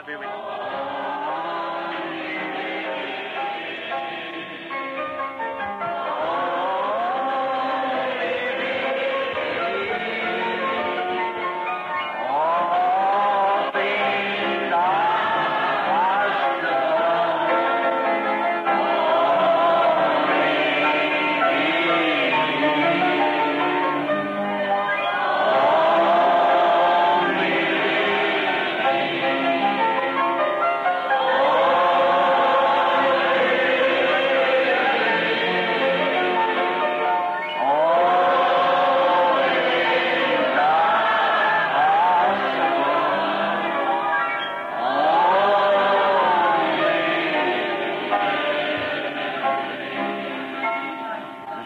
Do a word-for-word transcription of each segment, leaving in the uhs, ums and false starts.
All things are possible.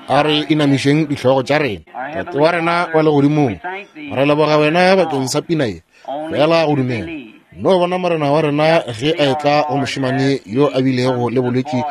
A re inamišeng dihlogo tša rena. Tate wa rena wa legodimong, re leboga wena bakeng sa pina ye, fela go dumela. No bona morena wa rena ge a etla go mošemane yo a bilego le bolwetši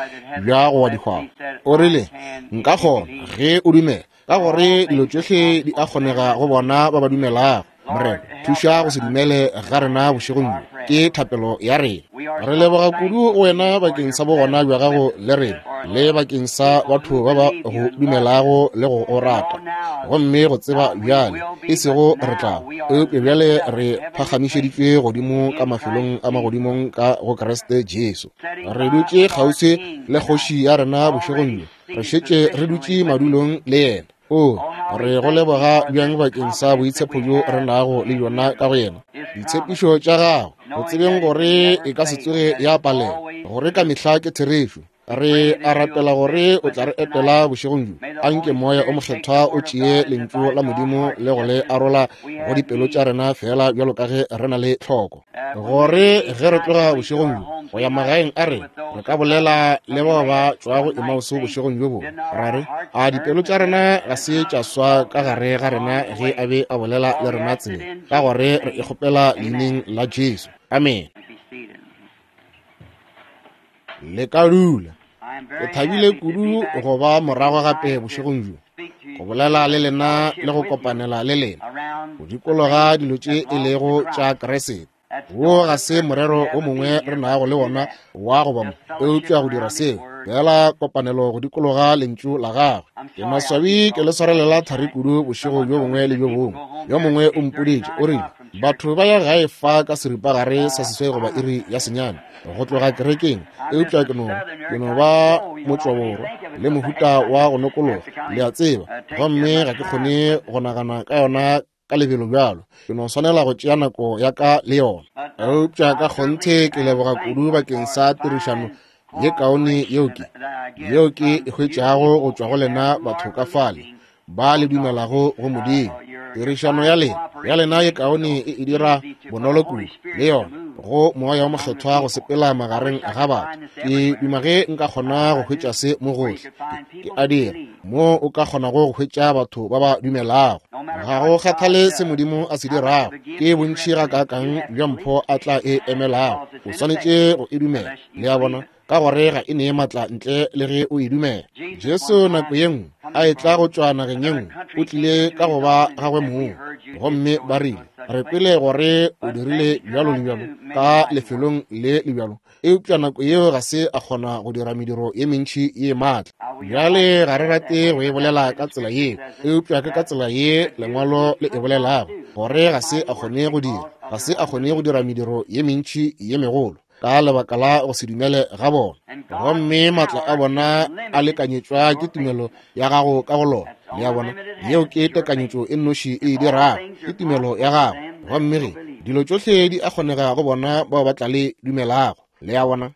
bja go wa dihwao. O rile, nka kgona ge o dumela, ka gore dilo tšohle di a kgonega go bona ba ba dumelago. Morena, thuša go se dumele ga rena bošegong bjo, ke thapelo ya rena. Re leboga kudu go wena bakeng sa bogona bja gago le rena, le bakeng sa batho ba ba go dumelago le go o rata. Gomme go tseba bjale, e sego re tla, eupša bjale re phagamišeditšwe godimo ka mafelong a magodimong ka go Kriste Jesu. Re dutše kgauswi le kgoši ya rena bošegong bjo, re šetše re dutše madulong le yena. O re go leboga bjang bakeng sa boitshepo bjo re nago le bjona ka go yena. Ditshepišo tša gago, go tsebeng gore e ka se tsoge ya palela, gore ka mehla ke therešo. Re a rapela gore o tla re etela bošegong bjo. Anke moya o mokgethwa o tšee lentšu la Modimo le go le arola go dipelo tša rena fela bjalo ka ge re na le tlhoko, gore ge re tloga bošegong bjo go ya magaeng a rena, re ka bolela le bao ba tšwago Emauso bošegong bjo bongwe, ra re, a dipelo tša rena ga se tša swa ka gare ga rena ge a be a bolela le rena tseleng, ka gore re e kgopela leineng la Jesu. Amen. Le ka dula. Ke thabile kudu go ba morago gape bošegong bjo, go bolela le lena le go kopanela le lena go dikologa dilo tše e lego tša Kriste. Wo ga se morero o mongwe re nago le wona wa go ba mo, eupša go dira seo fela kopanelo go dikologa lentšu la gagwe. Ke maswabi ke le swarelela thari kudu bošego bjo bongwe le bjo bongwe. Yo mongwe o mpoditše, o rile, batho ba ya gae fa ka seripagare sa seswai goba iri ya senyane go tloga kerekeng, eupša ke no ke no ba motšwaborwa le mohuta wa go nokologa, le a tseba, gomme ga ke kgone go nagana ka yona ka lebelo bjalo. Ke no swanela go tšea nako ya ka le yona. Eupša ka kgonthe ke leboga kudu bakeng sa tirišano ye kaone yeo ke yeo ke e hwetšago go tšwa go lena batho ka fale ba le dumelago go Modimo. Tirišano ya lena ya lena ye kaone e e dira bonolo kudu le yona go moya wa mokgethwa go sepela magareng ga batho. Ke duma ge nka kgona go hwetša se mo gohle. Ke a dira mo o ka kgonago go hwetša batho ba ba dumelago. Ga go kgathale se Modimo a se dirago, ke bontši gakaakang bja mpho a tla e emelago, o swanetše go e dumela. Le a bona, ka gore ga e nee maatla ntle le ge o e dumela. Jesu nako ye nngwe a etla go tšwa nageng ye nngwe, o tlile ka go ba gagwe mong, gomme ba rile, re kwele gore o dirile bjalo le bjalo ka lefelong le le bjalo, eupša nako yeo ga se a kgona go dira mediro ye mentši ye maatla. Bjale ga re rate go e bolela ka tsela yeo, eupša ke ka tsela ye lengwalo le e bolelago, gore ga se a kgone go dira, ga se a kgone go dira mediro ye mentši ye megolo ka lebaka la go se dumele ga bona. Gomme maatla a bona a lekanyetšwa ke tumelo ya gago ka go lona. Le a bona, yeo ke tekanyetšo e nnoši e e dirago, ke tumelo ya gago. Gomme ge dilo tšohle di a kgonega go bona bao ba tla le dumelago. Le a bona,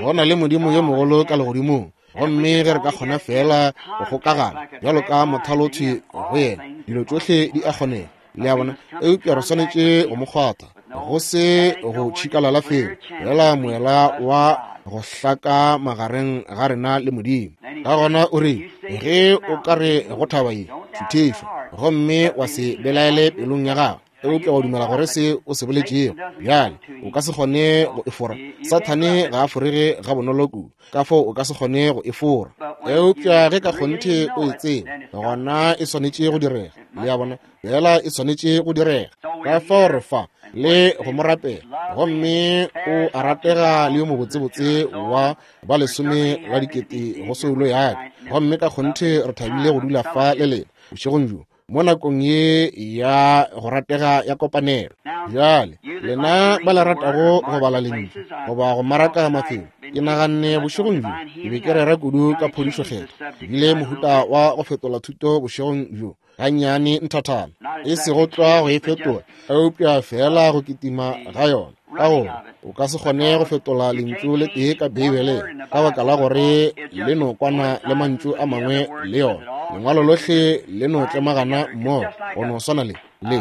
go na le Modimo yo mogolo ka legodimong, gomme ge re ka kgona fela go kgokagana bjalo ka mothalothwi go yena, dilo tšohle di a kgonega. Le a bona, eupša re swanetše go mo kgwatha, go se go tšhikalala felo, fela moela wa go hlaka magareng ga rena le Modimo. Ka gona o re, ge o ka re go thaba ye, šuthišwa, gomme wa se belaele pelong ya gago, eupša wa dumela gore se o se boletšego, bjale o ka se kgone go e fora. Sathane ga a forege ga bonolo kudu, ka fao o ka se kgone go e fora. Eupša ge ka kgonthe o e tseba, gona e swanetše go direga. Le a bona, fela e swanetše go direga. Ka fao re fa le go mo rapela. Gomme o a ratega le yo mobotsebotse wa ba lesome la dikete go soulo ya ka. Gomme ka kgonthe re thabile go dula fa le lena bošegong bjo mo nakong ye ya go ratega ya kopanelo. Bjale lena ba le ratago go bala lentšu goba go maraka mafelo, ke naganne bošegong bjo ke be ke rera kudu ka phodišo kgethwa, ebile mohuta wa go fetola thuto bošegong bjo gannyane nthathana, e sego tlwa go e fetola, eupša fela go kitima ga yona. Ka gore o ka se kgone go fetola lentšu le tee ka Beibeleng, ka baka la gore le no kwana le mantšu a mangwe le yona. Lengwalo lohle le no tlemagana mmogo go no swana le le.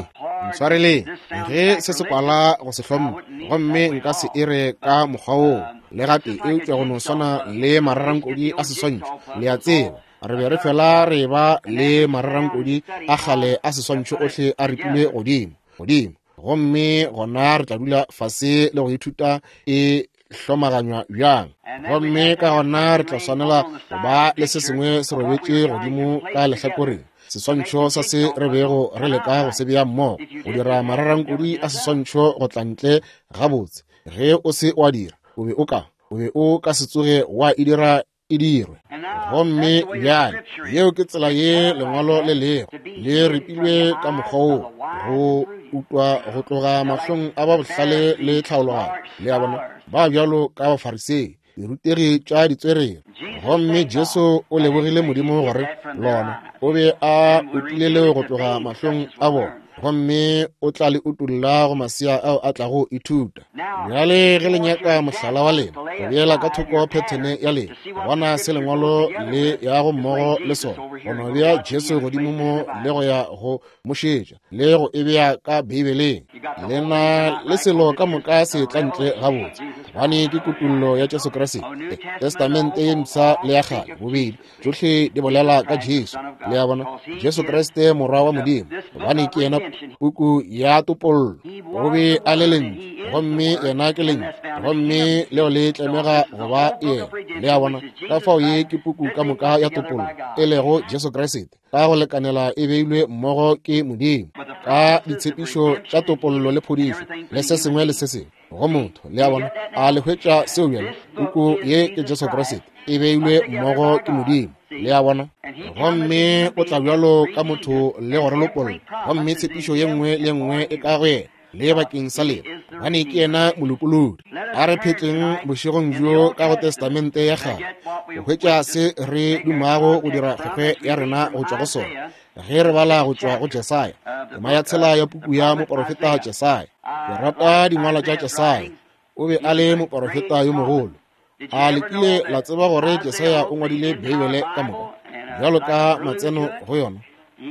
Ntshwareleng ge se se kwala go se hlompha, gomme nka se ere ka mokgwa woo le gape, eupša go no swana le mararankodi a seswantšho. Le a tseba, re be re fela re ba le mararankodi a kgale a seswantšho ohle a ripilwe godimo godimo, gomme gona re tla dula fase le go ithuta e hlomaganywa bjang. Gomme ka gona re tla swanela go ba le se sengwe se robetše godimo ka lehlakoreng, seswantšho sa se re bego re leka go se bea mmogo, go dira mararankodi a seswantšho go tla ntle gabotse. Ge o se wa dira, o be o ka o be o ka se tsoge wa e dira e dirwe. Gomme bjale yeo ke tsela ye lengwalo le lego le ripilwe ka mokgwa woo, go utwa go tloga mahlong a ba bohlale le tlhaologanyo. Le a bona, ba bjalo ka Bafarisei, dirutegi tša ditswerere. Gomme Jesu o lebogile Modimo gore lona o be a utile leo go tloga mahlong a bona, gomme o tla le utolla go masea ao a tlago ithuta. Bjale ge le nyaka mohlala wa lena, go beela ka thoko phethene ya lena, bona se lengwalo le yago mmogo le sona, go no bea Jesu godimo mo le go ya go mošetša le go e bea ka Beibeleng. Lena le selo ka moka se tla ntle gabotse, gobane ke kutullo ya Jesu Kriste. Testamente ye mpsha le ya kgale bobedi tšohle di bolela ka Jesu. Le a bona, Jesu Kriste morwa wa Modimo, gobane ke yena puku ya topollo. O be a le lentšu, gomme yena ke lentšu, gomme leo le tlemega go ba yena. Le a bona, ka fao ye ke puku ka moka ya topollo, e lego Jesu Kriste, ka go lekanela e beilwe mmogo ke Modimo ka ditshepišo tša topollo le phodišo le se sengwe le se sengwe go motho. Le a bona, a le hwetša seo bjale? Puku ye ke Jesu Kriste, e beilwe mmogo ke Modimo. Le a bona, gomme o tla bjalo ka motho le go re lopolla, gomme tshepišo ye nngwe le nngwe e ka go yena le bakeng sa lena, gobane ke yena molopolodi. A re phetleng bošegong bjo ka go Testamente ya kgale go hwetša se re dumago go dira kgwekgwe ya rena go tšwa go sona. Ge re bala go tšwa go Jesaya, tema ya tshela ya puku ya moporofeta Jesaya. Ke rata dingwalo tša Jesaya, o be a le moporofeta yo mogolo. A le kile la tseba gore Jesaya o ngwadile Beibele ka moka bjalo ka matseno go yona?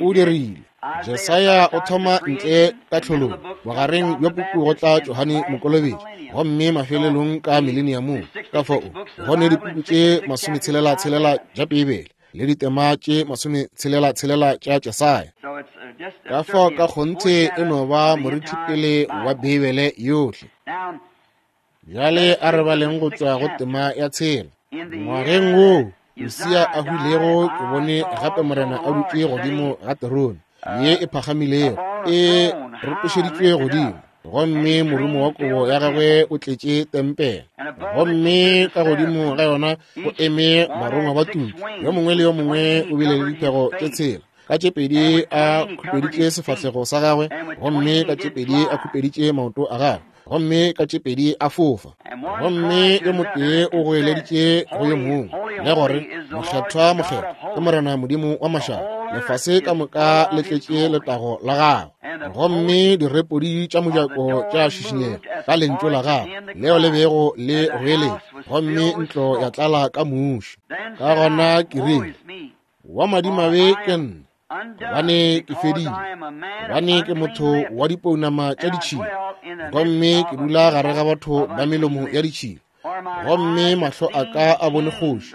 O dirile. Jesaya o thoma ntle ka tlholong, bogareng bja puku go tla Johane Mokolobetši, gomme mafelelong ka mileniamong. Ka fao go ne dipuku tše masometshelela-tshelela tša Beibele le ditema tše masometshelela-tshelela tša Jesaya. Ka fao ka kgonthe e no ba morithipele wa Beibele yohle. Bjale a re baleng go tšwa go tema ya tshela. Ngwageng woo Usia a hwilego, ke bone gape Morena a dutše godimo ga terone ye e phagamilego, e rotošeditšwe godimo, gomme morumo wa kobo ya gagwe o tletše tempele. Gomme ka godimo ga yona go eme barongwa ba tutu, yo mongwe le yo mongwe o bile le diphego tše tshela. Ka tše pedi a khupeditše sefahlego sa gagwe, gomme ka tše pedi a khupeditše maoto a gagwe, gomme ka tše pedi a fofa. Gomme yo motee o goeleditše go yo mongwe le gore, Mokgethwa, mokgethwa ke Morena Modimo wa mašaba, lefase ka moka le tletše letago la gagwe. Gomme direpodi tša mojako tša šišinyega ka lentšu la gagwe leo le bego le goeletša, gomme ntlo ya tlala ka muši. Ka gona ke rile, wa madimabe ke nna, gobane ke fedile, gobane ke motho wa dipounama tša ditšhila, gomme ke dula gare ga batho ba melomo ya ditšhila, gomme mahlo a ka a bone kgoši,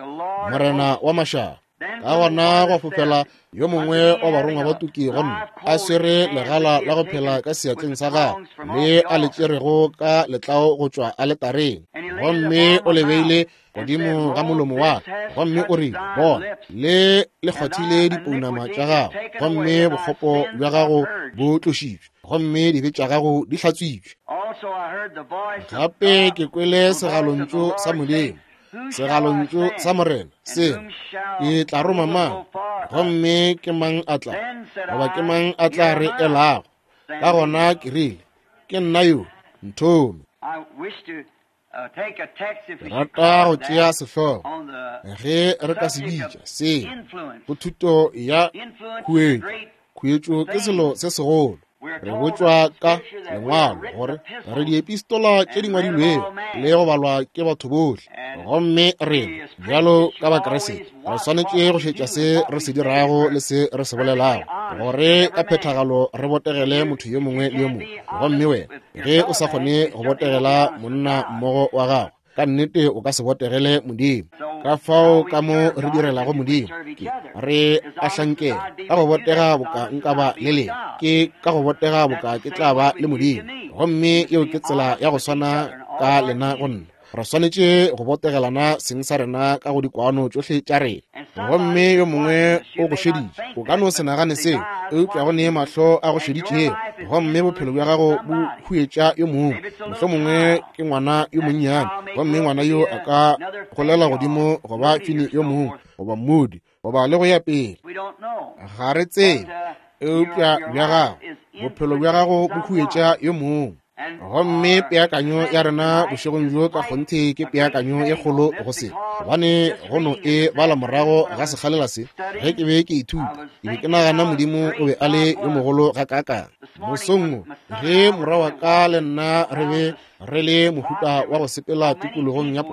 Morena wa mašaba. Ka gona gwa fofela yo mongwe wa barongwa ba tuki go nna, a swere legala la go phela ka seatleng sa gagwe le a le tšerego ka letlao go tšwa aletareng, gomme o le beile godimo ga molomo wa ka, gomme o rile, bona, le le kgwathile dipounama tša gago, gomme bokgopo bja gago bo tlošitšwe, gomme dibe tša gago di hlatswitšwe. Gape ke kwele segalontšu sa Modimo, segalontšu sa Morena, se ke tla roma mang, gomme ke mang a tla, goba ke mang a tla re elago? Ka gona ke rile, ke nna yo, nthome. Ke rata go tšea sehlogo, ge re ka se bitša se, go thuto ya khuetšo. Khuetšo ke selo se segolo. Re botšwa ka lengwalo gore re diepistola tše di ngwadilwego le go balwa ke batho bohle, gomme rena bjalo ka Bakriste re swanetše go šetša se re se dirago le se re se bolelago, gore ka phethagalo re botegele motho yo mongwe le yo mongwe. Gomme wena ge o sa kgone go botegela monna mmogo wa gago, ka nnete o ka se botegele Modimo. Ka fao ka mo re direlago Modimo, ke re a hlankela ka go botega boka nka ba le lena, ke ka go botega boka ke tla ba le Modimo. Gomme yeo ke tsela ya go swana ka lena go nna. Re swanetše go botegelana seng sa rena ka go dikwano tšohle tša rena. Gomme yo mongwe o go šeditše, o ka no se nagane seo, eupša go nee mahlo a go šeditšego, gomme bophelo bja gago bo huetša yo mongwe. Mohlomongwe ke ngwana yo monnyane, gomme ngwana yo a ka golela godimo goba fini yo mongwe, goba mmudi, goba le go ya pele. Ga re tsebe, eupša bja gago, bophelo bja gago bo huetša yo mongwe. Gomme peakanyo ya rena bošegong bjo ka kgonthe ke peakanyo e kgolo go se, gobane go no e bala morago ga sekgalela se. Ge ke be ke ithuta, ke be ke nagana Modimo o be a le yo mogolo gakaakang. Mosong wo, ge morwa wa ka le nna re be re le mohuta wa go sepela tikologong ya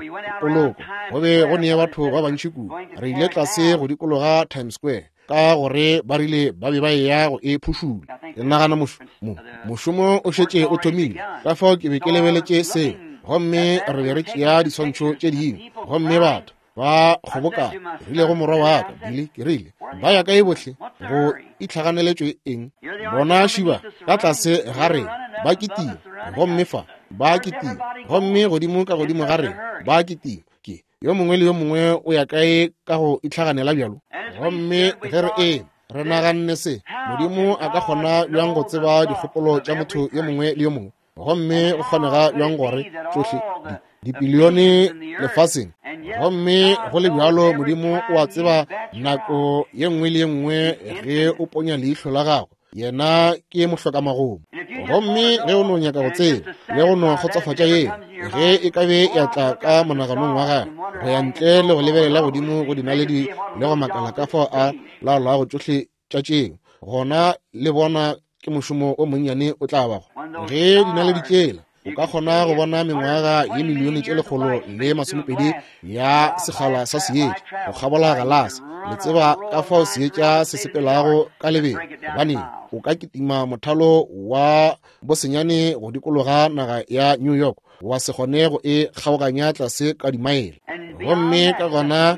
poloko, go be go nee batho ba bantši kudu. Re ile tlase go dikologa Times Square, ka gore ba rile ba be ba eya go e phušula. Ke nagana mošomo mošomo o šetše o thomile, ka fao ke be ke lebeletše seo. Gomme re be re tšea diswantšho tše dingwe, gomme batho ba kgobokana. Ke rile go morwa wa ka, Billy, ke rile, ba ya kae bohle? Go itlhaganeletšwe eng? Bona šiba ka tlase ga rena ba kitima, gomme fa ba kitima, gomme godimo ka godimo ga rena ba kitima. Ke yo mongwe le yo mongwe o ya kae ka go itlhaganela bjalo? Gomme ge re eme re naganne se, Modimo a ka kgona bjang go tseba dikgopolo tša motho yo mongwe le yo mongwe? Gomme go kgonega bjang gore tšohle dipilione lefaseng, gomme go le bjalo Modimo o a tseba nako ye nngwe le ye nngwe ge o ponya leihlo la gago, yena ke mohlokamagomo. Gomme ge o no nyaka go tseba le go no kgotsofatša yena, ge e ka be ya tla ka monaganong wa gagwe go ya ntle le go lebelela godimo go dinaledi le go makala ka fao a laolago tšohle tša tšeo, gona le bona ke mošomo o monnyane o tla bago. Ge dinaledi tšela o ka kgona go bona mengwaga ye milione tše lekgolo le masomepedi ya sekgala sa seetša go kgabola galase. Le tseba ka fao seetša se sepelago ka lebelo, gobane o ka kitima mothalo wa bosenyane go dikologa naga ya New York, wa se kgone go e kgaoganya tlase ka dimaele. Gomme ka gona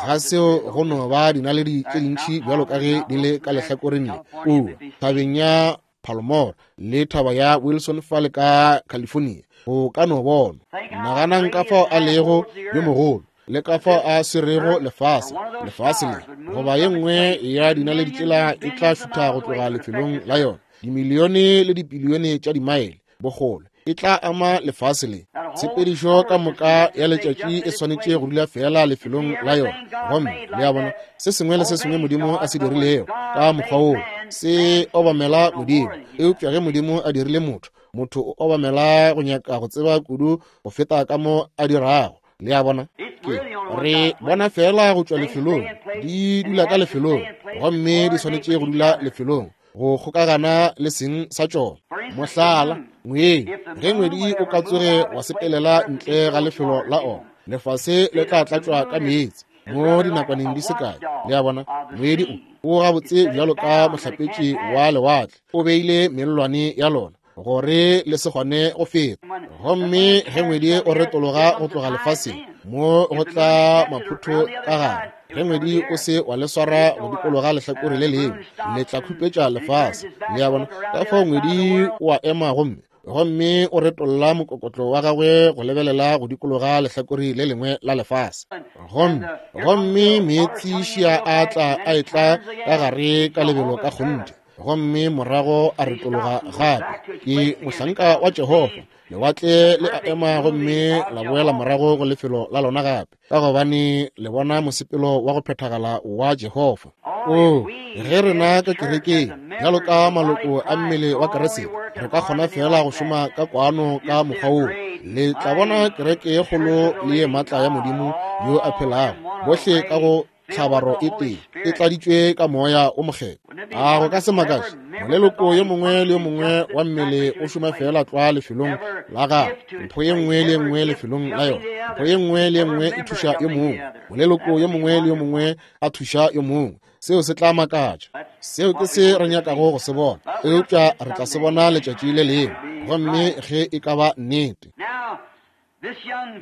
ga seo go no ba dinaledi tše dintši bjalo ka ge di le ka lehlakoreng le kua thabeng ya Palomar le thaba ya Wilson fale ka California, go ka no bona. Naganang ka fao a lego yo mogolo, le ka fao a swerego lefase. Lefase le goba ye nngwe ya dinaledi tšela e tla šutha go tloga lefelong la yona, dimilione le dipilione tša dimaele bogolo, e tla ama lefase le. Tshepedišo ka moka ya letšatši e swanetše go dula fela lefelong la yona. Gomme le a bona, se sengwe le se sengwe Modimo a se dirilego ka mokgwa woo se obamela Modimo. Eupša ge Modimo a dirile motho, motho o obamela go nyaka go tseba kudu go feta ka mo a dirago. Le a bona, ke re bona fela go tšwa lefelong, di dula ka lefelong, gomme di swanetše go dula lefelong go kgokagana le seng sa tšona. Mohlala, ngwedi, ge ngwedi o ka tsoge wa sepelela ntle ga lefelo la ona, lefase le tla tlatšwa ka meetse mo dinakwaneng di se kae. Le a bona, ngwedi o o gabotse bjalo ka mohlapetši wa lewatle, o beile mellwane ya lona gore le se kgone go feta. Gomme ge ngwedi o retologa go tloga lefaseng, mo go tla maphutho ka gare. Ge ngwedi o se wa le swara go dikologa lehlakore le lengwe, le tla khupetša lefase. Le a bona, ka fao ngwedi o a ema gomme gomme o retolla mokokotlo wa gagwe go lebelela go dikologa lehlakore le lengwe la lefase. Gomme gomme meetse šia a tla a etla ka gare ka lebelo ka kgonthe. gomme morago a retologa gape. Ke mohlanka wa Jehofa. Lewatle le a ema gomme la boela morago go lefelo la lona gape, ka gobane le bona mosepelo wa go phethagala wa Jehofa. O, ge rena ka kerekeng bjalo ka maloko a mmele wa Kriste re ka kgona fela go šoma ka kwano ka mokgwa woo, le tla bona kereke ye kgolo le ye maatla ya Modimo yo a phelago, bohle ka go tlhabaro e tee e tladitšwe ka moya o mokgethwa. A go ka se makatše, moleloko yo mongwe le yo mongwe wa mmele o šoma fela tlwa lefelong la gagwe, mpho ye nngwe le ye nngwe lefelong la yona, mpho ye nngwe le ye nngwe e thuša yo mongwe, moleloko yo mongwe le yo mongwe a thuša yo mongwe. Seo se tla makatša. Seo ke se re nyakago go se bona, eupša re tla se bona letšatši le lengwe, gomme ge e ka ba nnete.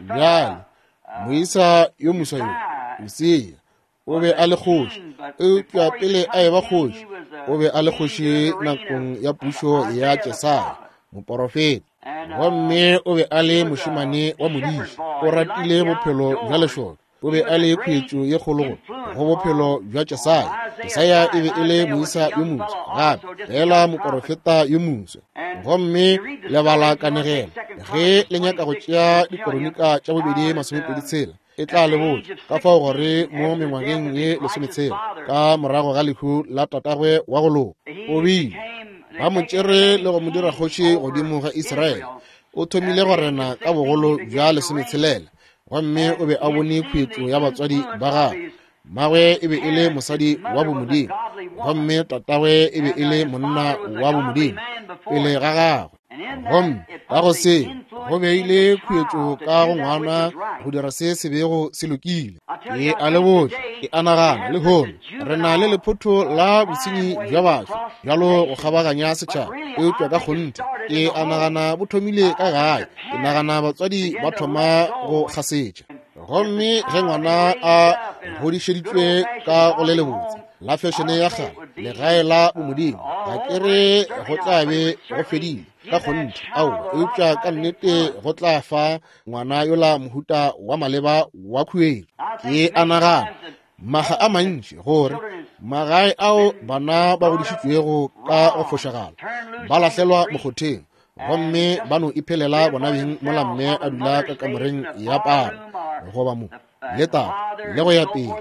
Bjale moisa yo moswa yo, Usia, o be a le kgoši, eupša pele a eba kgoši, o be a le kgoši nakong ya pušo ya Jesaya moporofeta, gomme o be a le mošemane wa modiši. O ratile bophelo bja lešoka. O be a le khuetšo ye kgolo go bophelo bja Jesaya. Jesaya e be e le moisa yo moswa gape, fela moporofeta yo moswa. Gomme le bala kanegelo ge le nyaka go tšea dikoronika tša bobedi masomepedi tshela, e tla le botša ka fao gore mo mengwageng ye lesometshela ka morago ga lehu la tatagwe wa go loka, o bile ba mo tšere le go mo dira kgoši godimo ga Israele. O thomile go rena ka bogolo bja lesometshelela, gomme o be a bone khuetšo ya batswadi ba gagwe. Mmagwe e be e le mosadi wa bomodimo, gomme tatagwe e be e le monna wa bomodimo pele ga gagwe. Gomme ka go se go beile khuetšo ka go ngwana go dira se se bego se lokile. Ke a le botša, ke a nagana lehono re na le lephotho la bosenyi bja batho bjalo go kgabaganya setšhaba, eupša ka kgonthe ke a nagana bo thomile ka gae. Ke nagana batswadi ba thoma go gasetša, gomme ge ngwana a godišeditšwe ka go le lebotse la fešene ya kgale, legae la bomodimo, ga ke re go tla be go fedile ka kgonthe, aowa, eupša ka nnete go tla fa ngwana yola mohuta wa maleba wa khuetšo. Ke a nagana maga a mantši gore magae ao bana ba godišitšwego ka go fošagala ba lahlelwa mokgotheng, gomme ba no iphelela bona beng mola mme a dula ka kamoreng ya palo goba mo le tata le go ya pele.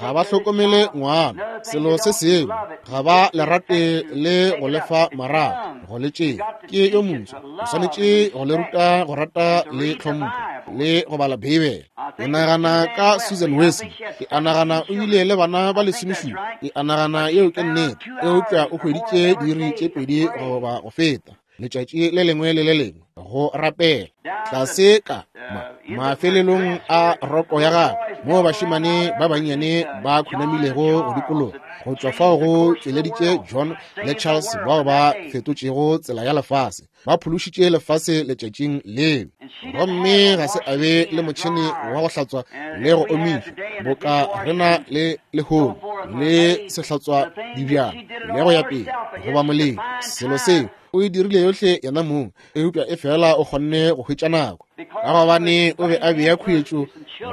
Ga ba hlokomele ngwana selo se sengwe, ga ba le rate le go lefa marato go le tšea. Ke yo moswa, o swanetše go le ruta go rata le tlhompho le go bala Beibele. Ke nagana ka Susan Wesley, ke a nagana o ile le bana ba lesomešupa, ke a nagana yeo ke nnete, eupša o hweditše diiri tše pedi goba go feta letšatši le lengwe le le lengwe go rapela. Tlase ka ma mafelelong a roko ya gagwe moo bašemane ba bannyane ba khunamilego go dikologa, go tšwa fao go tšweleditše John le Charles bao ba fetotšego tsela ya lefase, ba phološitše lefase letšatšing leo. Gomme ga se a be le motšhene wa go hlatswa le go omiša boka rena le lehono le sehlatswa dibjana le go ya pele goba moleng. Selo seo o e dirile yohle yena mong, eupša e fela o kgonne go hwetša nako, ka gobane o be a bea khuetšo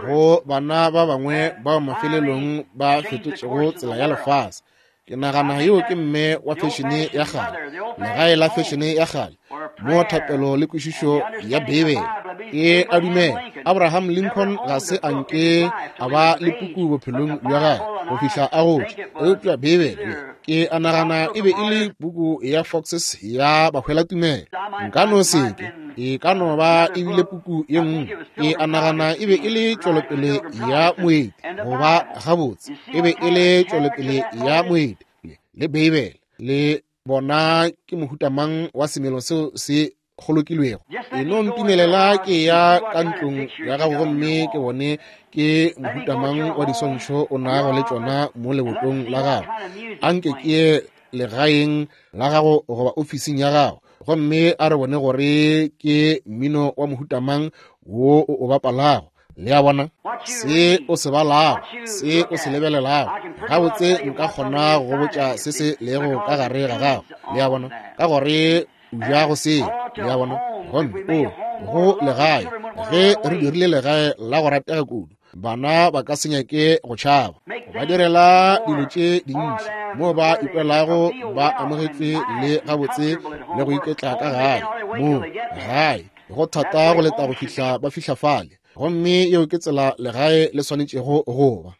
go bana ba bangwe bao mafelelong ba fetotšego tsela ya lefase. Ke nagana yeo ke mme wa fešene ya kgale, legae la fešene ya kgale, mo thapelo le kwešišo ya Beibele. Ke a dumela Abraham Lincoln ga se a nke a ba le puku bophelong bja gagwe go fihla a gotše, eupša Beibele ke a nagana e be e le puku ya Foxes ya bahwelatumelo. Nka no se ke, e ka no ba e bile puku ye nngwe. Ke a nagana e be e le tšwelopele ya moeti, goba gabotse e be e le tšwelopele ya moeti le Beibele. Le bona ke mohuta mang wa semelo seo se kgolokilwego. E no ntumelela ke ya ka ntlong ya gago gomme ke bone ke mohuta mang wa diswantšho o nago le tšona mo lebotong la gago. Anke ke ye legaeng la gago goba ofising ya gago, gomme a re bone gore ke mmino wa mohuta mang wo o o bapalago. Le a bona se o se balago, se o se lebelelago. Gabotse nka kgona go botša se se lego ka gare ga gago. Le a bona, ka gore o ja go se. Le a bona, gomme o go legae. Ge re dirile legae la go ratega kudu, Bana ba ka se nyake go tšhaba. Ba direla dilo tše dintši mo ba ikwelago ba amogetšwe le gabotse le go iketla ka gae. Mo gae go thata go leta go fihla ba fihla fale. Gomme yeo ke tsela legae le swanetšego go ba.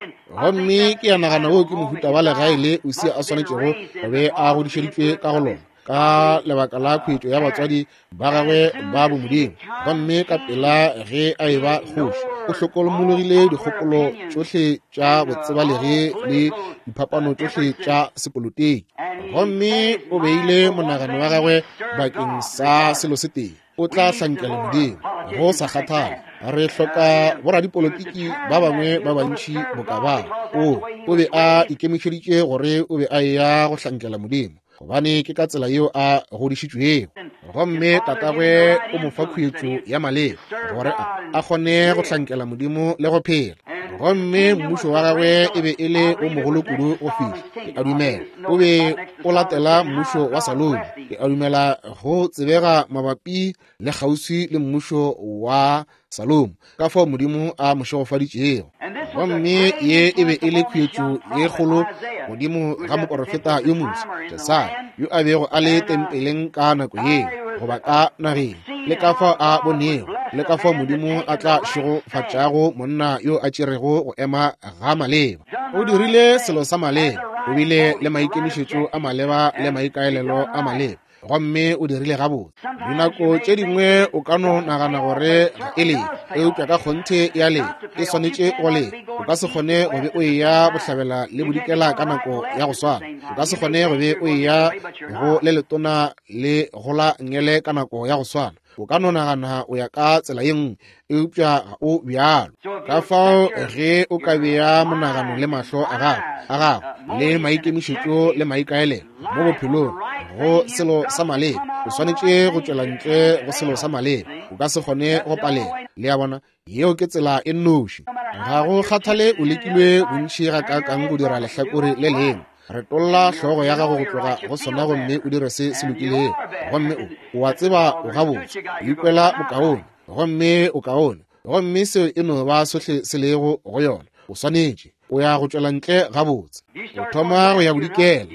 Gomme ke a nagana wo ke mohuta wa legae le Usia a swanetšego go be a godišeditšwe ka go lona, ka lebaka la khuetšo ya batswadi ba gagwe ba bomodimo. Gomme ka pela ge a eba kgoši, o hlokomologile dikgopolo tšohle tša botsebalegi le diphapano tšohle tša sepolotiki. Gomme o beile monagano wa gagwe bakeng sa selo se tee, o tla hlankela Modimo go sa kgathale. Re hloka boradipolotiki ba bangwe ba bantši boka ba. O o be a ikemišeditše gore o be a eya go hlankela Modimo, gobane ke ka tsela yeo a godišitšwego. Gomme tatagwe o mo fa khuetšo ya maleba gore a a kgone go hlankela Modimo le go phela. Gomme mmušo wa gagwe e be e le o mogolo kudu go fihla, ke a dumela, o be o latela mmušo wa Salomo. Ke a dumela go tsebega mabapi le kgauswi le mmušo wa Salomo, ka fao Modimo a mo šegofaditšego. Gomme ye e be e le khuetšo ye kgolo godimo ga moporofeta yo moswa Jesaya, yo a bego a le tempeleng ka nako yeo, goba ka nageng, le ka fao a bonego, le ka fao Modimo a tla šegofatšago monna yo a tšerego go ema ga maleba. O dirile selo sa maleba, o bile le maikemišetšo a maleba le maikaelelo a maleba, gomme o dirile gabotse. Dinako tše dingwe o ka no nagana gore ga e leke, eupša ka kgonthe e a leka, e swanetše go leka. O ka se kgone go be o eya bohlabela le bodikela ka nako ya go swana. O ka se kgone go be o eya go le letona le go la ngele ka nako ya go swana. O ka no nagana o ya ka tsela ye nngwe, eupša ga o bjalo. Ka fao ge o ka bea monagano le mahlo a gago a gago le maikemišetšo le maikaelelo mo bophelong go selo sa maleba, o swanetše go tšwela ntle go selo sa maleba. O ka se kgone go palela. Le a bona, yeo ke tsela e nnoši. Ga go kgathale o lekilwe bontši gakaakang go dira lehlakore le lengwe, retolla hlogo ya gago go tloga go sona gomme o dire se se lokilego. Gomme o o a tseba o gabotse, o ikwela bokaone, gomme o kaone, gomme seo e no ba sohle se lego go yona. O swanetše o ya go tšwela ntle gabotse. O thoma go ya bodikela,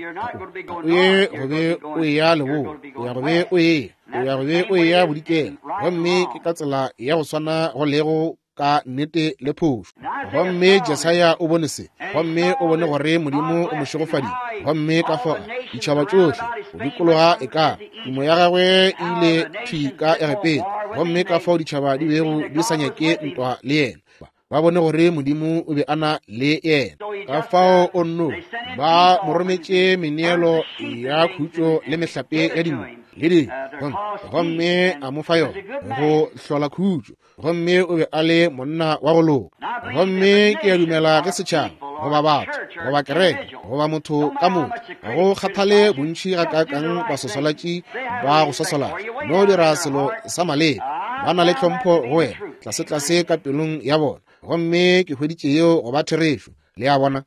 o ye go be o eya leboa, o ya go be o eya, o ya go be o eya bodikela. Gomme ke ka tsela ya go swana go lego ka nnete le phošo. Gomme Jesaya o bone se, gomme o bone gore Modimo o mo šegofaditše. Gomme ka fao ditšhaba tšohle go dikologa e ka tumo ya gagwe e ile thwi ka Egepeta, gomme ka fao ditšhaba di bego di sa nyake ntwa le yena, ba bone gore Modimo o be a na le yena. Ka fao o nno ba mo rometše meneelo ya khutšo le mehlape ya dinku le dinku, gomme a mo fa yona go hlola khutšo. Gomme o be a le monna wa go loka. Gomme ke a dumela ge setšhaba goba batho goba kereke goba motho ka motho, go kgathale bontši gakaakang baswaswalatši ba go swaswalatša, no dira selo sa maleba, ba na le tlhompho go wena tlasetlase ka pelong ya bona. Gomme ke hweditše yeo go ba therešo. Le a bona?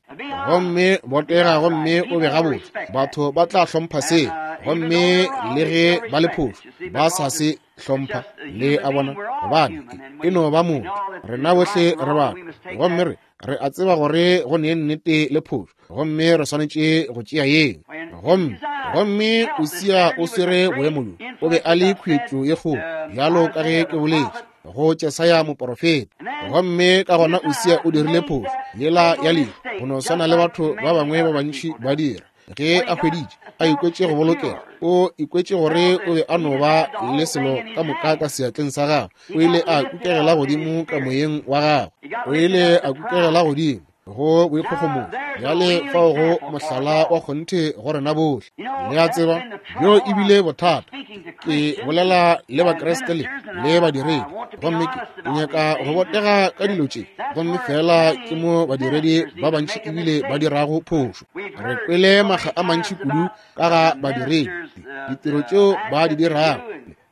Gomme botega gomme o be gabotse, batho ba tla hlompha seo. Gomme le ge ba le phošo, ba sa se hlompha. Le a bona? Gobane e no ba motho, rena bohle re batho, gomme re re a tseba gore go ne nnete le phošo, gomme re swanetše go tšea yeng. Gomme gomme Usia o swere boemo bjo, o be a le khuetšo ye kgolo, bjalo ka ge ke boletše go Jesaya moporofeta. Gomme ka gona Usia o dirile phošo yela ya lehu, go no swana le batho ba bangwe ba bantši ba dira. Ge a hweditše a ikwetše go bolokega, o ikwetše gore o be a no ba le selo ka moka ka seatleng sa gagwe. O ile a kukegela godimo ka moyeng wa gagwe, o ile a kukegela godimo go boikgogomošo. Bjale fao go mohlala wa kgonthe go rena bohle. Le a tseba, bjo e bile bothata. Ke bolela le Bakreste le le badiredi, gomme ke nyaka go botega ka dilo tše, gomme fela ke mo badiredi ba bantši ebile ba dirago phošo. Re kwele makga a mantši kudu ka ga badiredi, ditiro tšeo ba di dirago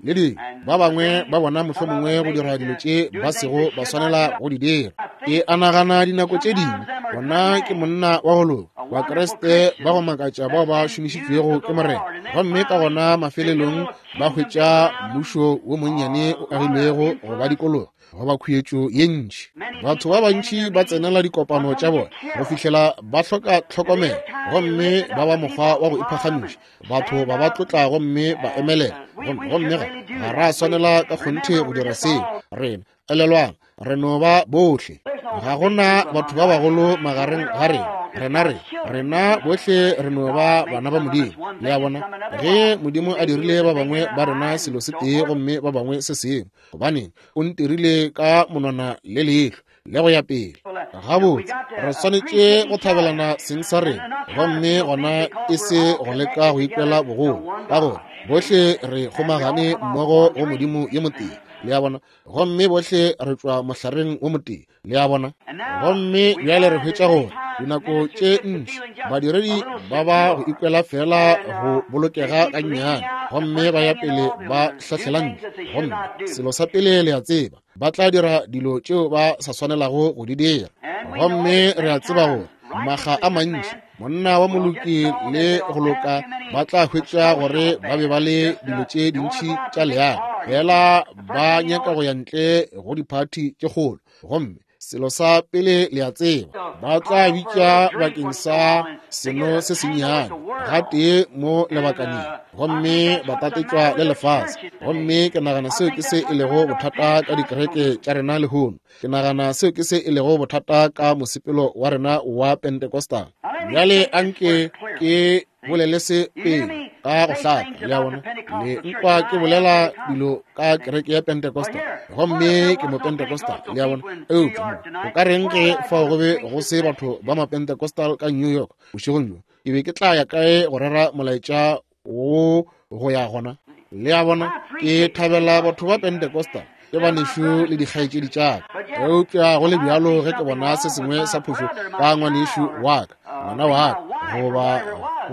le dingwe. Ba bangwe ba bona mohlomongwe go dira dilo tše ba sego ba swanela go di dira. Ke a nagana dinako tše dingwe bona ke monna wa go loka, Bakriste ba go makatša bao ba šomišitšwego ke Morena, gomme ka gona mafelelong ba hwetša mmušo wo monnyane o agilwego go ba dikologa goba khuetšo ye ntši. Batho ba bantši ba tsenela dikopano tša bona go fihlela ba hloka tlhokomelo, gomme ba ba mokgwa wa go iphagamiša. Batho ba ba tlotla gomme ba emelela, gomme ga ga ra swanela ka kgonthe go dira seo. Rena, elelwang, re no ba bohle. Ga gona batho ba bagolo magareng ga rena. Rena re rena bohle re no ba bana ba Modimo. Le a bona, ge Modimo a dirile ba bangwe ba rena selo se tee gomme ba bangwe se sengwe, gobaneng o ntirile ka monwana le leihlo le go ya pele. Gabotse, re swanetše go thabelana seng sa rena, gomme gona e se go leka go ikwela bogolo, ka gore bohle re kgomagane mmogo go Modimo yo motee. Le a bona, gomme bohle re tšwa mohlareng wo motee. Le a bona, gomme bjale re hwetša gore dinako tše ntši badiredi ba ba go ikwela fela go bolokega gannyane, gomme ba ya pele ba hlahlela ntle, gomme selo sa pele le a tseba, ba tla dira dilo tšeo ba sa swanelago go di dira. Gomme re a tseba gore maga a mantši monna wa moloki le go loka ba tla hwetša gore ba be ba le dilo tše dintši tša leago, fela ba nyaka go ya ntle go diphathi tše kgolo, gomme selo sa pele le a tseba, ba tla bitša bakeng sa seno se sennyane gatee mo lebakaneng, gomme ba tatetšwa le lefase. Gomme ke nagana seo ke se e lego bothata ka dikereke tša rena lehono. Ke nagana seo ke se e lego bothata ka mosepelo wa rena wa Pentecostal. Bjale anke ke bolele se pele ka go hlaka. Le a bona, le nkwa ke bolela dilo ka kereke ya Pentecostal, gomme ke mo Pentecostal. Le a bona, eupša mo o ka reng ge fao go be go se batho ba ma Pentecostal ka New York bošegong bjo? Ke be ke tla ya kae go rera molaetša wo go ya gona? Le a bona, ke thabela batho ba Pentecostal, ke banešu le dikgaetšedi tša ka, eupša go le bjalo ge ke bona se sengwe sa phošo ka ngwanešu wa ka, ngwana wa ka, goba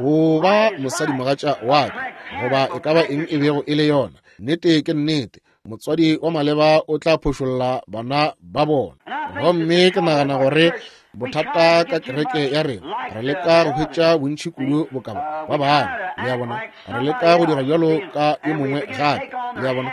goba mosadimogatša wa ka, goba e ka ba eng e bego e le yona, nnete ke nnete, motswadi wa maleba o tla phošolla bana ba bona. Gomme ke nagana gore bothata ka kereke ya rena, re leka go hwetša bontši kudu bokaba ba bangwe. Le a bona, re leka go dira bjalo ka yo mongwe gape. Le a bona,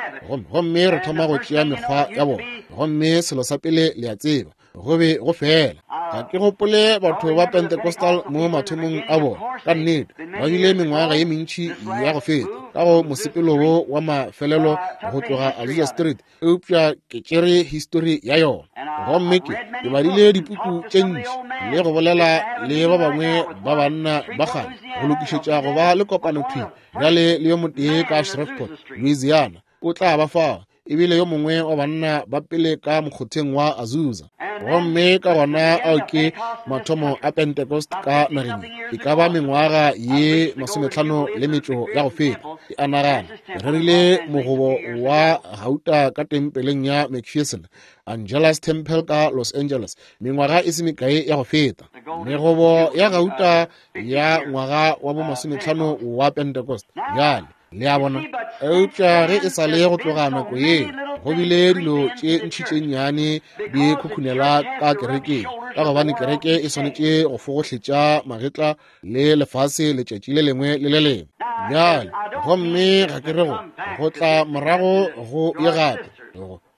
gomme re thoma go tšea mekgwa ya bona, gomme selo sa pele le a tseba, go be go fela. Ga ke gopole batho ba Pentecostal mo mathomong a bona, ka nnete ba bile mengwaga ye mentši ya go feta ka go mosepelo wo wa mafelelo go tloga Azusa Street, eupša ke tšere histori ya yona, gomme ke ke badile dipuku tše ntši le go bolela le ba bangwe ba banna ba kgale go lokišetša go ba le kopano thwi bjale le yo motee ka Shreveport, Louisiana, o tla ba fao, ebile yo mongwe wa banna ba pele ka mokgotheng wa Azusa. Gomme ka gona ao ke mathomo a Pentecost ka nageng, e ka ba mengwaga ye masometlhano le metšo ya go feta. Ke a nagana re rerile mogobo wa gauta ka tempeleng ya McPherson Angelus Temple ka Los Angeles mengwaga e se mekae ya go feta. Megobo ya gauta ya ngwaga wa bo masometlhano wa Pentecost. Bjale le a bona, eupša ge e sa le go tloga nako ye, go bile dilo tše ntši tše nnyane di khukhunela ka kerekeng, ka gobane kereke e swanetše go fogohletša magetla le lefase letšatši le lengwe le le lengwe. Bjale gomme ga ke re go go tla morago go ye gape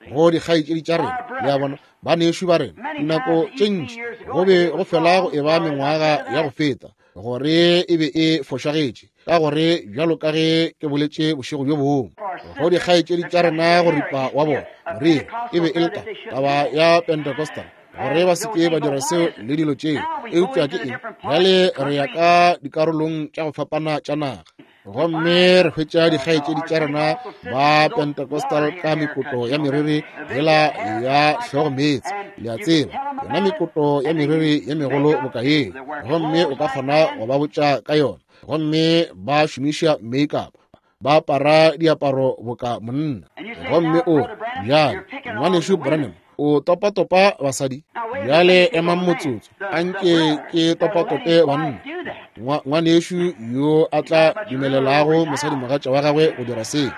go dikgaetšedi tša rena. Le a bona, banešu ba rena, dinako tše ntši go be go fela go e ba mengwaga ya go feta gore e be e fošagetše, ka gore bjalo ka ge ke boletše bošego bjo bongwe go dikgaetšedi tša rena go ripa wa bona moriri e be e le taba ya Pentecostal, gore ba se ke ba dira seo le dilo tšeo. Eupša ke eng? Bjale re ya ka dikarolong tša go fapana tša naga, gomme re hwetša dikgaetšedi tša rena ba Pentecostal ka mekoto ya meriri yela ya hlogo meetse. Le a tseba, yona mekoto ya meriri ye megolo boka yeo, gomme o ka kgona go ba botša ka yona, gomme ba šomiša makeup, ba apara diaparo boka monna. Gomme o bjale, ngwanešu Branham, O topatopa basadi. Bjale emang motsotso, anke ke topatope banna. Ngwanešu yo a tla dumelelago mosadimogatša wa gagwe go dira seo,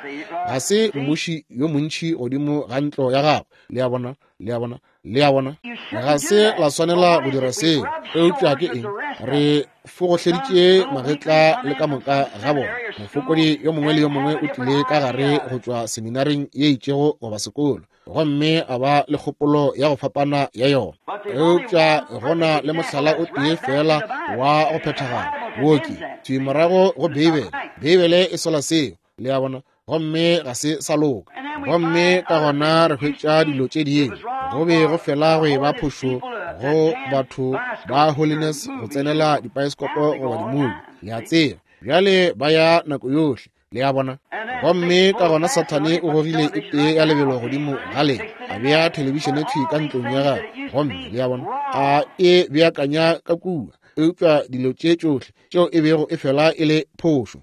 ga se mmuši yo montši godimo ga ntlo ya gagwe. Le a bona? Le a bona? Le a bona? Ga se la swanela go dira seo. Eupša ke eng? Re fogohleditše magetla le ka moka ga bona. Mofokodi yo mongwe le yo mongwe o tlile ka gare go tšwa seminaring ye itšego goba sekolo, gomme a ba le kgopolo ya go fapana ya yona. Eupša gona le mohlala o tee fela wa go phethagala, wo ke thwi morago go Beibele. Beibele e sola seo, le a bona, gomme ga se sa loka. Gomme ka gona re hwetša dilo tše dingwe. Go be go fela go eba phošo go batho ba Holiness go tsenela dipaeskopo goba dimuvi, le a tseba. Bjale ba ya nako yohle, le a bona. Gomme ka gona Sathane o gogile e tee ya lebelo godimo ga lena, a bea thelebišene thwi ka ntlong ya gagwe, gomme le a bona, a e beakanya ka kua. Eupša dilo tše tšohle tšeo e bego e fela e le phošo.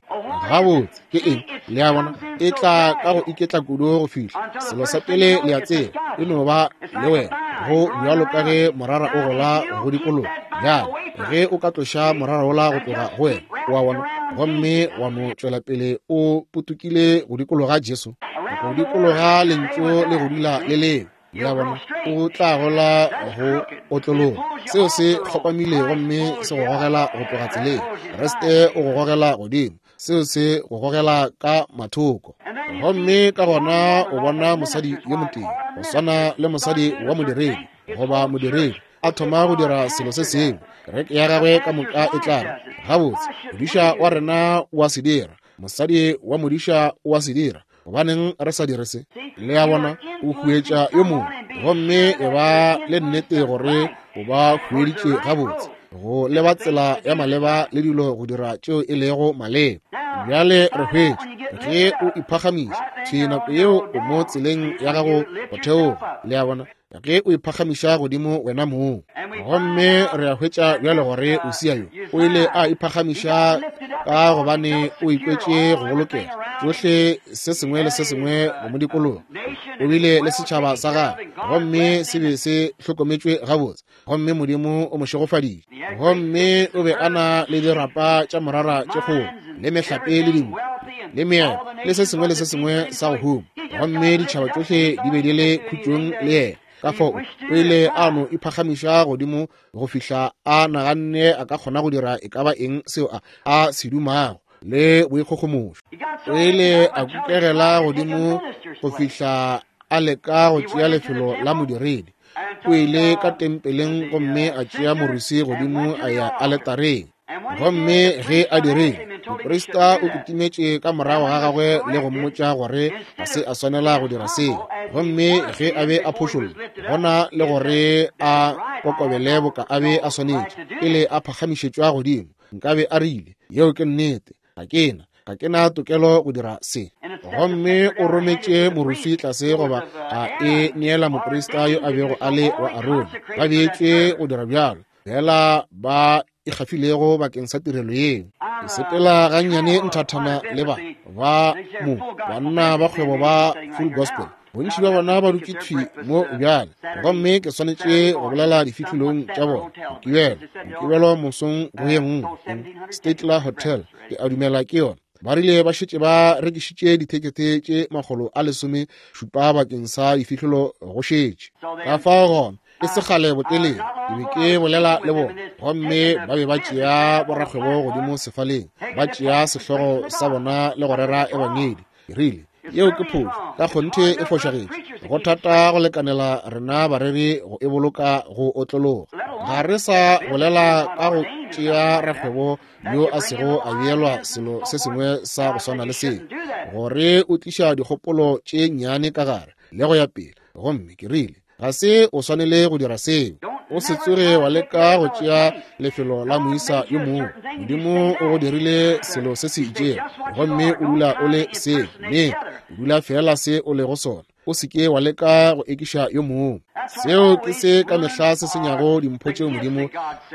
Gabotse ke eng? Le a bona, e tla ka go iketla kudu go fihla selo sa pele le a tseba e no ba le wena, go bjalo ka ge morara o gola go dikologa. Bjale ge o ka tloša morara wola go tloga go wena, wa bona, gomme wa no tšwela pele o potokile go dikologa Jesu, go dikologa lentšu le go dula le leo, le a bona, o tla gola go otlologa. Seo se kgopamile gomme se go gogela go tloga tseleng. Kriste o go gogela godimo, seo se go gogela ka mathoko. Gomme ka gona o bona mosadi yo motee, go swana le mosadi wa modiredi goba modiredi, a thoma go dira selo se sengwe, kereke ya gagwe ka moka e tla re, gabotse, modiša wa rena o a se dira, mosadi wa modiša o a se dira, gobaneng re sa dire se? Le a bona, o huetša yo mongwe, gomme e ba le nnete gore o ba hueditše gabotse, go leba tsela ya maleba le dilo go dira tšeo e lego maleba. Bjale re hwetše ge o iphagamiša thwi nako yeo o mo tseleng ya gago go theoga, le a bona, ge o iphagamiša godimo wena mong. Gomme re a hwetša bjale gore Usia yo o ile a iphagamiša ka gobane o ikwetše go bolokega, tšohle se sengwe le se sengwe go mo dikologa. O bile le setšhaba sa gagwe, gomme se be se hlokometšwe gabotse, gomme Modimo o mo šegofaditše. Gomme o be a na le dirapa tša morara tše kgolo, le mehlape le dinku, le meepo, le se sengwe le se sengwe sa go huma, gomme ditšhaba tšohle di be di le khutšong le yena. Ka fao o ile a no iphagamiša godimo go fihla a naganne a ka kgona go dira e ka ba eng seo a a se dumago le boikgogomošo. O ile a kukegela godimo go fihla a leka go tšea lefelo la modiredi. O ile ka tempeleng gomme a tšea morwesi godimo a ya aletareng. Gomme ge a dirile, moprista o kitimetše ka morago ga gagwe le go mmotša gore ga se a swanela go dira seo. Gomme ge a be a phošolla, gona le gore a kokobele boka a be a swanetše, pele a phagamišetšwa godimo, nkabe a rile, yeo ke nnete, ga ke na ga ke na tokelo go dira se. Gomme o rometše moruswi tlase goba a e neela moprista yo a bego a le wa Arone. Ba beetšwe go dira bjalo, fela ba e gafilego bakeng sa tirelo yeo. Ke sepela gannyane nthathana le ba ba mo banna ba kgwebo ba Full Gospel. Bontši bja bona ba dutše thwi mo bjale, gomme ke swanetše go bolela difihlolong tša bona. Mokibelo, Mokibelo mosong go ye nngwe, Statler Hotel, ke a dumela ke yona. Ba rile ba šetše ba rekišitše dithekete tše makgolo a lesome šupa bakeng sa difihlolo go šetše. Ka fao gona e se kgale botelele ke be ke bolela le bona, gomme ba be ba tšea borakgwebo godimo sefaleng, ba tšea sehlogo sa bona le go rera ebangedi. Ke rile, yeo ke phošo, ka kgonthe e fošagetše. Go thata go lekanela rena bareri go e boloka go otlologa. Ga re sa bolela ka go tšea rakgwebo yo a sego a beelwa selo se sengwe sa go swana le seo, gore o tliša dikgopolo tše nnyane ka gare le go ya pele. Gomme ke rile, ga se o swanele go dira seo. O se tsoge wa leka go tšea lefelo la moisa yo mongwe. Modimo o go dirile selo se se itšego, gomme o dula o le seo, mme o dula fela se o lego sona. O se ke wa leka go ekiša yo mongwe. Seo ke se ka mehla se senyago dimpho tšeo Modimo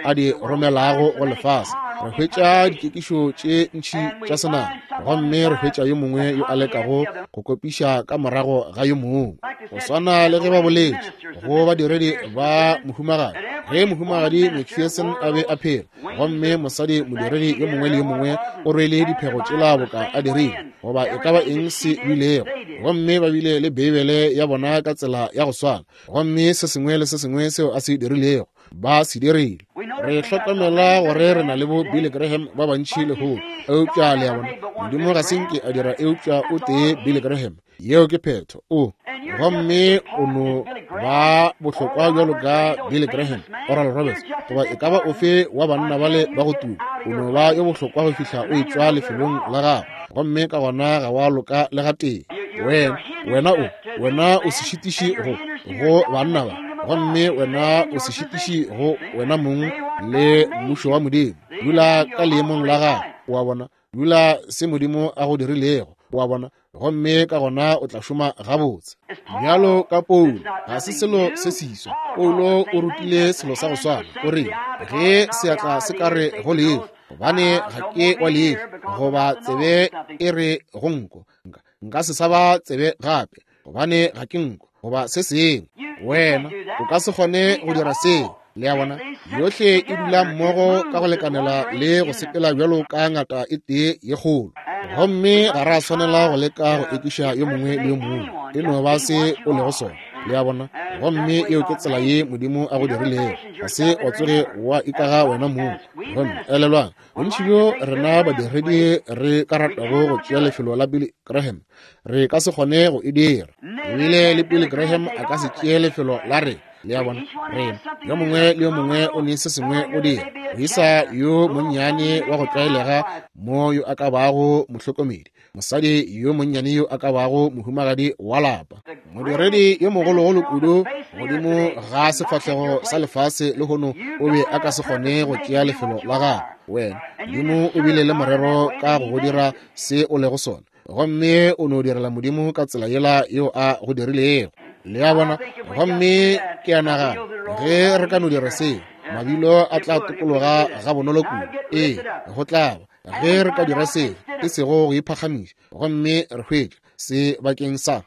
a di romelago go lefase. Re hwetša dikekišo tše ntši tša senama, gomme re hwetša yo mongwe yo a lekago go kopiša ka morago ga yo mongwe. Go swana le ge ba boletše go badiredi ba mohumagadi, ge mohumagadi McPherson a be a phela, gomme mosadi modiredi yo mongwe le yo mongwe o rwele diphego tšela boka a dirile, goba e ka ba eng se bilego, gomme ba bile le Beibele ya bona ka tsela ya go swana, gomme se sengwe le se sengwe seo a se dirilego ba se dirile. Re hlokomela gore re na le bo Billy Graham ba bantši lehono, eupša le a bona, Modimo ga se nke a dira eupša o tee Billy Graham. Yeo ke phetho. O gomme o no ba bohlokwa bjalo ka Billy Graham, Oral Roberts, goba e ka ba ofe wa banna bale ba go tuma. O no ba yo bohlokwa go fihla o etšwa lefelong la gago, gomme ka gona ga wa loka le gatee. Wena, wena o, wena o se šitiši go, go banna ba, gomme wena o se šitiši go wena mong le mmušo wa Modimo. Dula ka leemong la gago, wa bona. Dula se Modimo a go dirilego, wa bona, gomme ka gona o tla šoma gabotse. Bjalo ka Paulo, ga se selo se seswa. Paulo o rutile selo sa go swana. O rile, ge seatla se ka re go leihlo, gobane ga ke wa leihlo, goba tsebe e re go nko, nka se sa ba tsebe gape, gobane ga ke nko, goba se sengwe. Wena o ka se kgone go dira seo. Le a bona, yohle e dula mmogo ka go lekanela le go sepela bjalo ka ngata e tee ye kgolo. Gomme ga ra swanela go leka go ekiša yo mongwe le yo mongwe. E no ba se o lego sona. Le a bona, gomme eo ke tsela ye Modimo a go dirilego. Ga se wa tsoge wa ikaga wena mong. Gomme elelwang, bontši bjo rena badiredi re ka ratago go tšea lefelo la Billy Graham, re ka se kgone go e dira. Ebile le Billy Graham a ka se tšee lefelo la rena. Le a bona, rena yo mongwe le yo mongwe o ne se sengwe o dira. Moisa yo monnyane wa go tlwaelega mo yo a ka bago mohlokomedi, mosadi yo monnyane yo a ka bago mohumagadi wa lapa, modiredi yo mogologolo kudu godimo ga sefahlego sa lefase lehono o be a ka se kgone go tšea lefelo la gagwe. Wena, Modimo o bile le morero ka go go dira se o lego sona, gomme o no direla Modimo ka tsela yela yeo a go dirilego. Le a bona, gomme ke a nagana ge re ka no dira seo, mabilo a tla tokologa ga bonolo kudu. Ee, go tla ba ge re ka dira seo, e sego go iphagamiša, gomme re hwetša se bakeng sa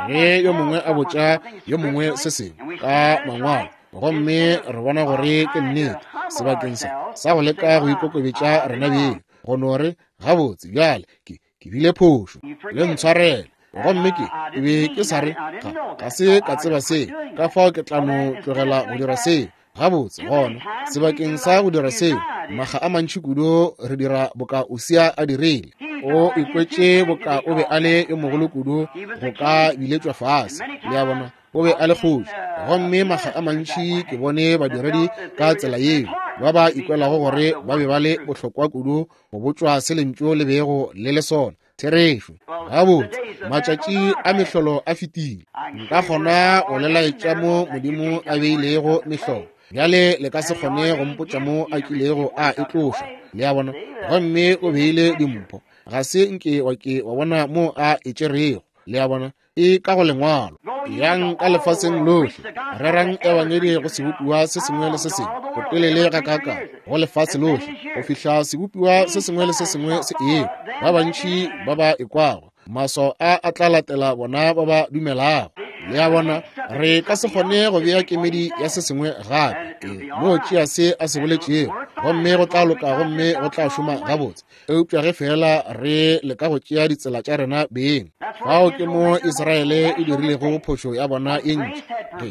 ge yo mongwe a botša yo mongwe se sengwe ka mangwalo, gomme re bona gore ke nnete, sebakeng sa sa go leka go ikokobetša rena beng, go no re gabotse bjale ke ke bile phošo, le ntshwarele, gomme ke ke be ke sa re ga ga se ka tseba se, ka fao ke tla no tlogela go dira seo. Gabotse gona, sebakeng sa go dira seo, maga a mantši kudu re dira boka Usia a dirile. O ikwetše boka o be a le yo mogolo kudu go ka biletšwa fase. Le a bona, o be a le kgoši. Gomme maga a mantši ke bone badiredi ka tsela yeo, ba ba ikwelago gore ba be ba le bohlokwa kudu go botšwa se lentšu le bego le le sona. Therešo. Gabotse, matšatši a mehlolo a fetile. Nka kgona go le laetša mo Modimo a beilego mehlolo. Bjale le ka se kgone go mpotša mo a kilego a e tloša. Le a bona, gomme o beile dimpho. Ga se nke wa ke wa bona mo a e tšerego. Le a bona, e ka go lengwalo. Yang ka lefaseng lohle, rerang ebangedi go sebopiwa se sengwe le se sengwe, go telele ga kaka go lefase lohle, go fihla sebopiwa se sengwe le se sengwe se ekwa. Ba bantši ba ba ekwago, maswao a a tla latela bona ba ba dumelago. Le a bona, re ka se kgone go bea kemedi ya se sengwe gape. E no tšea se a se boletšego, gomme go tla loka, gomme go tla šoma gabotse. Eupša ge fela re leka go tšea ditsela tša rena beng, fao ke mo Israele e dirilego phošo ya bona ye ntši. Ge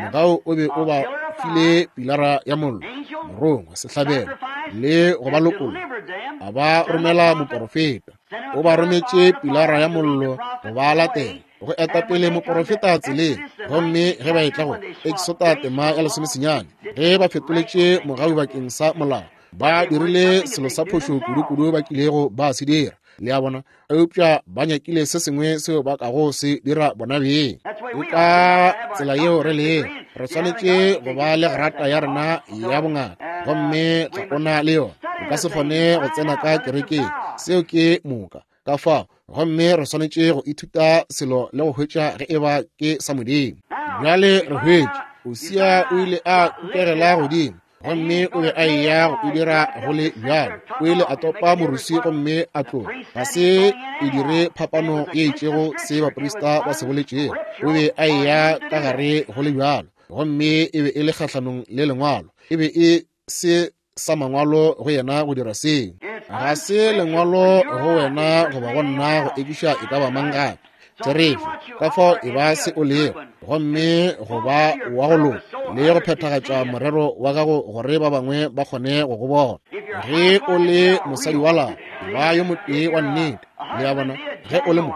mogau o be o ba file pilara ya mollo, morongwa, sehlabelo, le go ba lokolla, a ba romela moporofeta. O ba rometše pilara ya mollo go ba latela, go eta pele moporofeta tseleng. Gomme ge ba etla go Exota tema ya lesomesenyane, ge ba fetoletše mogau bakeng sa molao, ba dirile selo sa phošo kudu-kudu ba kilego ba se dira. Le a bona, eupša ba nyakile se sengwe seo ba kago se dira bona beng. Ke ka tsela yeo re lego. Re swanetše go ba le grata ya rena ya bongaka, gomme ga ona le yona. O ka se kgone go tsena ka kerekeng. Seo ke moka. Ka fao, gomme re swanetše go ithuta selo le go hwetša ge e ba ke sa Modimo. Bjale re hwetša Usia o ile a kukegela godimo, gomme o be a eya go e dira go le bjalo. O ile a topa morusi gomme a tloga. Ga se e dire phapano ye itšego se baprista ba se boletšego. O be a eya ka gare go le bjalo, gomme e be e le kgahlanong le lengwalo. E be e se sa mangwalo go yena go dira seo. Ga se lengwalo go wena goba go nna go ekiša e ka ba mang gape. Therešo, ka fao e ba se o lego, gomme go ba wa go loka le go phethagatša morero wa gago gore ba bangwe ba kgone go go bona. Ge o le mosadi wa lapa, e ba yo motee wa nnete, le a bona. Ge o le mo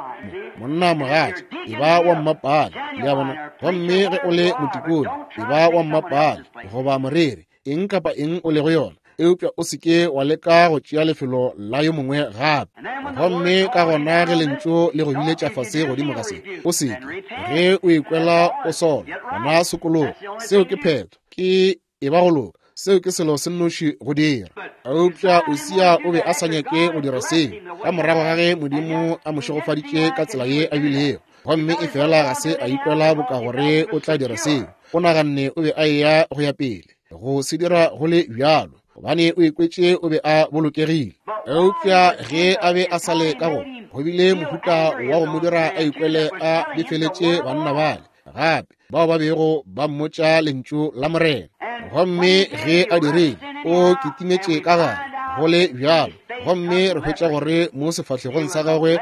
monna mogatša, e ba wa mmapale, le a bona. Gomme ge o le motikone, e ba wa mmapale goba moreri, eng kapa eng o lego yona, eupša o se ke wa leka go tšea lefelo la yo mongwe gape. Gomme ka gona ge lentšu le go biletša fase godimo ga se, o se ke ge o ikwela o sola, gona sokologa. Seo ke phetho, ke e ba go loka. Seo ke selo se nnoši go dira. Eupša Usia o be a sa nyake go dira seo, ka morago ga ge Modimo a mo šegofaditše ka tsela ye a bilego, gomme e fela ga se a ikwela boka gore o tla dira seo. O naganne o be a eya go ya pele go se dira go le bjalo, gobane o ikwetše o be a bolokegile. Eupša ge a be a sa le ka go, go bile mohuta wa go mo dira a ikwele a befeletše banna bale gape bao ba bego ba mmotša lentšu la Morena. Gomme ge a dirile, o kitimetše ka gare go le bjalo, gomme re hwetša gore mo sefahlegong sa gagwe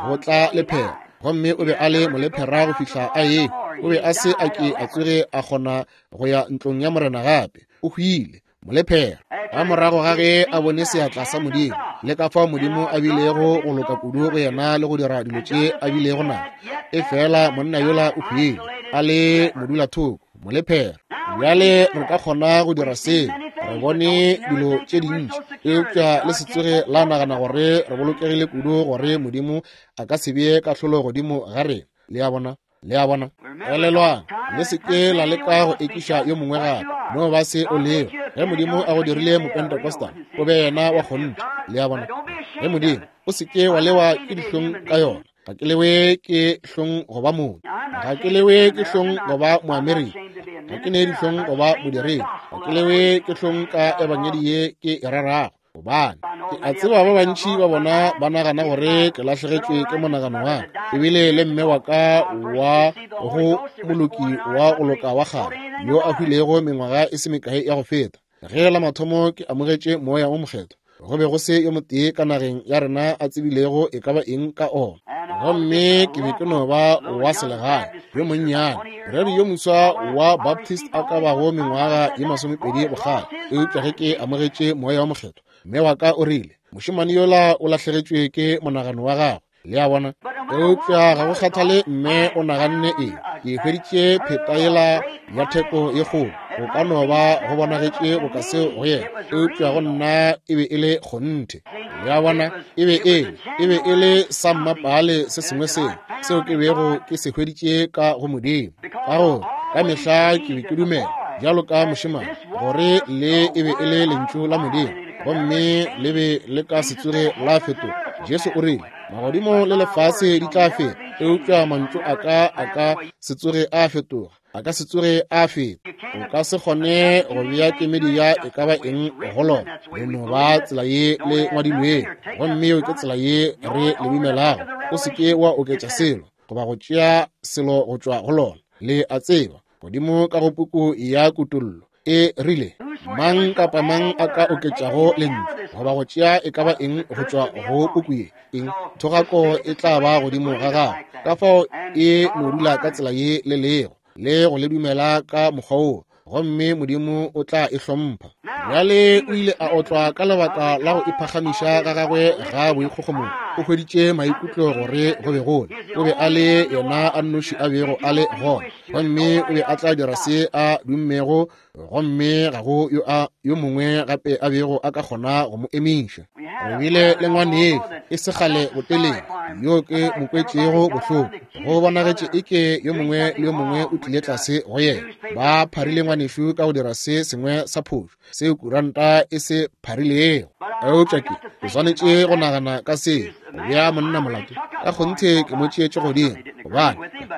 go tla lephera, gomme o be a le molephera go fihla a ehwa. O be a se a ke a tsoge a kgona go ya ntlong ya Morena gape. O hwile molephera ka morago ga ge a bone seatla sa Modimo le ka fao Modimo a bilego go loka kudu go yena le go dira dilo tše a bilego nazo. E fela monna yola o hwile a le modulathoko, molephera. Bjale re ka kgona go dira seo. Re bone dilo tše dintši, eupša le se tsoge la nagana gore re bolokegile kudu gore Modimo a ka se bee kahlolo godimo ga rena. Le a bona? Le a bona? Elelwang, le se ke la leka go ekiša yo mongwe gape. No ba se o lego. Ge Modimo a go dirile Mopentecostal, o be yena wa kgonthe. Le a bona? Ge Modimo, o se ke wa lewa ke dihlong ka yona. Ga ke lewe ke hlong go ba motho. Ga ke lewe ke hlong go ba Moamerika. Ga ke ne dihlong go ba modiredi. Ga ke lewe ke hlong ka ebangedi ye ke e rerago, gobane ke a tseba ba bantši ba bona ba nagana gore ke lahlegetšwe ke monagano wa ka. Ebile le mme wa ka wa go moloki wa go loka wa kgale yo a hwilego mengwaga e se mekae ya go feta, ge la mathomo ke amogetše moya o mokgethwa, go be go se yo motee ka nageng ya rena a tsebilego e ka ba eng ka ona. Gomme ke be ke no ba wa selegae yo monnyane, moreri yo moswa wa Baptist a ka bago mengwaga ye masomepedi bokgale. Eupša ge ke amogetše moya wa mokgethwa, mme wa ka o rile, mošemane yola o lahlegetšwe ke monagano wa gagwe. Le a bona? Eupša ga go kgathale mme o naganne eng, ke hweditše pheta yela ya theko ye kgolo. Go ka no ba go bonagetše boka seo go yena, eupša go nna e be e le kgonthe. Le a bona? E be e e be e le sa mmapale se sengwe seo seo ke bego ke se hweditše ka go Modimo. Ka gore ka mehla ke be ke dumela bjalo ka mošemane gore le e be e le lentšu la Modimo, gomme le be le ka se tsoge la fetoga. Jesu o rile, magodimo le lefase di tla feta, eupša mantšu a ka a ka se tsoge a fetoga, a ka se tsoge a feta. O ka se kgone go bea kemedi ya e ka ba eng go lona. Le no ba tsela ye le ngwadilwego, gomme yeo ke tsela ye re le dumelago. O se ke wa oketša selo goba go tšea selo go tšwa go lona. Le a tseba, godimo ka go puku ya Kutollo e rile, mang kapa mang a ka oketšago lentšu goba go tšea e ka ba eng go tšwa go puku ye, eng thogako e tla ba godimo ga gago. Ka fao e no dula ka tsela ye le lego le go le dumela ka mokgwa woo, gomme Modimo o tla e hlompha. Bjale o ile a otlwa ka lebaka la go iphagamiša ga gagwe ga boikgogomošo. O hweditše maikutlo gore go be gole o be a le yena a nnoši a bego a le gona, gomme o be a tla dira se a dummego, gomme ga go yo a yo mongwe gape a bego a ka kgona go mo emiša. Re bile le ngwanešu e se kgale botelele yo ke mo kwetšego bohloko. Go bonagetše eke yo mongwe le yo mongwe o tlile tlase go yena. Ba pharile ngwanešu ka go dira se sengwe sa phošo seo kuranta e se pharilego. Eupša ke ke swanetše go nagana ka seo, go bea monna molato. Ka kgonthe ke mo tšeetše godimo, gobane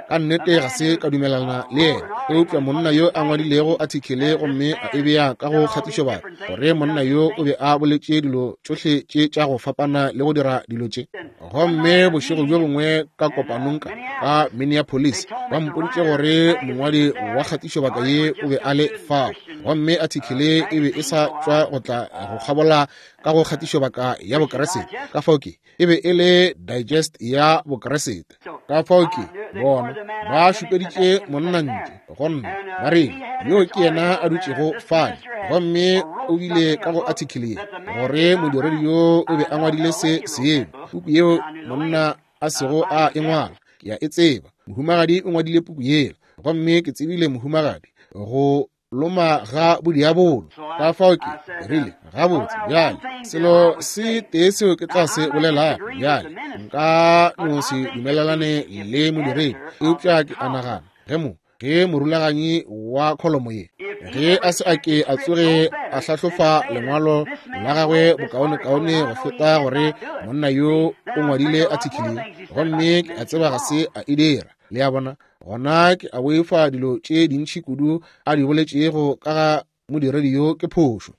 Ka nnete ga se ka dumelelana le yena, eupša monna yo a ngwadilego athikele gomme a e bea ka go kgatišobaka, gore monna yo o be a boletše dilo tšohle tše tša go fapana le go dira dilo tše. Gomme bošego bjo bongwe ka kopanong ka ka Minneapolis, ba mpoditše gore mongwadi wa kgatišobaka ye o be a le fao, gomme athikele e be e sa tšwa go tla go kgabola ka go kgatišobaka ya Bokeresete. Ka fao ke e be e le digest ya Bokeresete. Ka fao ke bona ba šupeditše monna ntle go nna, ba re yo ke yena a dutšego fale, gomme o bile ka go athikele ye gore modiredi yo o be a ngwadile se sengwe, puku yeo monna a sego a e ngwala. Ke a e tseba, mohumagadi o ngwadile puku yela, gomme ke tsebile mohumagadi go loma ga bodiabolo. Ka fao ke rile, gabotse bjale, selo se tee seo ke tla se bolelago bjale, nka no se dumelelane le modiredi, eupša ke a nagana ge mo ge morulaganyi wa kholomo ye, ge a se a ke a tsoge a hlahlofa lengwalo la gagwe bokaonekaone go feta gore monna yo o ngwadile athikele, gomme ke a tseba ga se a e dira. Le a bona, gona ke a boifa dilo tše dintši kudu a di boletšego ka ga modiredi yo ke phošo.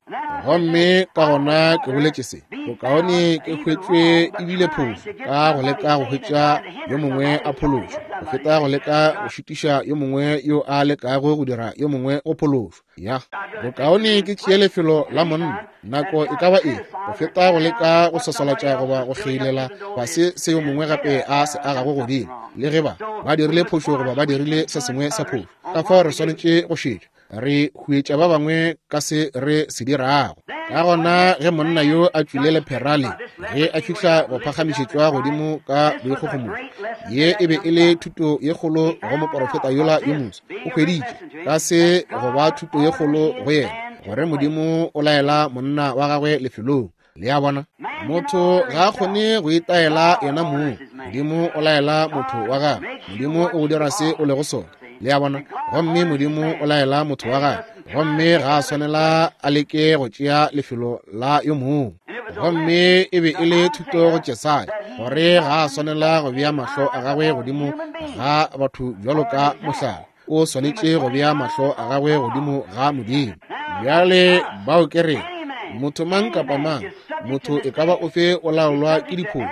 Gomme ka gona ke boletše se, bokaone ke hwetšwe ebile phošo ka go leka go hwetša yo mongwe a phološo, go feta go leka go šitiša yo mongwe yo a lekago go dira yo mongwe go phološo. Ya, bokaone ke tšee lefelo la monna nako e ka ba efe, go feta go leka go sosolatša goba go kgeilela fase se yo mongwe gape a se agago godimo, le ge ba ba dirile phošo goba ba dirile se sengwe sa phošo. Ka fao re swanetše go šetša, re huetša ba bangwe ka se re se dirago. Ka gona ge monna yo a tšwile lephera le, ge a fihla go phagamišetšwa godimo ka boikgogomošo, ye e be e le thuto ye kgolo go moporofeta yola yo moswa. O hweditše ka se go ba thuto ye kgolo go yena, gore Modimo o laela monna wa gagwe lefelong. Le a bona, motho ga a kgone go itaela yena mong, Modimo o laela motho wa gagwe. Modimo o go dira se o lego sona. Le a bona, gomme Modimo o laela motho wa gagwe, gomme ga a swanela a leke go tšea lefelo la yo mongwe. Gomme e be e le thuto go Jesaya gore ga a swanela go bea mahlo a gagwe godimo ga batho bjalo ka mohlala, o swanetše go bea mahlo a gagwe godimo ga Modimo. Bjale bao ke re motho mang kapa mang, motho e ka ba ofe o laolwa ke diphošo,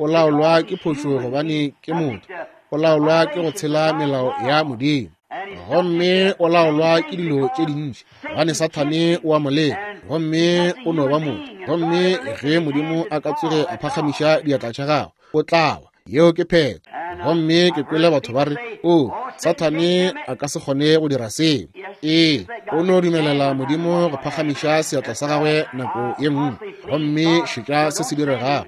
o laolwa ke phošo gobane ke motho, o laolwa ke go tshela melao ya Modimo, gomme o laolwa ke dilo tše dintši gobane Sathane o a mo leka, gomme o no ba motho. Gomme ge Modimo a ka tsoge a phagamiša diatla tša gagwe, o tla wa. Yeo ke phetho. Gomme ke kwele batho ba re, o Sathane a ka se kgone go dira seo. Ee, o no dumelela Modimo go phagamiša seatla sa gagwe nako ye nngwe, gomme šetša se se diregago.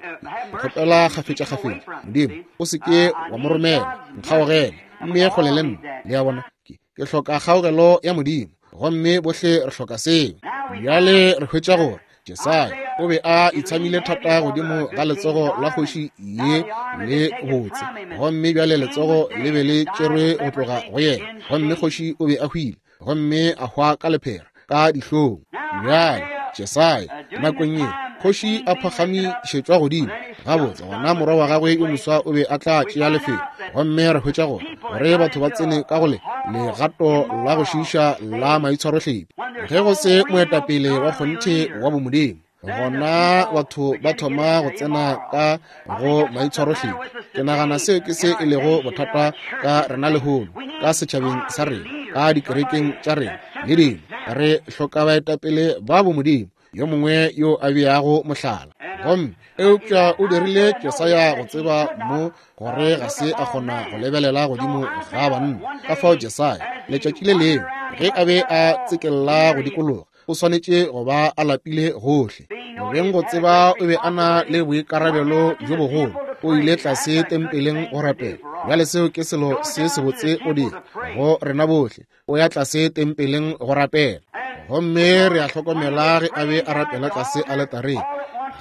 Ke kgopela kgafetša-kgafetša, Modimo, o se ke wa mo romela, nkgaogele, mme kgole le nna. Le a bona, ke ke hloka kgaogelo ya Modimo, gomme bohle re hloka seo. Bjale re hwetša gore Jesaya o be a itshamile thata godimo ga letsogo la kgoši ye le botse, gomme bjale letsogo le be le tšerwe go tloga go yena, gomme kgoši o be a hwile, gomme a hwa ka lephera ka dihlong. Bjale Jesaya nakong ye kgoši a phagamišetšwa godimo, gabotse gona morwa wa gagwe yo moswa o be a tla tšea lefelo. Gomme re hwetša gore gore batho ba tsene ka go le legato la go šiiša la maitshwarohlephi. Ge go se moetapele wa kgonthe wa bomodimo, gona batho ba thoma go tsena ka go maitshwarohlephi. Ke nagana seo ke se e lego bothata ka rena lehono, ka setšhabeng sa rena, ka dikerekeng tša rena le dilo. Re hloka baetapele ba bomodimo, yo mongwe yo a beago mohlala. Gomme eupša o dirile Jesaya go tseba mo gore ga se a kgona go lebelela godimo ga banna. Ka fao Jesaya letšatši le lengwe ge a be a tsekella go dikologa, o swanetše go ba a lapile gohle. Beng go tseba o be a na le boikarabelo bjo bogolo. O ile tlase tempeleng go rapela. Bjale seo ke selo se sebotse go dira go rena bohle, o ya tlase tempeleng go rapela. Gomme re a hlokomela ge a be a rapela tlase aletareng,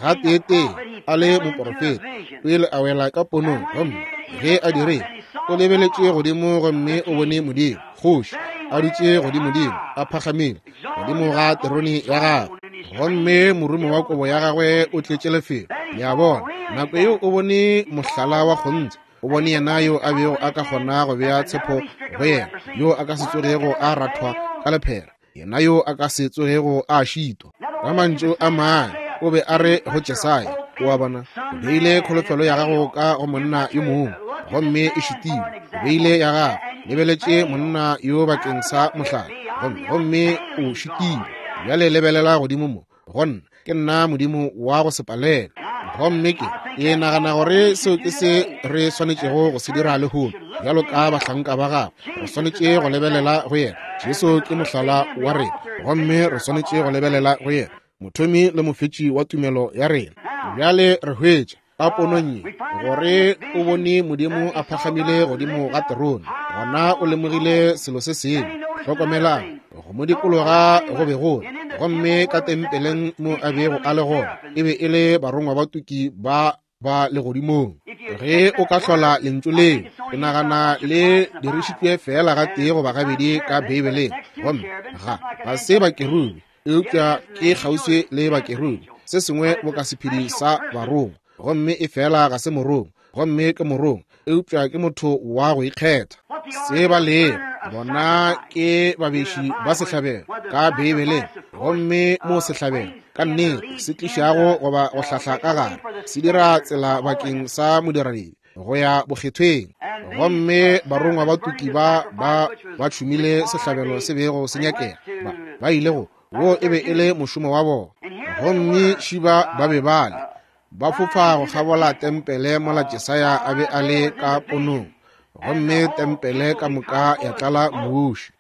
gateetee a le moporofeta, o ile a wela ka ponong. Gomme ge a dirile, o lebeletše godimo gomme o bone Modimo, kgoši, a dutše godimodimo, a phagamile godimo ga terone ya gagwe, gomme morumo wa kobo ya gagwe o tletše lefelo. Le a bona, nako yeo o bone mohlala wa kgonthe. O bone yena yo a bego a ka kgona go bea tshepo go yena, yo a ka se tsogego a rathwa ka lephera, yena yo a ka se tsogego a šitwa. Ka mantšu a mangwe, o be a re go Jesaya, o a bona, o beile kholofelo ya gago ka go monna yo mongwe, gomme e šitilwe. O beile ya gago, lebeletše monna yo bakeng sa mohlala, gomme gomme o šitilwe. Bjale lebelela godimo mo, go nna, ke nna Modimo wa go se palelwe. Gomme ke ke nagana gore seo ke se re swanetšego go se dira lehono, bjalo ka bahlanka ba gagwe. Re swanetše go lebelela go yena. Jesu ke mohlala wa rena, gomme re swanetše go lebelela go yena, mothomi le mofetši wa tumelo ya rena. Bjale re hwetša ka ponong ye gore o bone Modimo a phagamile godimo ga terone. Gona o lemogile selo se sengwe. Hlokomelang, go mo dikologa go be go, gomme ka tempeleng mo a bego a le gona e be e le barongwa ba tuki ba ba legodimong. Ge o ka hlola lentšu leo, ke nagana le dirišitšwe fela gatee goba gabedi ka Beibeleng, gomme ga ga se bakerubi, eupša ke kgauswi le bakerubi, se sengwe boka sephedi sa barongwa, gomme e fela ga se morongwa, gomme ke morongwa, eupša ke motho wa go ikgetha. Se ba lego bona ke babeši ba sehlabelo ka Beibeleng, gomme mo sehlabelo ka nnete se tlišago goba go hlahla ka gare, se dira tsela bakeng sa modiradibe go ya bokgethweng. Gomme barongwa ba tuki ba ba ba tšhumile sehlabelo se bego se nyakega, ba ba ile go wo e be e le mošomo wa bona. Gomme šiba ba be ba le ba fofa go kgabola tempele mola Jesaya a be a le ka ponong, gomme tempele ka moka ya tlala muši.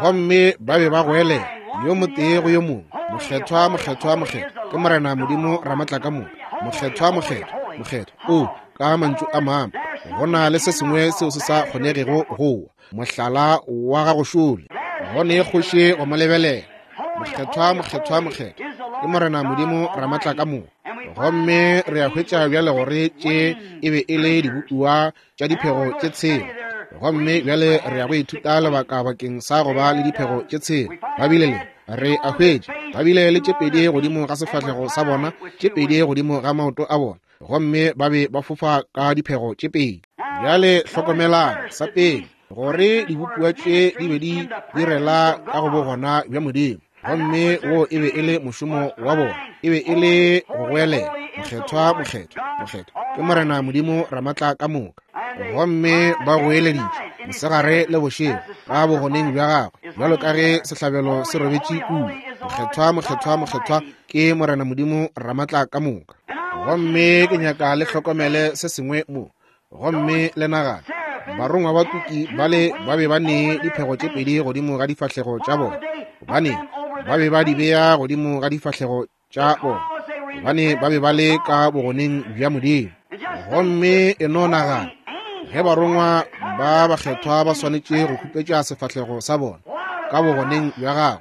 Gomme ba be ba goelela yo motee go yo mongwe, mokgethwa, mokgethwa, mokgethwa ke Morena Modimo Ramatlakamoka, mokgethwa, mokgethwa, mokgethwa. O ka mantšu a mangwe, go na le se sengwe seo se sa kgonegego go wa, mohlala wa gago šole, go ne kgoši go mo lebelela. Mokgethwa, mokgethwa, mokgethwa ke Morena Modimo Ramatlakamoka. Gomme re a hwetša bjale gore tše e be e le dibopiwa tša diphego tše tshela. Gomme bjale re ya go ithuta lebaka bakeng sa go ba le diphego tše tshela. Ba bile le, re a hwetša, ba bile le tše pedi godimo ga sefahlego sa bona, tše pedi godimo ga maoto a bona, gomme ba be ba fofa ka diphego tše pedi. Bjale hlokomelang, sa pele, gore dibopiwa tše di be di direla ka go bogona bja Modimo, gomme wo e be e le mošomo wa bona, e be e le go goelela, mokgethwa, mokgethwa, mokgethwa ke Morena Modimo Ramatlakamoka. Gomme ba goeleditše mosegare le bošego ka bogoneng bja gagwe, bjalo ka ge sehlabelo se robetše kua, mokgethwa, mokgethwa, mokgethwa ke Morena Modimo Ramatlakamoka. Gomme ke nyaka le hlokomele se sengwe mo, gomme le nagana, barongwa ba tuki bale ba be ba ne diphego tše pedi godimo ga difahlego tša bona, gobane ba be ba di bea godimo ga difahlego tša bona, gobane ba be ba le ka bogoneng bja Modimo. Gomme e no nagana, ge barongwa ba bakgethwa ba swanetše go khupetša sefahlego sa bona ka bogoneng bja gagwe,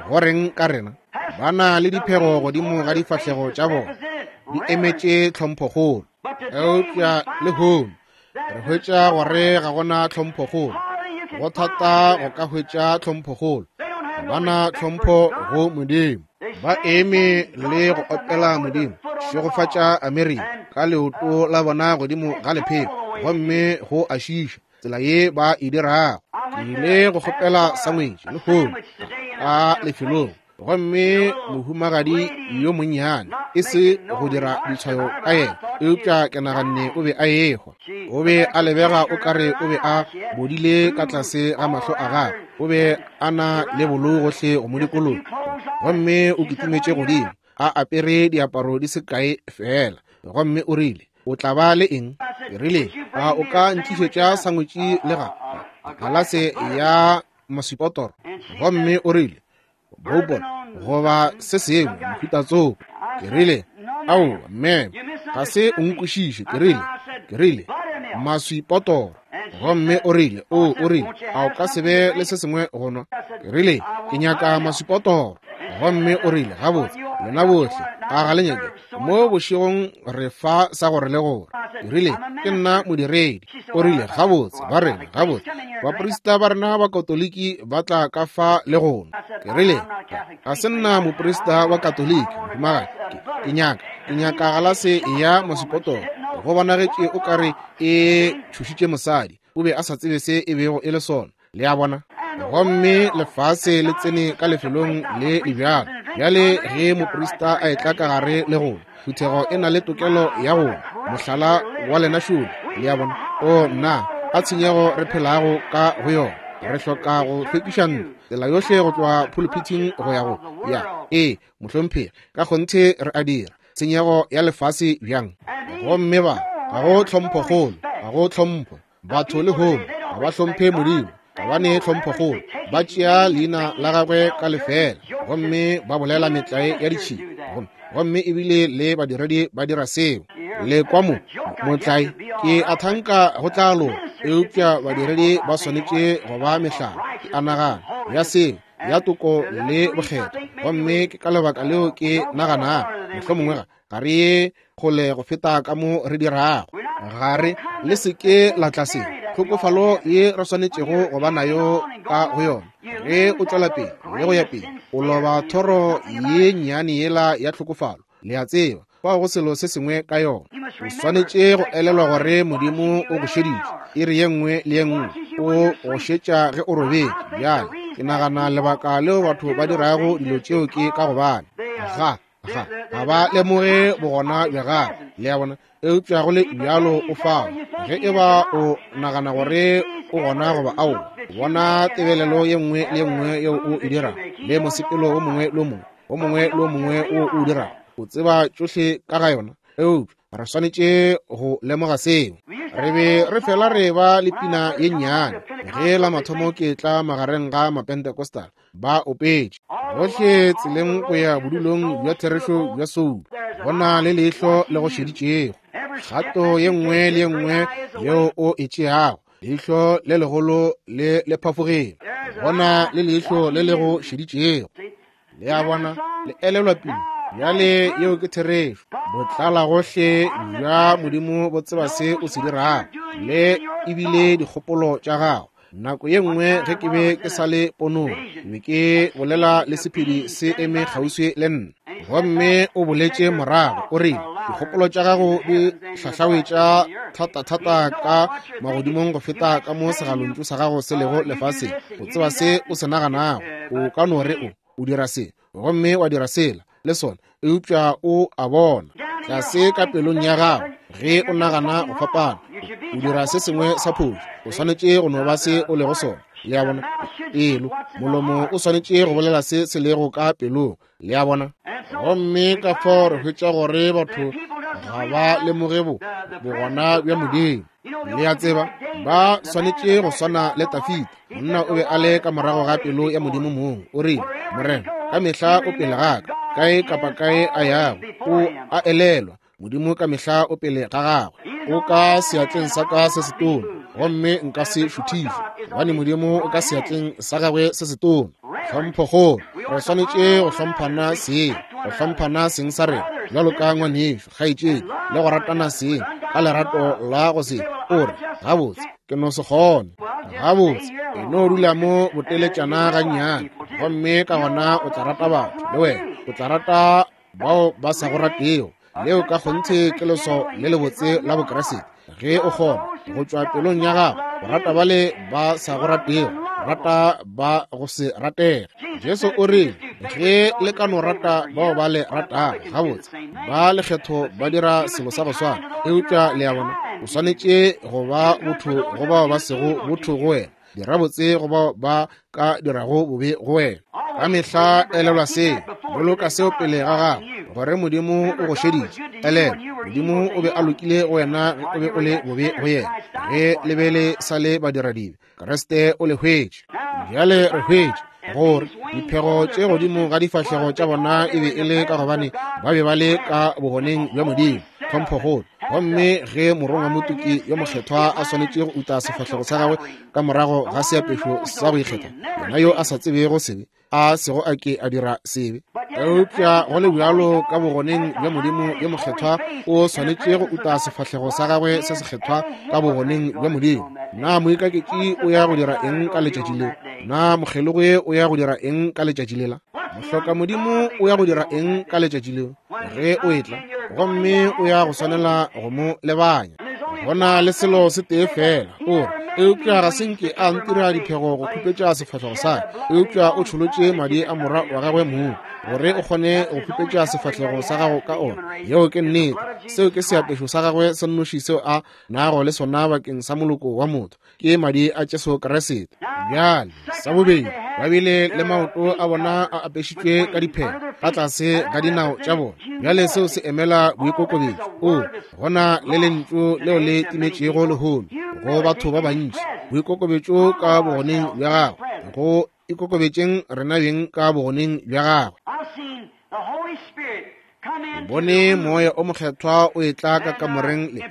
go reng ka rena? Ba na le diphego godimo ga difahlego tša bona, di emetše tlhomphokgolo. Eupša lehono re hwetša gore ga gona tlhomphokgolo, go thata go ka hwetša tlhomphokgolo. Ga ba na tlhompho go Modimo. Ba eme le go opela Modimo, šegofatša Amerika ka leoto la bona godimo ga lepheko, gomme go a šiša tsela ye ba e dirago. Ke ile go kgopela sangwetši lehono ka lefelong, gomme mohumagadi yo monnyane, e se go dira ditshwayo ka yena, eupša ke naganne o be a ehwa. O be a lebega o kare o be a bodile ka tlase ga mahlo a gagwe, o be a na le bolou gohle go mo dikologa, gomme o kitimetše godimo a apere diaparo di se kae fela, gomme o rile, o tla ba le eng? Ke rile, a o ka ntlišetša sangwetši le ga galase ya maswipotoro? Gomme o rile, bourbon goba se sengwe mohuta tsoko. Ke rile, aowa mme, ga se o nkwešiše. Ke rile, ke rile maswipotoro. Gomme o rile, o o rile, a o ka se be le se sengwe go nwa? Ke rile, ke nyaka maswipotoro. Gomme o rile, gabotse, Lena bohle, a ga le nyake? Mo bošegong re fa sa gore le gore. Ke rile, ke nna modiredi. O rile, gabotse, ba rena, gabotse. Baprista ba rena ba Katoliki ba tla ka fa le gona. Ke rile, ga se nna moprista wa Katoliki, mohumagadi. Ke, ke nyaka, ke nyaka galase ya mosepotolo. Go bonagetše o ka re e tšhošitše mosadi. O be a sa tsebe se e bego e le sona. Le a bona? Gomme lefase le tsene ka lefelong le le bjalo. Bjale ge moprista a etla ka gare le gona, phuthego e na le tokelo ya go mohlala wa lena šole. Le a bona? O nna, a tshenyego re phelago ka go yona. Re hloka go hlwekiša ntlo tsela yohle go tloga pulpiting go ya go ya. Ee, mohlomphegi, ka kgonthe re a dira. Tshenyego ya lefase bjang. Gomme ba, ga go tlhomphokgolo, ga go tlhompho. Batho le lehono ga ba hlomphe Modimo, ga ba ne tlhomphokgolo. Ba tšea leina la gagwe ka lefela, gomme ba bolela metlae ya ditšhila. Gomme, gomme ebile le badiredi ba dira seo. Le kwa mo, motlae, ke a thanka go tla loka, eupša badiredi ba swanetše go ba mehlala, ke a nagana, ya seo, ya toko le bokgethwa. Gomme ke ka lebaka leo ke naganago, mohlomongwe ga ga re ye kgole go feta ka mo re dirago. Ga re, le se ke la tla se tlhokofalo ye re swanetšego go ba nayo ka go yona. Ge o tšwela pele le go ya pele, o loba thoro ye nnyane yela ya tlhokofalo. Le a tseba, fao go selo se sengwe ka yona. O swanetše go elelwa gore Modimo o go šeditše iri ye nngwe le ye nngwe. O go šetša ge o robetše. Bjale ke nagana lebaka leo batho ba dirago dilo tšeo ke ka gobane ga ga ga ba lemoge bogona bja gagwe. Le a bona? Eupša go le bjalo o fao. Ge e ba o nagana gore o gona goba ao, bona tebelelo ye nngwe le ye nngwe yeo o e dirago, le mosepelo o mongwe le o mongwe, o mongwe le o mongwe wo o dirago, o tseba tšohle ka ga yona. Eupša re swanetše go lemoga seo. Re be re fela re ba le pina ye nnyane ge la mathomo ke tla magareng ga Mapentecostal, ba opetše gohle tseleng go ya bodulong bja therešo bja soulo. Go na le leihlo le go šeditšego. Kgato ye nngwe le ye nngwe yeo o e tšeago, leihlo le legolo le le phafogile. Go na le leihlo le le go šeditšego. Le a bona? Le elelwa pina. Bjale yeo ke therešo. Botlala gohle bja Modimo bo tseba se o se dirago, le ebile dikgopolo tša gago. Nako ye nngwe ge ke be ke sa le ponong, ke be ke bolela le sephedi se eme kgauswi le nna. Gomme o boletše morago, o rile, dikgopolo tša gago di hlahlawetša thata-thata ka magodimong go feta ka mo segalontšu sa gago se lego lefaseng. O tseba se o se naganago. O ka no re o, o dira se, gomme wa dira sela le sona, eupša o a bona tlase ka pelong ya gago ge o nagana go fapana, o dira se sengwe sa phošo. O swanetše go no ba se o lego sona. Le a bona? Pelo, molomo o swanetše go bolela se se lego ka pelong. Le a bona? Gomme ka fao re hwetša gore batho ga ba lemoge bo bogona bja Modimo. Le a tseba, ba swanetše go swana le Tafita. Monna o be a le ka morago ga pelo ya Modimo mong. O rile, Morena, ka mehla o pele ga ka, kae kapa kae a yago, o a elelwa. Modimo ka mehla o pele ga gagwe. O ka seatleng sa ka se setona, gomme nka se šuthišwe, gobane Modimo o ka seatleng sa gagwe se setona. Tlhomphokgolo. Re swanetše go hlomphana seng, go hlomphana seng sa rena bjalo ka ngwanešo, kgaetšedi, le go ratana seng ka lerato la go se o re, gabotse, ke no se kgone. Gabotse, e no dula mo boteletšana gannyane, gomme ka gona o tla rata batho le wena, o tla rata bao ba sa go ratego. Leo ka kgonthe ke leswao le lebotse la Bokriste. Ge o kgona go tšwa pelong ya gago go rata bale ba sa go ratego, rata ba go se ratege. Jesu o rile, ge le ka no rata bao ba le ratago, gabotse, ba lekgetho ba dira selo sa go swana. Eupša le a bona, o swanetše go ba botho go bao ba sego botho go wena. Dira botse go bao ba ka dirago bobe go wena. Ka mehla elelwa seo, boloka seo pele ga gago, gore Modimo o go šeditše. Elelwa, Modimo o be a lokile go wena ge o be o le bobe go yena. Ge le be le sa le badiradibe, Kriste o le hwetše. Bjale re hwetše gore diphego tše godimo ga difahlego tša bona e be e le ka gobane ba be ba le ka bogoneng bja Modimo. Tlhomphokgolo. Gomme ge morongwa motuki yo mokgethwa a swanetše go uta sefahlego sa gagwe ka morago ga seapešo sa go ikgetha, yena yo a sa tsebego sebe, a sego a ke a dira sebe. Eupša go le bjalo ka bogoneng bja Modimo yo mokgethwa o swanetše go uta sefahlego sa gagwe se sekgethwa ka bogoneng bja Modimo. Na moikaketši o ya go dira eng ka letšatši leo? Na mokgelogi o ya go dira eng ka letšatši lela? Mohloka Modimo o ya go dira eng ka letšatši leo ge o etla? Gomme o ya go swanela go mo lebanya. Go na le selo se tee fela, o re, eupša ga se nke a ntira diphego go khupetša sefahlego sa ka, eupša o tšholotše madi a morwa wa gagwe mong gore o kgone go khupetša sefahlego sa gago ka ona. Yeo ke nnete. Seo ke seapešo sa gagwe se nnoši seo a nago le sona bakeng sa moloko wa motho, ke madi a Jesu Kriste. Bjale, sa bobedi, ba bile le maoto a bona a apešitšwe ka diphego ka tlase ga dinao tša bona. Bjale seo se emela boikokobetšo. O gona le lentšu leo le timetšego lehono go batho ba bantši, boikokobetšo ka bogoneng bja gagwe, go ikokobetšeng rena beng ka bogoneng bja gagwe. Bone moya o mokgethwa o etla ka kamoreng le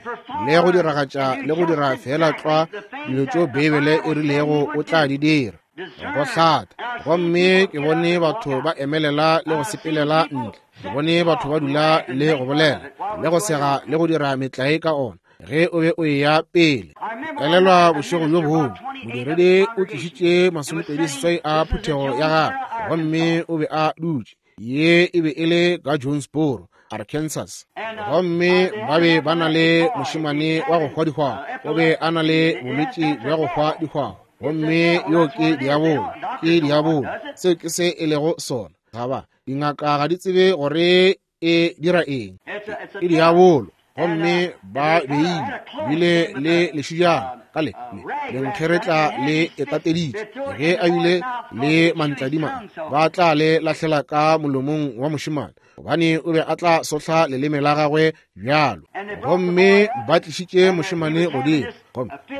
le go diragatša le go dira fela tlwa dilo tšeo Beibele e rilego o tla di dira, go hlatha. Gomme ke bone batho ba emelela le go sepelela ntle, ke bone batho ba dula le go bolela le go sega le go dira metlae ka ona ge o be o eya pele. Elelwa bošego bjo bongwe modiredi o tlišitše masomepedi seswai a phuthego ya gagwe, gomme o be a dutše. Ye e be e le ka Jonesboro, Arkansas. Gomme ba be ba na le mošemane wa go hwa dihwahwa, o be a na le bolwetši bja go hwa dihwahwa, gomme yo ke diabolo, ke diabolo. Seo ke se e lego sona. Ga ba dingaka ga di tsebe gore e dira eng, ke diabolo. Gomme ba beile bile le lešijana ka le lenkgeretla le etateditše, ge a bile le mantladima ba tla le lahlela ka molomong wa mošemane, gobane o be a tla sohla leleme la gagwe bjalo. Gomme ba tlišitše mošemane godimo,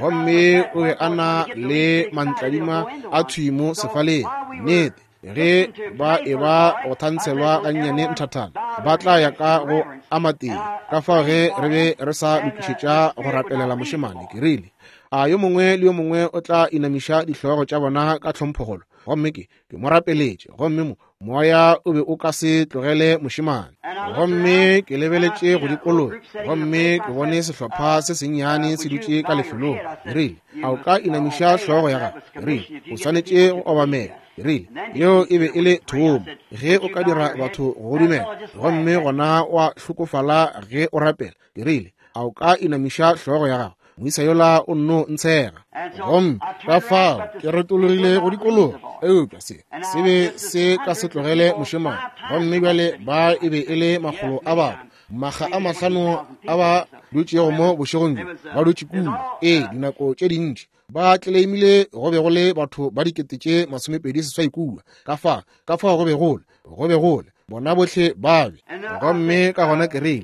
gomme o be a na le mantladima a thwimo sefaleng. Nnete, ge ba e ba go thantshelwa gannyane nthathana, ba tla ya ka go amateng. Ka fao ge re be re sa lokišetša go rapelela mošemane, ke rile, a yo mongwe le yo mongwe o tla inamiša dihlogo tša bona ka tlhomphogolo. Gomme ke ke mo rapeletše, gomme mo moya o be o ka se tlogele mošemane. Gomme ke lebeletše go dikologa, gomme ke bone sehlopha se sennyane se dutše ka lefelong. Ke rile, a o ka inamiša hlogo ya gago? Ke rile, o swanetše go obamela. Ke rile, yeo e be e le thomo, ge o ka dira batho go dumela, gomme gona wa hlokofala ge o rapela. Ke rile, a o ka inamiša hlogo ya gago? Moisa yola o nno ntshega. Gomme ka fao ke retologile go dikologa, eupša se se be se ka se tlogele mošemane. Gomme bjale ba e be e le makgolo a batho, makga a mahlano a ba dutšego mo bošegong bjo, ba dutše kua. Ee, dinako tše dintši ba tleleimile go be go le batho ba dikete tše masomepedi seswai kua. Ka fa ka fao go be gole go be gole bona bohle ba be. Gomme ka gona ke rile,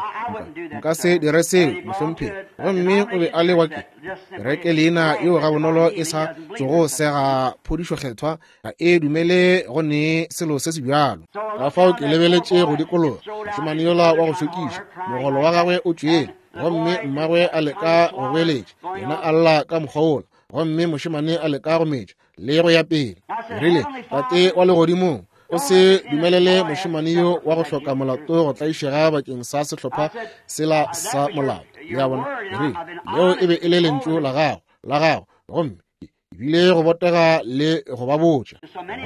nka se dire seo, mohlomphegi. Gomme o be a le wa ke kereke leina yeo gabonolo e sa tsogo sega phodišo kgethwa, ga e dumele go ne selo se se bjalo. Ka fao ke lebeletše go dikologa, mošemane yola wa go šokiša, mogolo wa gagwe o tšwele, gomme mmagwe a leka go goeletša, yena a lla ka mokgwa wola, gomme mošemane a leka go metša le go ya pele. Ke rile, Tate wa legodimong, o se dumelele mošemane yo wa go hloka molato go tlaišega bakeng sa sehlopha sela sa molato. Le a bona? Ke rile, leo e be e le lentšu la gago, la gago, gomme ebile go botega le go ba botša.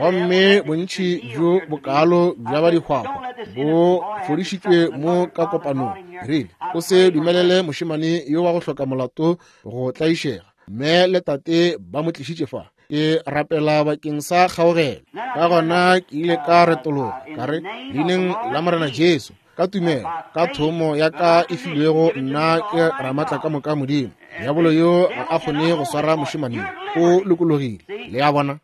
Gomme bontši bjo bokalo bja ba dihwahwa bo fodišitšwe mo ka kopanong. Ke rile, o se dumelele mošemane yo wa go hloka molato go tlaišega. Mme le tate ba mo tlišitše fa. Ke rapela bakeng sa kgaogelo. Ka gona ke ile ka retologa, ka re, leineng la Morena Jesu, ka tumelo, ka thomo ya ka e filwego nna ke Ramatla ka moka Modimo, diabolo yo ga a kgone go swara mošemane, o lokologile. Le a bona?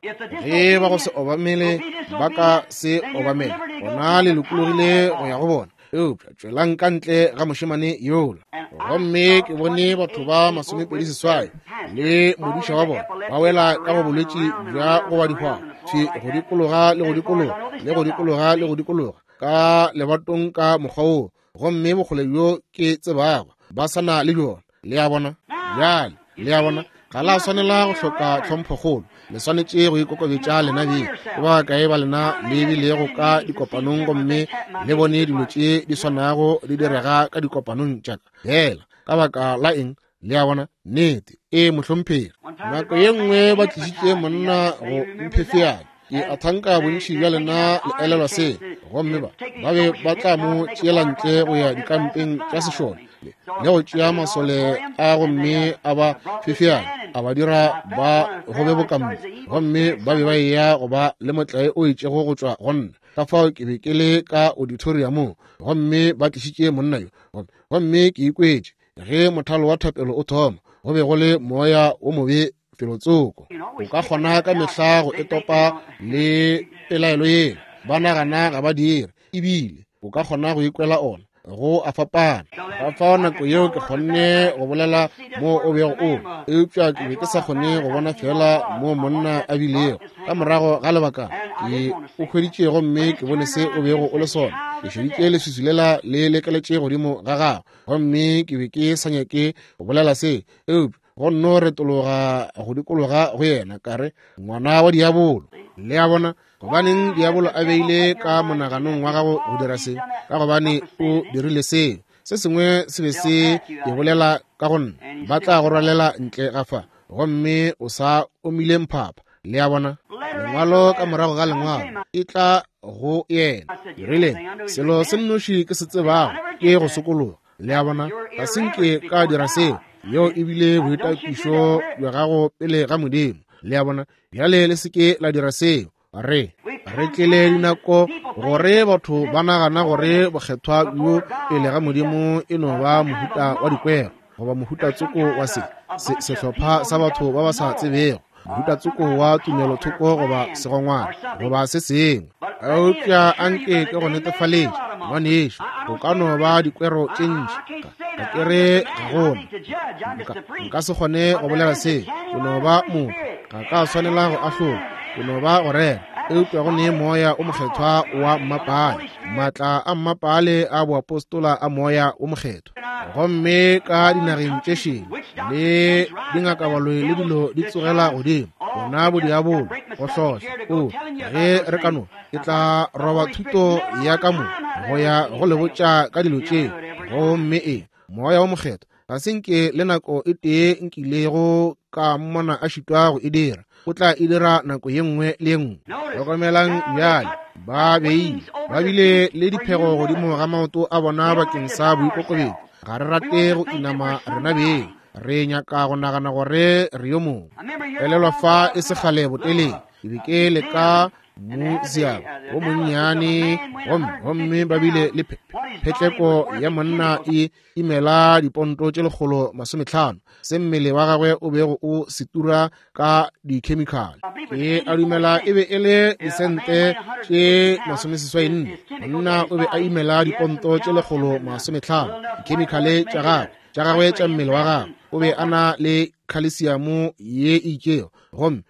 Ge ba go se obamele ba ka se obamele, gona le lokologile go ya go bona. Eupša tšwelang ka ntle ga mošemane yola. Gomme ke bone batho ba masomepedi seswai le modiša wa bona ba wela ka go bolwetši bja go ba dihwahwa, thwi go dikologa le go dikologa le go dikologa le go dikologa ka lebatong ka mokgwa woo. Gomme bokgole bjo ke tsebago ba sa na le bjona. Le a bona? Bjale, le a bona? Ga la swanela go hloka tlhomphokgolo, le swanetše go ikokobetša lena beng. Ke ba kae ba lena le bilego ka dikopanong gomme le bone dilo tše di swanago di direga ka dikopanong tša ka? Hela, ka baka la eng? Le a bona? Nnete. Ee, mohlomphegi. Nako ye nngwe ba tlišitše monna go mphefeana. Ke a thanka bontši bja lena le elelwa se. Gomme ba ba be ba tla mo tšeela ntle go ya dikampeng tša sešole le go tšea masole a gomme a ba fefeana, a ba dira ba gobe bokampo, gomme ba be ba eya go ba le motlae o itšego go tšwa go nna. Ka fao ke be ke le ka auditoriumong gomme ba tlišitše monna yo, gomme ke ikwetše ge mothalo wa thapelo o thoma, go be go le moya wo mobe felotsoko. O ka kgona ka mehla go etopa le pelaelo yela, ba nagana ga ba dire, ebile o ka kgona go ikwela ona go a fapana. Ka fao nako yeo ke kgonne go bolela mo o bego o, eupša ke be ke sa kgone go bona fela mo monna a bilego. Ka morago ga lebaka ke o hweditše gomme ke bone se o bego o le sona. Ke šeditše leswiswi lela le lekeletše godimo ga gago, gomme ke be ke sa nyake go bolela se, eupša go nno retologa go dikologa go yena, ka re, ngwana wa diabolo. Le a bona? Gobaneng diabolo a beile ka monaganong wa gago go dira se? Ka gobane o dirile seo. Se sengwe se be se e bolela ka go nna, ba tla go rwalela ntle ga fa, gomme o sa omile mphapha. Le a bona? Lengwalo ka morago ga lengwalo e tla go yena. Ke rile, selo se nnoši ke se tsebago ke go sokologa. Le a bona? Ga se nke ka dira seo. Yeo ebile boitapišo bja gago pele ga Modimo. Le a bona? Bjale le se ke la dira seo. Re re tlile dinako gore batho ba nagana gore bokgethwa bjo pele ga Modimo e no ba mohuta wa dikwero goba mohuta tsoko wa se sehlopha sa batho ba ba sa tsebego, mohuta tsoko wa tumelothoko goba segongwana goba se sengwe. Eupša anke ke go netefaletše, ngwanešu, go ka no ba dikwero tše ntši. Ga ke re ga gona, nka se kgone go bolela se. Ke no ba motho, ga ka swanela go ahlola, ke no ba go rera. Eupša go ne moya o mokgethwa wa mmapale, maatla a mmapale a boapostola a moya o mokgethwa. Gomme ka dinageng tše šele le dingakabaloi le dilo di tsogela godimo, bona bodiabolo go hlohla. O ge re ka no, ke tla roba thuto ya ka mo go ya go le botša ka dilo tše. Gomme e moya o mokgethwa ga se nke le nako e tee nkilego ka mmona a šitwa go e dira. O tla e dira nako ye nngwe le ye nngwe. Hlokomelang bjale, ba beile ba bile le diphego godimo ga maoto a bona bakeng sa boikokobetšo. Ga re rate go inama rena beng, re nyaka go nagana gore re yo mongwe. Elelwa fa e se kgale botelele, ke be ke le ka museum wo monnyane, gomme gomme ba bile le phetleko ya monna e imela diponto tše lekgolo masometlhano, se mmele wa gagwe o bego o setura ka dikhemikhale. Ke a dumela e be e le disente tše masomeseswai nne. Monna o be a imela diponto tše lekgolo masometlhano, dikhemikhale tša gagwe tša gagwe tša mmele wa gagwe. O be a na le khalesiamo ye e itšego, gomme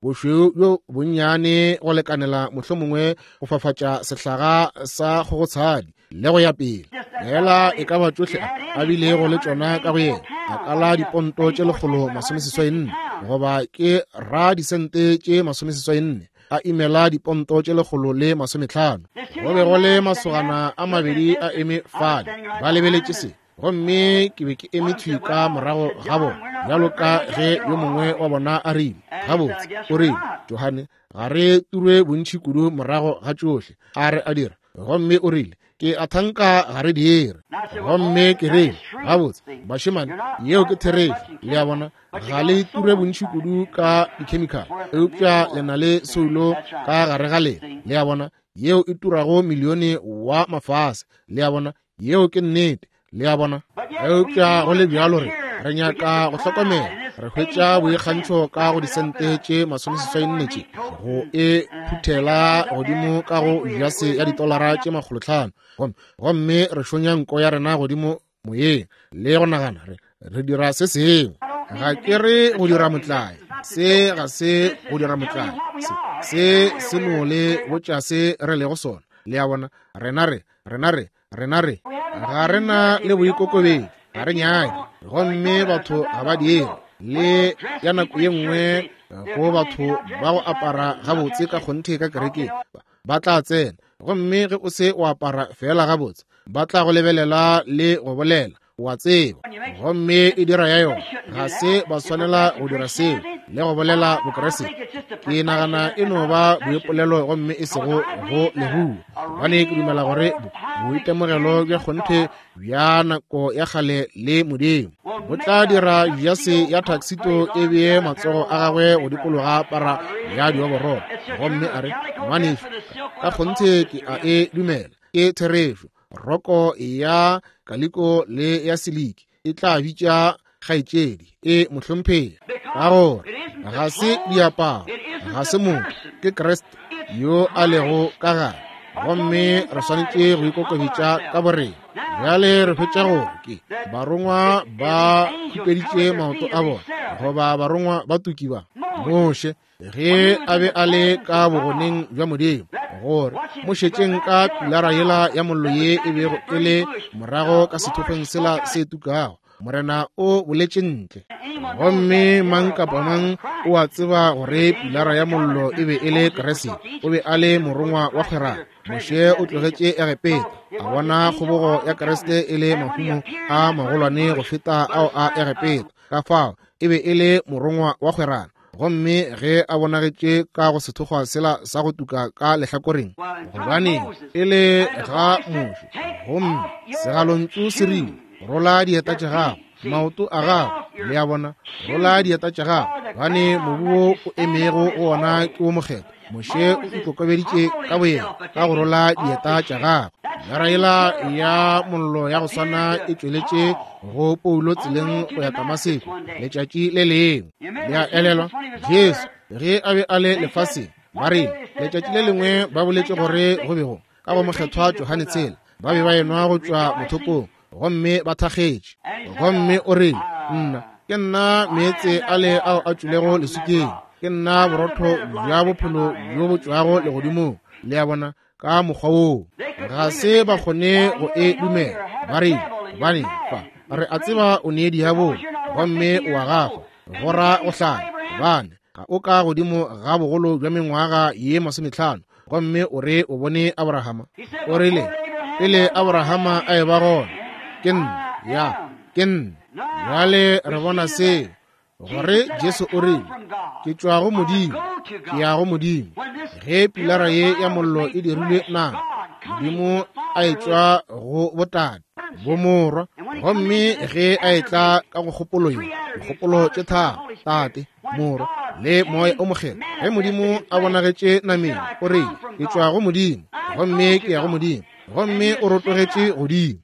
bošweu bjo bonnyane go lekanela mohlomongwe go fafatša sehlaga sa kgogotshadi le go ya pele. Fela e ka ba tšohle a bilego le tšona ka go yena, a kala diponto tše lekgolo masomeseswai nne, goba ke ra disente tše masomeseswai nne, a imela diponto tše lekgolo le masometlhano. Go be go le masogana a mabedi a eme fale ba lebeletše se, gomme ke be ke eme thwi ka morago ga bona, bjalo ka ge yo mongwe wa bona a rile, gabotse, o rile, Johane, ga re turwe bontši kudu morago ga tšohle a re a dira. Gomme o rile, ke a thanka ga re dire. Gomme ke rile, gabotse, bašemane, yeo ke therešo. Le a bona, ga le ture bontši kudu ka dikhemikhale, eupša le na le soulo ka gare ga lena. Le a bona, yeo e turago milione wa mafase. Le a bona, yeo ke nnete. Le a bona, eupša go le bjalo re re nyaka go hlokomela. Re hwetša boikgantšho ka go disente tše masomeseswai nne tše go e phuthela godimo ka go jase ya ditolara tše makgolotlhano, gomme gomme re šonya nko ya rena godimo moyeng le go nagana re re dira se sengwe. Ga ke re go dira motlae, se ga se go dira motlae, se se se no le botša se re lego sona. Le a bona, rena re rena re rena re ga rena le boikokobetšo, ga re nyake, gomme batho ga ba dire. Le ya nako ye nngwe go batho ba go apara gabotse ka kgonthe ka kerekeng ba tla tsena, gomme ge o se o apara fela gabotse ba tla go lebelela le go bolela, wa tseba, gomme e dira ya yona. Ga se ba swanela go dira seo le go bolela Bokriste. Ke nagana e no ba boipolelo gomme e sego go leruo, gobane ke dumela gore boitemogelo bja kgonthe bja nako ya kgale le Modimo bo tla dira jase ya taxito e bee matsogo a gagwe go dikologa para ya dioborolo, gomme a re, ngwanešu, ka kgonthe ke a e dumela, ke therešo. Roko ya kaliko le ya siliki e tla bitša kgaetšedi e mohlomphegi, ka gore ga se diaparo, ga se motho, ke Kriste yo a lego ka gare, gomme re swanetše go ikokobetša ka borena. Bjale re hwetša gore ke barongwa ba khupeditše maoto a bona, goba barongwa ba tuki ba Moshe ge a be a le ka bogoneng bja Modimo, gore mo šetšeng ka pilara yela ya mollo ye e bego e le morago ka sethokgweng sela se tukago, Morena o boletše ntle. Gomme mang kapa mang o a tseba gore pilara ya mollo e be e le Kriste, o be a le morongwa wa kgwerano. Moshe o tlogetše Egepeta, a bona kgobogo ya Kriste e le mahumo a magolwane go feta ao a Egepeta, ka fao e be e le morongwa wa kgwerano. Gomme ge a bonagetše ka go sethokgwa sela sa go tuka ka lehlakoreng, gobane e le ga Moshe, gomme segalontšu se rile, rola dieta tša gago, maoto a gago, le a bona, rola dieta tša gago, gobane mobu wo o emego go ona ke wo mokgethwa. Moshe o ikokobeditše ka boyena ka go rola dieta tša gagwe. Pilara yela ya mollo ya go swana e tšweletše go Paulo tseleng go ya Damaseko letšatši le lengwe. Le a elelwa, Jesu ge a be a le lefaseng, ba rile letšatši le lengwe ba boletše gore go be go ka go mokgethwa Johane tshela, ba be ba enwa go tšwa mothopong gomme ba thakgetše. Gomme o rile, nna ke nna meetse ale ao a tšwilego leswikeng, ke nna borotho bja bophelo bjo bo tšwago legodimong. Le a bona, ka mokgwa woo ga se ba kgone go e dumela. Ba rile, gobane fa re a tseba o ne diabolo, gomme o a gafa go ra go hlanya, gobane ga o ka godimo ga bogolo bja mengwaga ye masometlhano, gomme o re o bone Abrahama. O rile, pele Abrahama a eba gona, ke nna, ya, ke nna. Bjale re bona seo, gore Jesu o rile, ke tšwa go Modimo, ke ya go Modimo. Ge pilara ye ya mollo e dirilwe nama, Modimo a e tšwa go botate, bomorwa, gomme ge a etla ka go kgopolo ye, dikgopolo tše tharo, Tate, Morwa le Moya o Mokgethwa, ge Modimo a bonagetše nameng, o rile, ke tšwa go Modimo, gomme ke ya go Modimo, gomme o rotogetše godimo.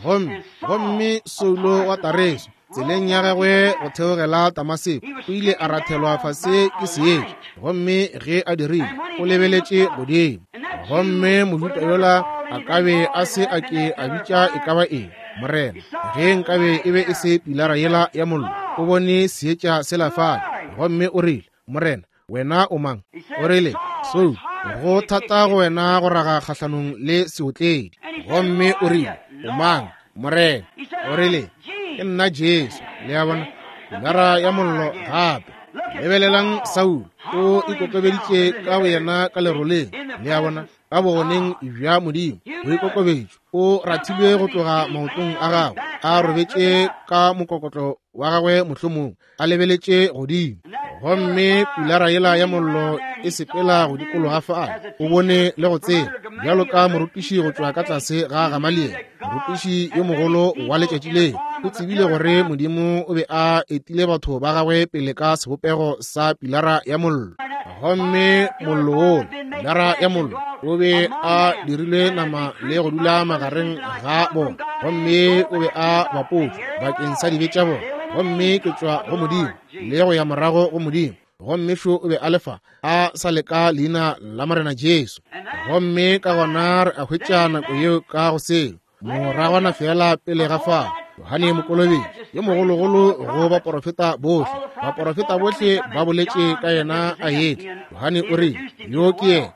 Gomme gomme Saulo wa Tareso tseleng ya gagwe go theogela Damaseko o ile a rathelwa fase ke seetša, gomme ge a dirile o lebeletše godimo, gomme Mojuda yola a ka be a se a ke a bitša e ka ba eng Morena ge nkabe e be e se pilara yela ya mollo. O bone seetša sela fale, gomme o rile, Morena, wena o mang? O rile, Saulo, go thata go wena go raga kgahlanong le seotledi. Gomme o rile, o mang, Morena? O rile, ke nna Jesu. Le a bona, pilara ya mollo gape. Lebelelang Saulo, o ikokobeditše ka boyena ka leroleng. Le a bona, ka bogoneng bja Modimo, boikokobetšo. O rathilwe go tloga maotong a gagwe, a robetše ka mokokotlo wa gagwe mohlomong, a lebeletše godimo. Gomme pilara yela ya mollo e sepela go dikologa fale. O bone le go tseba, bjalo ka morutiši go tšwa ka tlase ga Gamaliele, morutiši yo mogolo wa letšatši leo, o tsebile gore Modimo o be a etile batho ba gagwe pele ka sebopego sa pilara ya mollo. Gomme mollo wola, pilara ya mollo, o be a dirilwe nama le go dula magareng ga bona, gomme o be a bapotšwe bakeng sa dibe tša bona. Gomme ke tšwa go Modimo le go ya morago go Modimo. Gomme šo o be a lefa a sa leka leina la Morena Jesu. Gomme ka gona re a hwetša nako yeo ka go seo moragwana fela pele ga fao, Johane Mokolobetši yo mogologolo go baporofeta bohle, baporofeta bohle ba boletše ka yena a etla. Johane o rile, yo ke yena,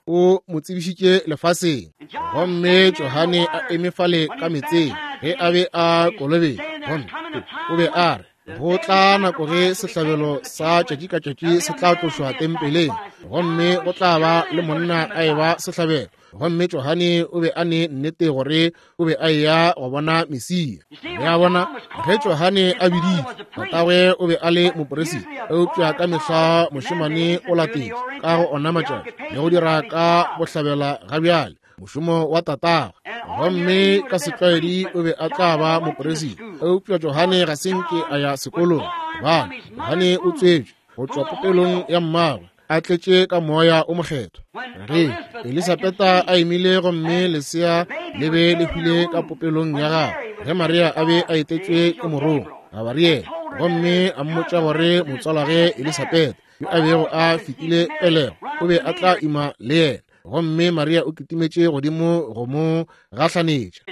o mo tsebišitše lefaseng. Gomme Johane a eme fale ka metseng ge a be a kolobetša, gomme o be a re, Go tla nako ge sehlabelo sa tšatši ka tšatši se tla tlošwa tempeleng, gomme go tla ba le monna a eba sehlabelo. Gomme Johane o be a ne nnete gore o be a eya go bona Mesia. Le a bona, ge Johane a biditšwe, tatagwe o be a le moperisita, eupša ka mehla mošemane o latetše ka go ona matšatši le go dira ka bohlabela ga bjale mošomo wa tatagwe. Gomme ka setlwaedi o be a tla ba moperisita, eupša Johane ga se nke a ya sekolong, gobane Johane o tswetšwe go tšwa popelong ya mmagwe a tletše ka moya o mokgethwa. Ge Elisabeta a imile gomme lesea le be le hwile ka popelong ya gagwe, ge Maria a be a etetšwe ke morongwa Gabariele gomme a mmotša gore motswalage Elisabeta yo a bego a fetile pelego o be a tla ima le yena, gomme Maria o kitimetše godimo go mo gahlanetša.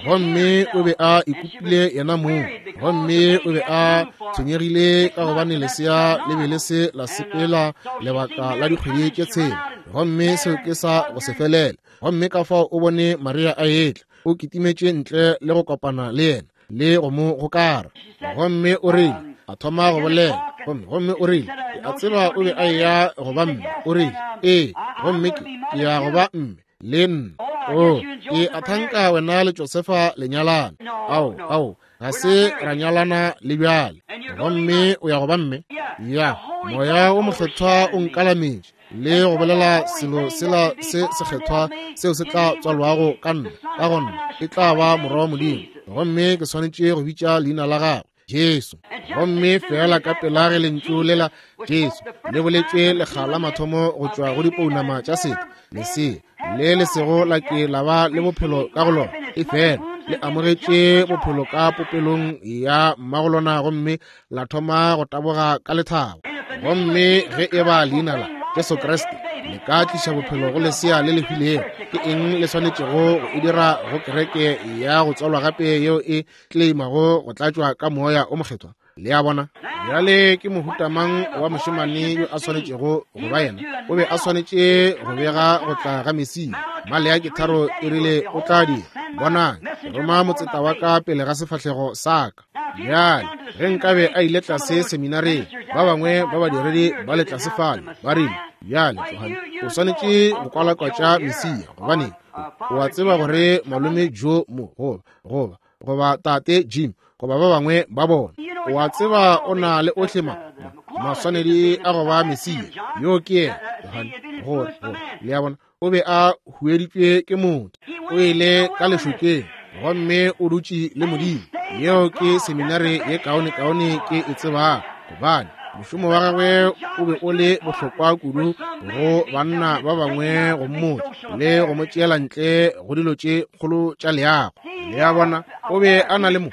Gomme o be a ikopile yena mong, gomme o be a tshwenyegile ka gobane lesea le be le se la sepela lebaka la dikgwedi tše tshela, gomme seo ke sa go se felele. Gomme ka fao o bone Maria a etla, o kitimetše ntle le go kopana le yena le go mo gokara. Gomme o rile a thoma go bolela, gomme gomme o rile, ke a tseba o be a eya go ba mme. O rile, ee, gomme ke ke ya go ba mme le nna. O, ke a thanka wena le Josefa le nyalana. Ao, ao, ga se ra nyalana le bjale. Gomme o ya go ba mme? Ya, moya o mokgethwa o nkalametše le go bolela selo sela se sekgethwa seo se tla tswalwago ka nna, ka gona e tla ba morwa wa Modimo, gomme ke swanetše go bitša leina la gagwe Jesu. Gomme fela ka pela ge lentšu lela Jesu le boletšwe lekga la mathomo go tšwa go dipounama tša setho, lesea le le sego la ke la ba le bophelo ka go lona, e fela le amogetše bophelo ka popelong ya mmagolona, gomme la thoma go taboga ka lethabo. Gomme ge e ba leina la Jesu Kriste le ka tliša bophelo go lesea le le hwilego, ke eng le swanetšego go e dira go kereke ya go tswalwa gape yeo e tleimago go tlatšwa ka moya o mokgethwa? Le a bona? Bjale ke mohuta mang wa mošemane yo a swanetšego go ba yena? O be a swanetše go bega go tla ga Mesia. Maleaki tharo e rile o tla dira. Bonang, ke roma motseta wa ka pele ga sefahlego sa ka. Bjale ge nkabe a ile tlase seminareng, ba bangwe ba badiredi ba le tlase fale ba rile, bjale Johane o swanetše go kwalakwatša Mesia, gobane o a tseba gore malome Joe mo goba goba goba tate Jim goba ba bangwe ba bona, o a tseba o na le ohle ma maswanedi a go ba Mesia. Yo ke yena Johane, gore gore le a bona, o be a hueditšwe ke motho, o ile ka lešokeng gomme o dutše le Modimo. Yeo ke seminare ye kaone-kaone ke e tsebago, gobane mošomo wa gagwe o be o le bohlokwa kudu go banna ba bangwe go mmotša le go mo tšeela ntle go dilo tše kgolo tša leago. Le a bona, o be a na le mo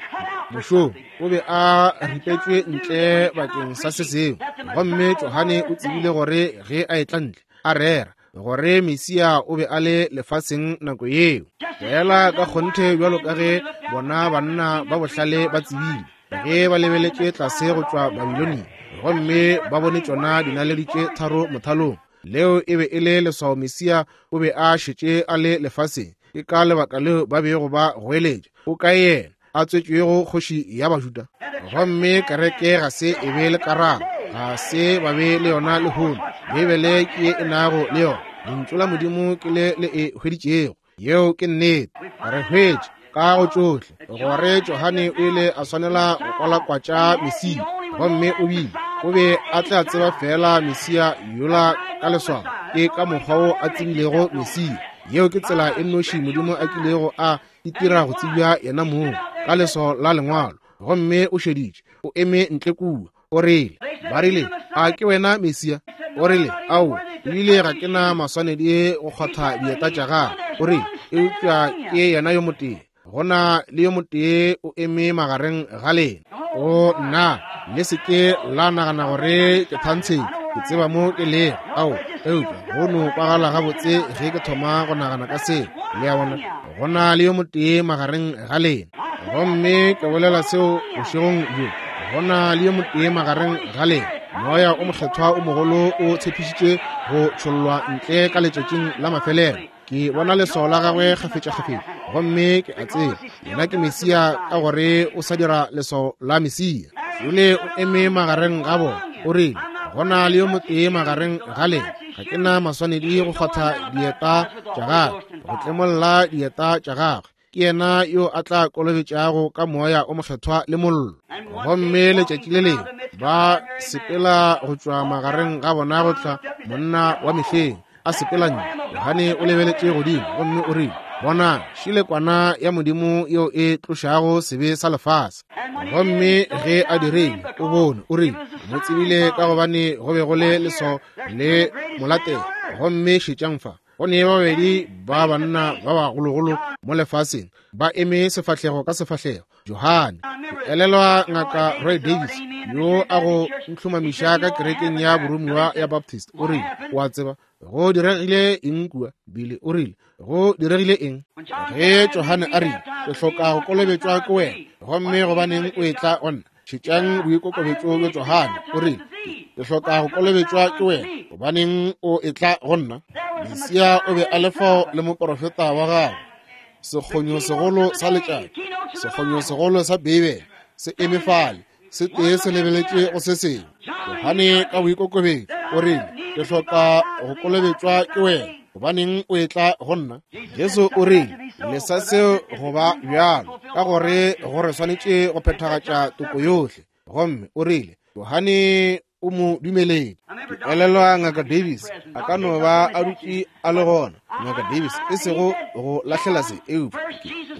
mošomo, o be a ripetšwe ntle bakeng sa se sengwe. Gomme Johane o tsebile gore ge a etla ntle a rera gore Mesia o be a le lefaseng nako yeo, fela ka kgonthe bjalo ka ge bona banna ba bohlale ba tsebile ge ba lebeletše tlase go tšwa Babilonia gomme ba bone tšona dinaledi tše tharo mothalong. Leo e be e le leswao Mesia o be a šetše a le lefaseng. Ke ka lebaka leo ba bego ba goeletša, o kae yena a tswetšwego kgoši ya Bajuda? Gomme kereke ga se e be le karabo, ga se ba be le yona lehono. Beibele ke ye e nago le yona, lentšu la Modimo ke le le e hweditšego. Yeo ke nnete. Re hwetše ka go tšohle gore Johane o ile a swanela go kwalakwatša Mesia, gomme o bile o be a tla tseba fela Mesia yola ka leswao. Ke ka mokgwa wo a tsebilego Mesia. Yeo ke tsela e nnoši Modimo a kilego a itira go tsebja yena mong, ka leswao la lengwalo. Gomme o šeditše, o eme ntle kua, o rile, ba rile, a ke wena Mesia? O rile, ao, ebile ga ke na maswanedi go kgwatha dieta tša gagwe. O rile, eupša ke yena yo motee, go na le yo motee o eme magareng ga lena. O nna, le se ke la nagana gore ke thantsheng, ke tseba mo ke lego. Ao, eupša go no kwagala gabotse ge ke thoma go nagana ka seo. Le a bona, go na le yo motee magareng ga lena. Gomme ke bolela seo bošegong bjo, go na le yo motee magareng ga lena. Moya o mokgethwa o mogolo o tshepišitše go tšhollwa ntle ka letšatšing la mafelelo. Ke bona leswao la gagwe kgafetšakgafetša, gomme ke a tseba yena ke Mesia, ka gore o sa dira leswao la Mesia. Yole o eme magareng ga bona, o rile, go na le yo motee magareng ga lena, ga ke na maswanedi go kgwatha dieta tša gagwe, go tlemolla dieta tša gagwe. Ke yena yo a tla kolobetšago ka moya o mokgethwa le mollo. Gomme letšatši le lengwe ba sepela go tšwa magareng ga bona go tla monna wa mehleng a sepela ntle. Johane o lebeletše godimo gomme o rile, bona šile kwana ya Modimo yeo e tlošago sebe sa lefase. Gomme ge a dirile, o bone, o rile, mo tsebile ka gobane go be go le leswao le molatela. Gomme šetšang fa, go ne ba babedi ba banna ba bagologolo mo lefaseng ba eme sefahlego ka sefahlego. Johane, ke elelwa ngaka Roy Davis yo a go ntlhomamiša ka kerekeng ya boromiwa ya Baptist, o rile, o a tseba go diregile eng kua? Bile o rile, go diregile eng ge Johane a rile, ke hloka go kolobetšwa ke wena, gomme gobaneng o etla go nna? Šetšang boikokobetšo bja Johane. O rile, ke hloka go kolobetšwa ke wena, gobaneng o etla go nna? Mesia o be a le fao le moporofeta wa gagwe, sekgonyo segolo sa letšatši, sekgonyo segolo sa Beibele se eme fale, se tee se lebeletše go se sengwe. Johane ka boikokobetšo o rile, ke hloka go kolobetšwa ke wena, gobaneng o etla go nna? Jesu o rile, lesa seo go ba bjalo, ka gore go re swanetše go phethagatša toko yohle. Gomme o rile, Johane o mo dumeletše. Ke elelwa ngaka Davis a ka no ba a dutše a le gona. Ngaka Davis, e sego go lahlela se, eupša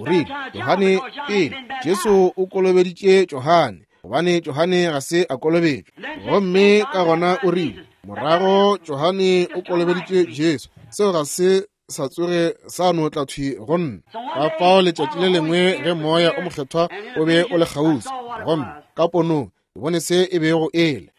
o rile, Johane pele Jesu o kolobeditše Johane, gobane Johane ga se a kolobetšwa. Gomme ka gona o rile, morago Johane o kolobeditše Jesu. Seo ga se sa tsoge sa no tla thwi go nna. Ka fao letšatši le lengwe ge moya o mokgethwa o be o le kgauswi, gomme ka ponong ke bone se e bego ele.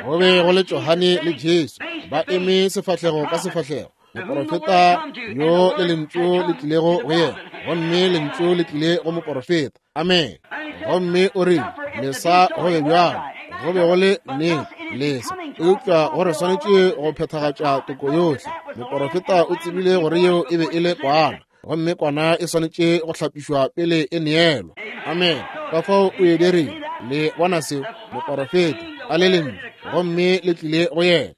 Go be go le Johane le Jesu ba eme sefahlego ka sefahlego, moporofeta yo le lentšu le tlilego go yena, gomme lentšu le tlile go moporofeta. Amen. Gomme o rile, lesa go be bjalo, go be go le nnete, lesa, eupša go re swanetše go phethagatša toko yohle. Moporofeta o tsebile gore yeo e be e le kwana, gomme kwana e swanetše go hlapišwa pele e neelwa. Amen. Ka fao o e dirile. Le bona seo, moporofeta a le lentšu, gomme le tlile go yena.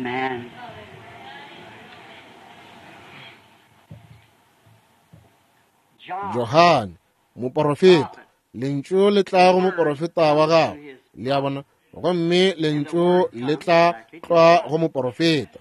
Amen. Johane, moporofeta, lentšu le tla go moporofeta wa gagwe, le a bona, gomme lentšu le tla tlwa go moporofeta.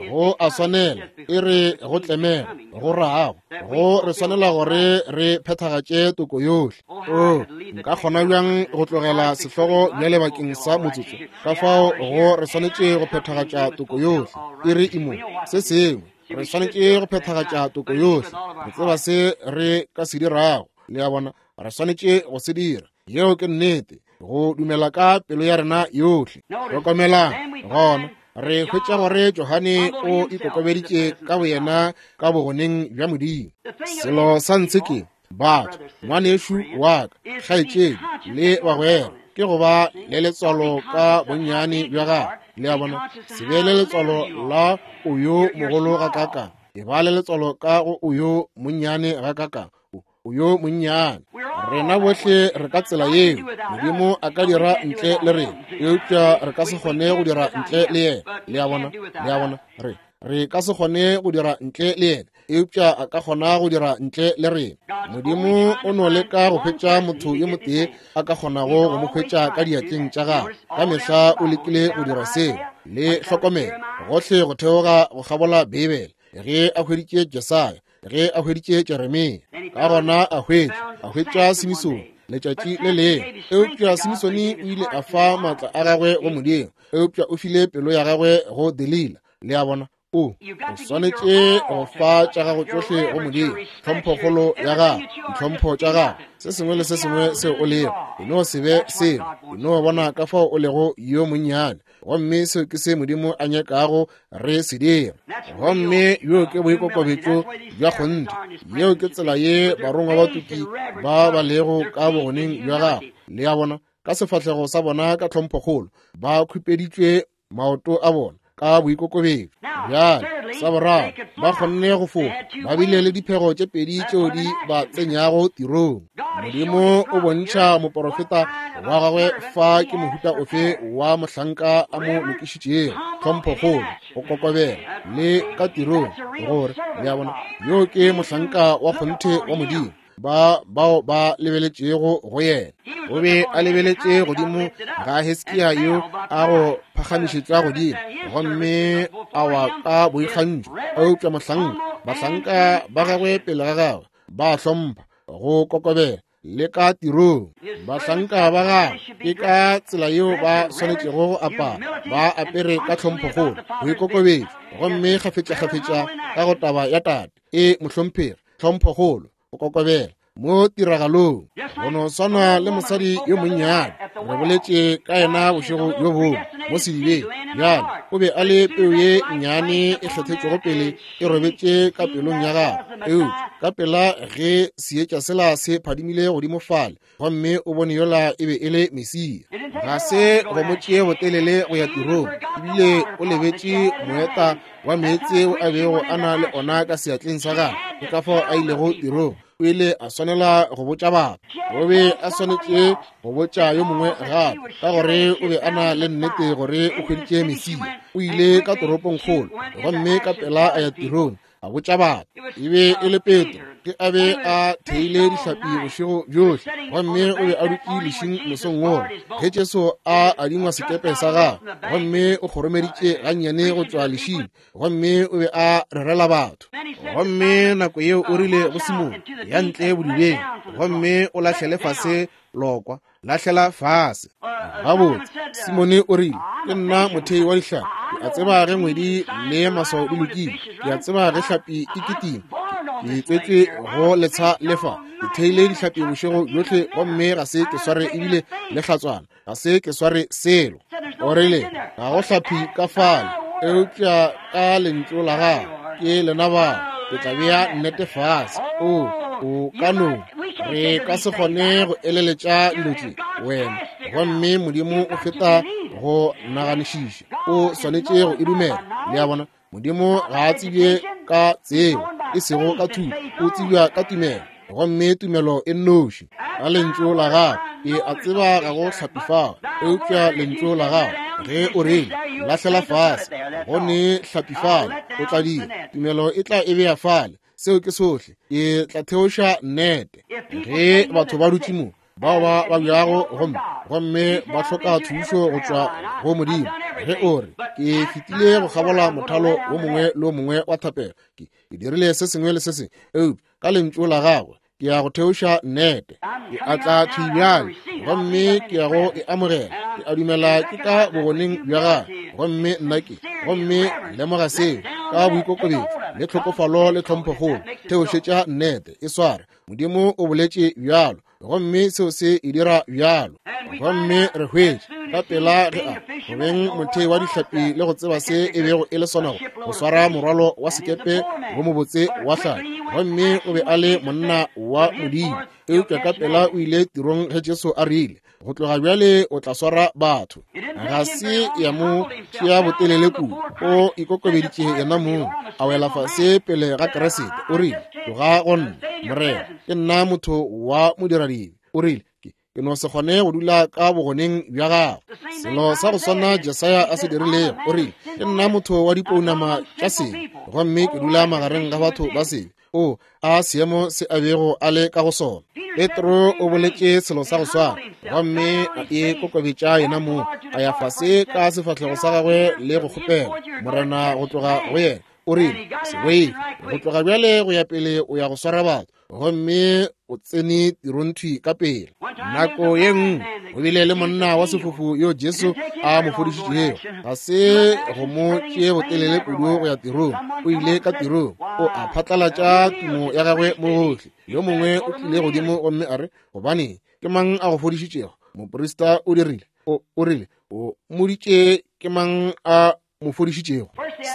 Go a swanela, e re go tlemela, go rago, go re swanela gore re phethagatše toko yohle. O, nka kgona bjang go tlogela sehlogo bjale bakeng sa motsotso? Ka fao go re swanetše go phethagatša toko yohle. E re imo, se sengwe, re swanetše go phethagatša toko yohle. Re tseba se re ka se dirago, le a bona, re swanetše go se dira. Yeo ke nnete, go dumela ka pelo ya rena yohle. Hlokomelang, gona Re hwetša gore Johane o ikokobeditše ka boyena ka bogoneng bja Modimo. Selo sa ntshe ke batho, ngwanešu wa ka, kgaetšedi le bagwera, ke go ba le letswalo ka bonnyane bja gago. Le a bona, se be le letswalo la o yo mogolo gakakang, e ba le letswalo ka go o yo monnyane gakakang, o yo monnyane. Rena bohle re ka tsela yeo. Modimo a ka dira ntle le rena, eupša re ka se kgone go dira ntle le yena. Le a bona, le a bona, re re ka se kgone go dira ntle le yena, eupša a ka kgona go dira ntle le rena. Modimo o no leka go hwetša motho yo motee a ka kgonago go mo hwetša ka diatleng tša gagwe. Ka mehla o lekile go dira seo. Le hlokomele gohle go theoga go kgabola Beibele, ge a hweditše Jesaya, ge a hweditše Jeremia, ka gona a hwetša a hwetša Simisone letšatši le lengwe. Eupša Simisone o ile a fa maatla a gagwe go Modimo, eupša o file pelo ya gagwe go Delila. Le a bona, o o swanetše go fa tša gago tšohle go Modimo, tlhomphokgolo ya gago, ditlhompho tša gago, se sengwe le se sengwe seo o lego. E no se be selo, e no bona ka fao o lego yo monnyane, gomme seo ke se Modimo a nyakago re se dira. Gomme yo ke boikokobetšo bja kgonthe. Yeo ke tsela ye barongwa ba tuki ba ba lego ka bogoneng bja gago. Le a bona, ka sefahlego sa bona ka tlhomphokgolo, ba khupeditšwe maoto a bona ka boikokobetšo. Bjale sa boraro, ba kgonne go fofa, ba bile le diphego tše pedi tšeo di ba tsenyago tirong. Modimo o bontšha moporofeta wa gagwe fa ke mohuta ofe wa mohlanka a mo lokišitšego, tlhomphokgolo, go kokobela le ka tirong, gore le a bona, yo ke mohlanka wa kgonthe wa Modimo, ba bao ba lebeletšego go yena. O be a lebeletše godimo ga Hiskia yo a go phagamišetšwa godimo, gomme a wa ka boikgantšho. Eupša mohlanka, bahlanka ba gagwe pele ga gagwe ba hlompha, go kokobela le ka tirong. Bahlanka ba gagwe ke ka tsela yeo ba swanetšego go apara, ba apere ka tlhomphokgolo, boikokobetšo, gomme kgafetšakgafetša ka go taba ya tate e mohlomphegi, tlhomphokgolo, go kokobela mo tiragalong. Go no swana le mosadi yo monnyane re boletše ka yena bošego bjo bongwe mo sedibeng. Bjale o be a le peu ye nnyane e kgethetšwego pele e robetše ka pelong ya gagwe, eupša ka pela ge seetša sela se phadimile godimo fale, gomme o bone yola e be e le Mesia. Ga se go mo tšee botelele go ya tirong, ebile o lebetše moeta wa meetse o a bego a na le ona ka seatleng sa gagwe. Ke ka fao a ilego tirong. O ile a swanela go botša batho, o be a swanetše go botša yo mongwe gape, ka gore o be a na le nnete gore o hweditše Mesia. O ile ka toropongkgolo, gomme ka pela a ya tirong, a botša batho. E be e le Petro, ke a be a theile dihlapi bošego bjohle, gomme o be a dutše lešing mosong wola ge Jesu a adingwa sekepe sa gagwe, gomme o kgoromeditše gannyane go tšwa lešing, gomme o be a rerela batho. Gomme nako yeo o rile go Simone, ya ntle bodibeng, gomme o lahlele fase lokwa, lahlela fase. Gabotse, Simone o rile, ke nna mothei wa dihlapi, ke a tseba ge ngwedi le maswao di lokile, ke a tseba ge hlapi e kitima, ke tswetšwe go letsha lefa, ke theile dihlapi bošego bjohle, gomme ga se ke sware ebile le hlatswana, ga se ke sware selo. O rile, ga go hlapi ka fale, eupša ka lentšu la gago ke lena bao, ke tla bea nnete fase. O o ka no re ka se kgone go eleletša dilo tše wena, gomme Modimo o feta go naganišiša, o swanetše go e dumela. Le a bona, Modimo ga a tsebje ka tsebo, e sego ka thuto, o tsebja ka tumelo, gomme tumelo e nnoši. Ka lentšu la gago, ke a tseba ga go hlapi fao, eupša lentšu la gago ge o rile lahlela fase, go ne hlapi fale, o tla dira, tumelo e tla e bea fale. Seo ke sohle. Ke tla theoša nnete. Ge batho ba dutše mo, bao ba babjago gomme gomme ba hloka thušo go tšwa go Modimo, ge o re, ke fetile go kgabola mothalo wo mongwe le wo mongwe wa thapelo, ke dirile se sengwe le se sengwe, eupša ka lentšu la gagwe ke ya go theoša nnete, ke a tla thwi bjale, gomme ke ya go e amogela. Ke a dumela ke ka bogoneng bja gagwe, gomme nna ke, gomme lemoga seo ka boikokobetšo le tlhokofalo le tlhomphokgolo. Theošetša nnete, e sware. Modimo o boletše bjalo, Gomme seo se e dira bjalo. Gomme re hwetše ka pela ge a go beng mothei wa dihlapi le go tseba se e bego e le sona go swara morwalo wa sekepe wo mobotse wa hlapi. Gomme o be a le monna wa Modimo, eupša ka pela o ile tirong ge Jesu a rile, go tloga bjale o tla swara batho. Ga se ya mo tšea botelele kudu, o ikokobeditše yena mong, a wela fase pele ga Kriste. O rile, tloga go nna, Morena, ke nna motho wa modiradibe. O rile, ke no se kgone go dula ka bogoneng bja gago. Selo sa go swana Jesaya a se dirilego. O rile, ke nna motho wa dipounama tša sebe, gomme ke dula magareng ga batho ba sebe. O a seemo se a bego a le ka go sona. Petro o boletše selo sa go swana, gomme a e kokobetša yena mong, a ya fase ka sefahlego sa gagwe le go kgopela Morena go tloga go yena. O rile, se boife, go tloga bjale go ya pele o ya go swara batho. Gomme o tsene tirong ka pele. Nako ye nngwe go bile le monna wa sefofu yo Jesu a mo fodišitšego. Ga se go mo tšee botelele kudu go ya tirong, o ile ka tirong, o a phatlalatša tumo ya gagwe mo gohle. Yo mongwe o tlile godimo gomme a re, gobane ke mang a go fodišitšego? Moprista o dirile, o, o rile, o mmoditše ke mang a mo fodišitšego.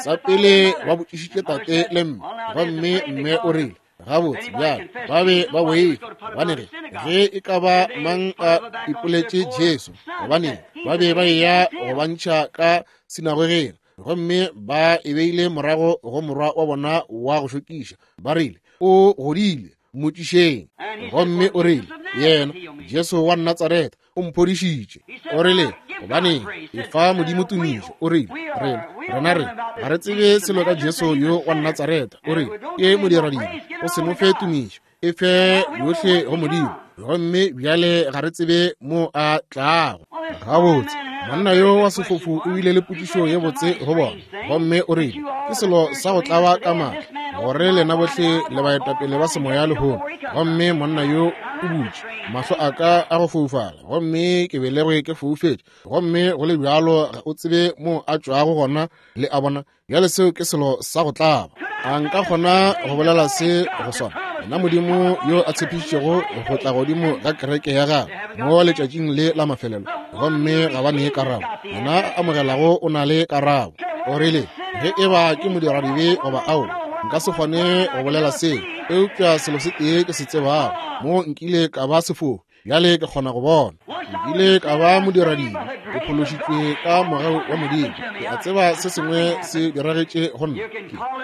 Sa pele ba botšišitše tate le mme, gomme mme o rile, gabotse bjale ba be ba boifa, gobane ge ge e ka ba mang a ipoletše Jesu, gobane ba be ba eya go ba ntšha ka sinagogeng, gomme ba e beile morago go morwa wa bona wa go šokiša. Ba rile, o godile, mmotšišeng. Gomme o rile, yena Jesu wa Natsaretha o mphodišitše. O rile, gobaneng efa Modimo tumišo. O rile, rena rena re ga re tsebe selo ka Jesu yo wa Natsaretha. O rile, ke modiradibe, o se mo fe tumišo, e fe yohle go Modimo. Gomme bjale ga re tsebe mo a tlago. Gabotse, monna yo wa sefofu o bile le potšišo ye botse go bona, gomme o rile, ke selo sa go tlaba ka maatla gore lena bohle le baetapele ba semoya lehono. Gomme monna yo o butše mahlo a ka a go foufala, gomme ke belegwe ke foufetše, gomme go le bjalo ga o tsebe mo a tšwago gona. Le a bona bjale, seo ke selo sa go tlaba. A nka kgona go bolela se go swana nna Modimo yo a tshepišitšego go tla godimo ga kereke ya gagwe mo letšatšing le la mafelelo, gomme ga ba nee karabo. Yena a amogelago o na le karabo. O rile, ge e ba ke modiradibe goba ao, nka se kgone go bolela seo, eupša selo se tee ke se tsebago, mo nkile ka ba sefofu, bjale ke kgona go bona. Nkile ka ba modiradibe, ke phološitšwe ka mogau wa Modimo. Ke a tseba se sengwe se diragetše go nna,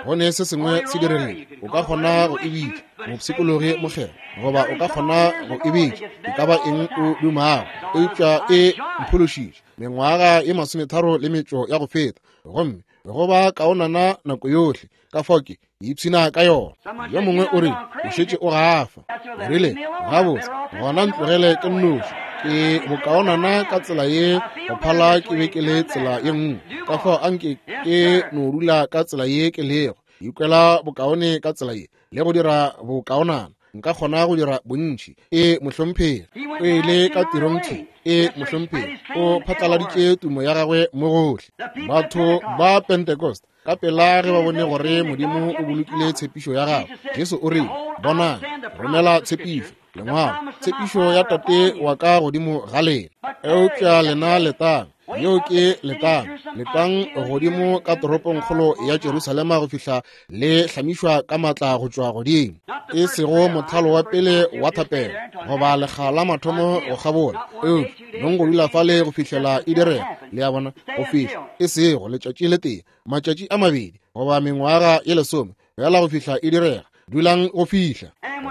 go ne se sengwe se diregile. O ka kgona go e bitša mopshikologi mokgethwa, goba o ka kgona go e bitša e ka ba eng o dumago, eupša e mphološitše mengwaga ye masometharo le metšo ya go feta, gomme go ba kaonana nako yohle. Ka fao ke ipshina ka yona. Yo mongwe o rile, o šetše o gafa. O rile, gabotse, gona ntlogele ke nnoši, ke bokaonana ka tsela ye go phala ke be ke le tsela ye nngwe. Ka fao anke ke no dula ka tsela ye ke lego, ikwela bokaone ka tsela ye le go dira bokaonana. Nka kgona go dira bontši. E mohlomphegi, o ile ka tirong thwi. E mohlomphegi, o phatlaladitše tumo ya gagwe mo gohle. Batho ba Pentecost ka pela ge ba bone gore Modimo o bolokile tshepišo ya gagwe, Jesu o rile, bonang, romela tshepišo, lengwalo, tshepišo ya Tate wa ka godimo ga lena. Eupša lena letang, yeo ke letang, letang godimo ka toropongkgolo ya Jerusalema go fihla le hlamišwa ka matla go tšwa godimo. E sego mothalo wa pele wa thapelo goba lekga la mathomo go kgabola, eupša nong go dula fale go fihlela e direga. Le a bona, go fihla e sego letšatši le tee, matšatši a mabedi goba mengwaga ye lesome, fela go fihla e direga. Dulang go fihla.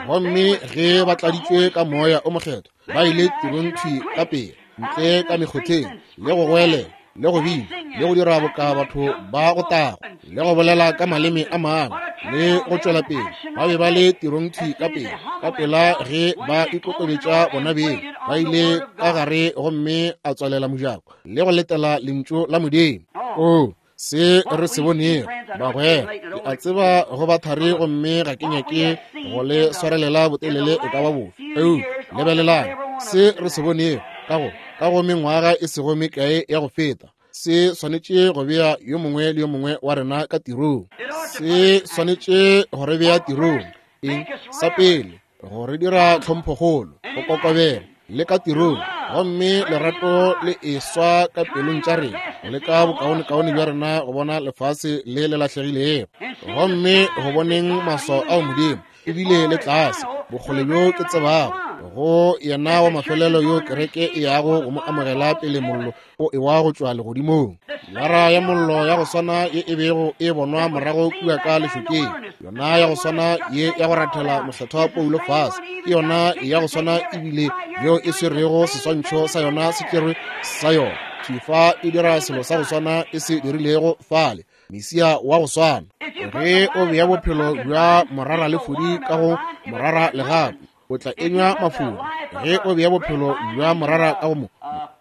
Gomme ge ba tladitšwe ka moya o mokgethwa, ba ile tirong thwi ka pele, ntle ka mekgotheng, le go goelela, le go bina, le go dira boka batho ba go tago, le go bolela ka maleme a mangwe, le go tšwela pele. Ba be ba le tirong thwi ka pele, ka pela ge ba ikokobetša bona beng, ba ile ka gare gomme a tswalela mojako le go letela lentšu la Modimo. Oh, se re se bonego, bagwera, ke a tseba go ba thari gomme ga ke nyake go le swarelela botelele e ka ba bofe. Eupša lebelelang se re se bonego ka go ka go mengwaga e sego mekae ya go feta, se swanetše go bea yo mongwe le yo mongwe wa rena ka tirong. Se swanetše go re bea tirong. Eng? Sa pele, go re dira tlhomphokgolo, go kokobela le ka tirong, gomme lerato le eswa ka pelong tša rena, go leka bokaonekaone bja rena go bona lefase le le lahlegilego, gomme go boneng maswao ao Modimo ebile le tlase bokgole bjo ke tsebago go yena wa mafelelo yo kereke e yago go mo amogela pele mollo o ewa go tšwa legodimong. Lara ya mollo ya go swana ye e bego e bonwa morago kua ka lešokeng, yona ya go swana ye ya go rathela mohlatha wa Paulo fase, ke yona ya go swana ebile yeo e swerego seswantšho sa yona se tšerwe sa yona. Thifa e dira selo sa go swana e se dirilego fale, Mesia wa go swana. Ge o bea bophelo bja morara le fodi ka go morara le gape, o tla enywa mafodi. Ge o bea bophelo bja morara ka go mo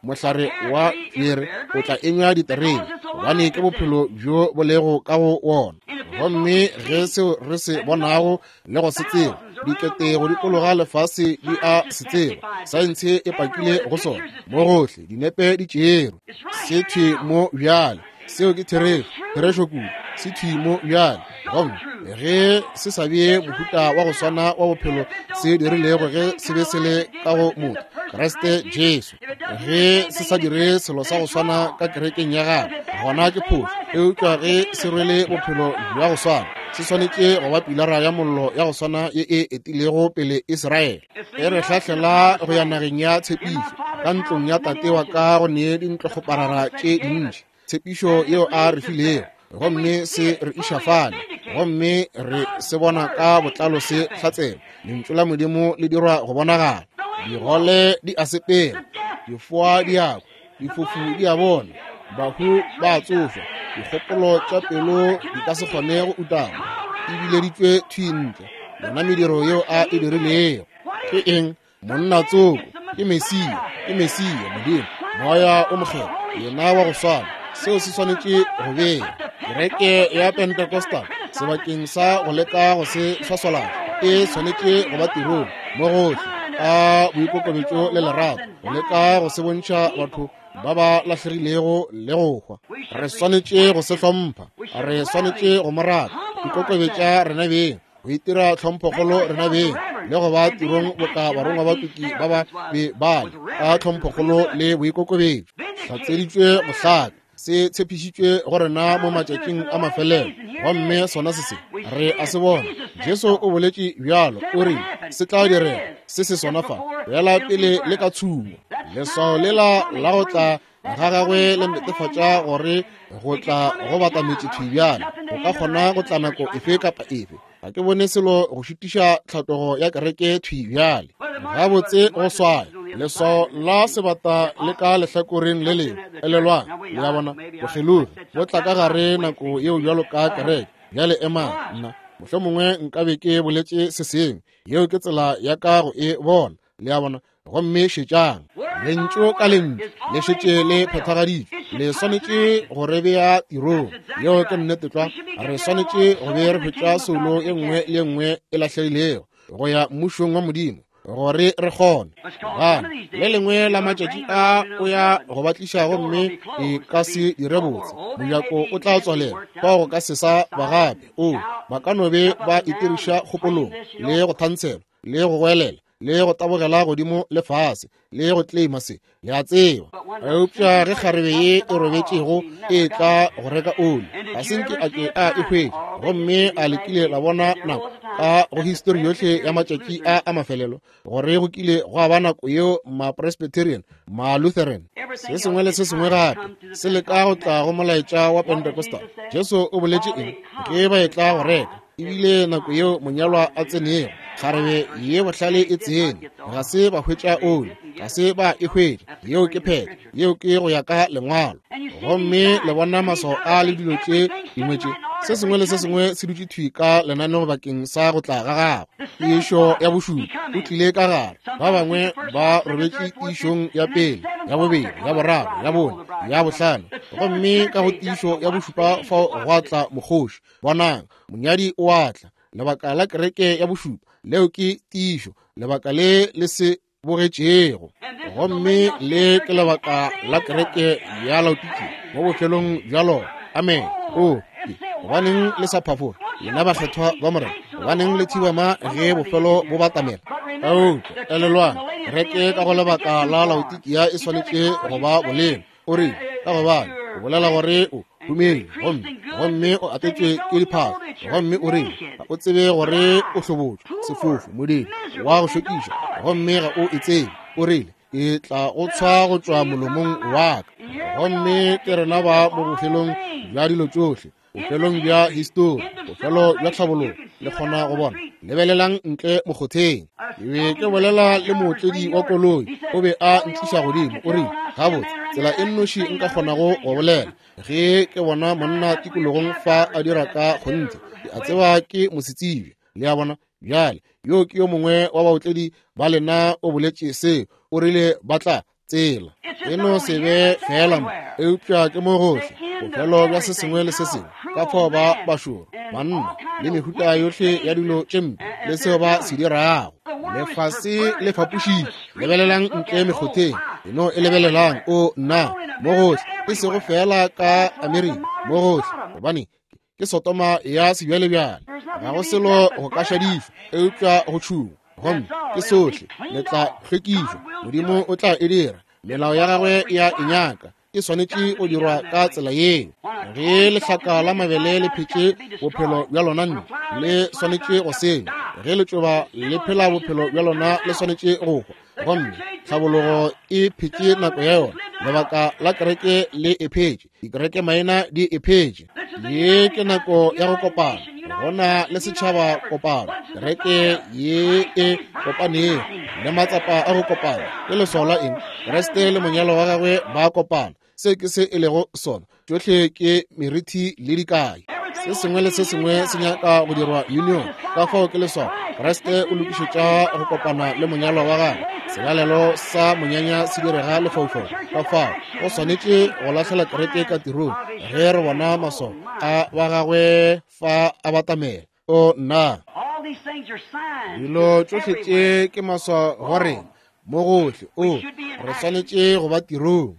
mohlare wa pere, o tla enywa diterebe, gobane ke bophelo bjo bo lego ka go wona. Gomme ge seo re se bonago le go se tseba, dikete go dikologa lefase di a se tseba, saense e pakile go sona mo gohle, dinepe di tšerwe, se thwi mo bjale. Seo ke therešo, therešo kudu, se thwi mo bjale. Gomme ge se sa bee mohuta wa go swana wa bophelo se dirilego ge se be se le ka go motho Kriste Jesu, ge se sa dire selo sa go swana ka kerekeng ya gagwe, gona ke phošo. Eupša ge se rwele bophelo bja go swana, se swanetše go ba pilara ya mollo ya go swana ye e etilego pele Israele, e re hlahlela go ya nageng ya tshepišo, ka ntlong ya tate wa ka go ne dintlokgoparara tše dintši, tshepišo yeo a re filego, gomme se re iša fale, gomme re se bona ka botlalo se hlatsela. Lentšu la Modimo le dirwa go bonagala. Digole di a sepela, difoa di a kwa, difofu di a bona, bahu ba a tsošwa, dikgopolo tša pelo di ka se kgone go utama, e bileditšwe thwi ntle yona mediro yeo a e dirilego. Ke eng? Monna tsoko, ke Mesia, ke Mesia, Modimo, Moya o Mokgethwa, yena wa go swana. Seo se swanetše go bea kereke ya Pentecostal sebakeng sa go leka go se swaswalatša, e swanetše go ba tirong mo gohle ka boikokobetšo le lerato, go leka go se bontšha batho ba ba lahlegilego le go hwa. Re swanetše go se hlompha, re swanetše go mo rata, ikokobetša rena beng, go itira tlhomphokgolo rena beng, le go ba tirong boka barongwa ba tuki ba ba be bale ka tlhomphokgolo le boikokobetšo. Hlatseditšwe bohlaka, se tshepišitšwe go rena mo matšatšing a mafelelo, gomme sona se se re a se bona. Jesu o boletše bjalo, o rile se tla direga, se se sona fa, bjala pele le ka tshumo. Leswao lela la go tla ga gagwe le netefatša gore go tla go batametše thwi bjale, go ka kgona go tla nako efe kapa efe. Ga ke bone selo go šitiša tlhatlogo ya kereke thwi bjale. Gabotse go swaya leswao la sebata le ka lehlakoreng le lengwe. Elelwang, le a bona, bokgelogi bo tla ka gare nako yeo bjalo ka kereke. Bjale emang, nna mohlomongwe nkabe ke boletše se sengwe. Yeo ke tsela ya ka go e bona, le a bona. Gomme šetšang, lentšu ka lentšu le šetše le phethagaditšwe, le swanetše go re bea tirong. Yeo ke nnete tlwa. Re swanetše go be re hwetša soulo ye nngwe le ye nngwe e lahlegilego go ya mmušong wa Modimo, gore re kgone. Gobane le lengwe la matšatši a o ya go ba tliša, gomme e ka se dire botse, mojako o tla tswalela, fao go ka se sa ba gape. O ba ka no be ba itiriša kgopolong le go thantshelwa le go goelela le go tabogela godimo le fase le go claima se, le a tseba. Eupša ge kgarebe ye e robetšego e tla go reka oli, ga se nke a ke a e hwetša. Gomme a le kile la bona nako ka go histori yohle ya matšatši a a mafelelo gore go kile gwa ba nako yeo ma-Presbyterian, ma-Lutheran, se sengwe le se sengwe gape se leka go tla go molaetša wa Pentecostal. Jesu o boletše eng ge ba etla go reka? Ebile nako yeo monyalwa a tsenego, kgarebe ye bohlale e tsene, ga se ba hwetša oli, ga se ba e hwetša. Yeo ke phetho, yeo ke go ya ka lengwalo. Gomme le bona maswao a le dilo tše dingwe tše, se sengwe le se sengwe se dutše thwi ka lenaneo bakeng sa go tla ga gagwe. Tiišo ya bošupa o tlile ka gare, ba bangwe ba robetše tiišong ya pele, ya bobedi, ya boraro, ya bone, ya bohlano, gomme ka go tiišo ya bošupa fao gwa tla mokgoši. Bonang, monyadi o a tla. Lebaka la kereke ya bošupa, leo ke tiišo, lebaka le le se bogetšego. Gomme le ke lebaka la kereke ya Laodikia mo bofelong bja lona. Amen. O, gobaneng le sa phafoge? Lena bakgethwa ba Morena, gobaneng le thibama ge bofelo bo batamela? Eupša elelwang, kereke ka go lebaka la Laodikia e swanetše go ba bolelo. O rile, ka gobane o bolela gore o humile gomme gomme o atetšwe ke diphahlo, gomme o rile ga o tsebe gore o hlobotšwe, sefofu, modimo wa go šokiša, gomme ga o e tsebe. O rile, ke tla go tshwa go tšwa molomong wa ka. Gomme ke rena ba mo bofelong bja dilo tšohle, bofelong bja histori, bofelo bja tlhabologo. Le kgona go bona. Lebelelang ntle mokgotheng. Ke be ke bolela le mootledi wa koloi, o be a ntliša godimo. O rile, gabotse, tsela e nnoši nka kgonago go bolela ge ke bona monna tikologong fa a dira ka kgonthe, ke a tseba ke mosetsebje. Le a bona? Bjale, yo ke yo mongwe wa baotledi ba lena o boletše seo. O rile ba tla tsela e no se be fela mo, eupša ke mo gohle, bofelo bja se sengwe le se sengwe. Ka fao ba bašoro, banna le mehuta yohle ya dilo tše mpe le seo ba se dirago. Lefase le fapošitše. Lebelelang ntle mekgotheng, e no e lebelelang. O nna, mo gohle, e sego fela ka Amerika, mo gohle, gobane ke Sotoma ya sebjalebjale. Ga go selo go ka šadišwa eupša go tšhungwa, gomme ke sohle. Le tla hlwekišwa. Modimo o tla e dira. Melao ya gagwe ya e nyaka, e swanetše go dirwa ka tsela yeo. Ge lehlaka la mabele le phetše bophelo bja lona nne, le swanetše go senya. Ge letšoba le phela bophelo bja lona, le swanetše go hwa. Gomme tlhabologo e phetše nako ya yona. Lebaka la kereke le e phetše, dikereke maina di e phetše. Ye ke nako ya go kopana. Go na le setšhaba kopano, kereke ye e kopanego le matsapa a go kopana. Ke leswao la eng? Kriste le monyalo wa gagwe ba kopana. Se ke se e lego sona. Tšohle ke merithi le dikai. Se sengwe le se sengwe se nyaka go dirwa union. Ka fao ke leswao. Kriste o lokišetša go kopana le monyalo wa gagwe. Selalelo sa monyanya se direga lefaufau. Ka fao go swanetše go lahlela kereke ka tirong ge re bona maswao a ba gagwe fa a batamela. O nna, dilo tšohle tše ke maswao go rena mo gohle. O re swanetše go ba tirong.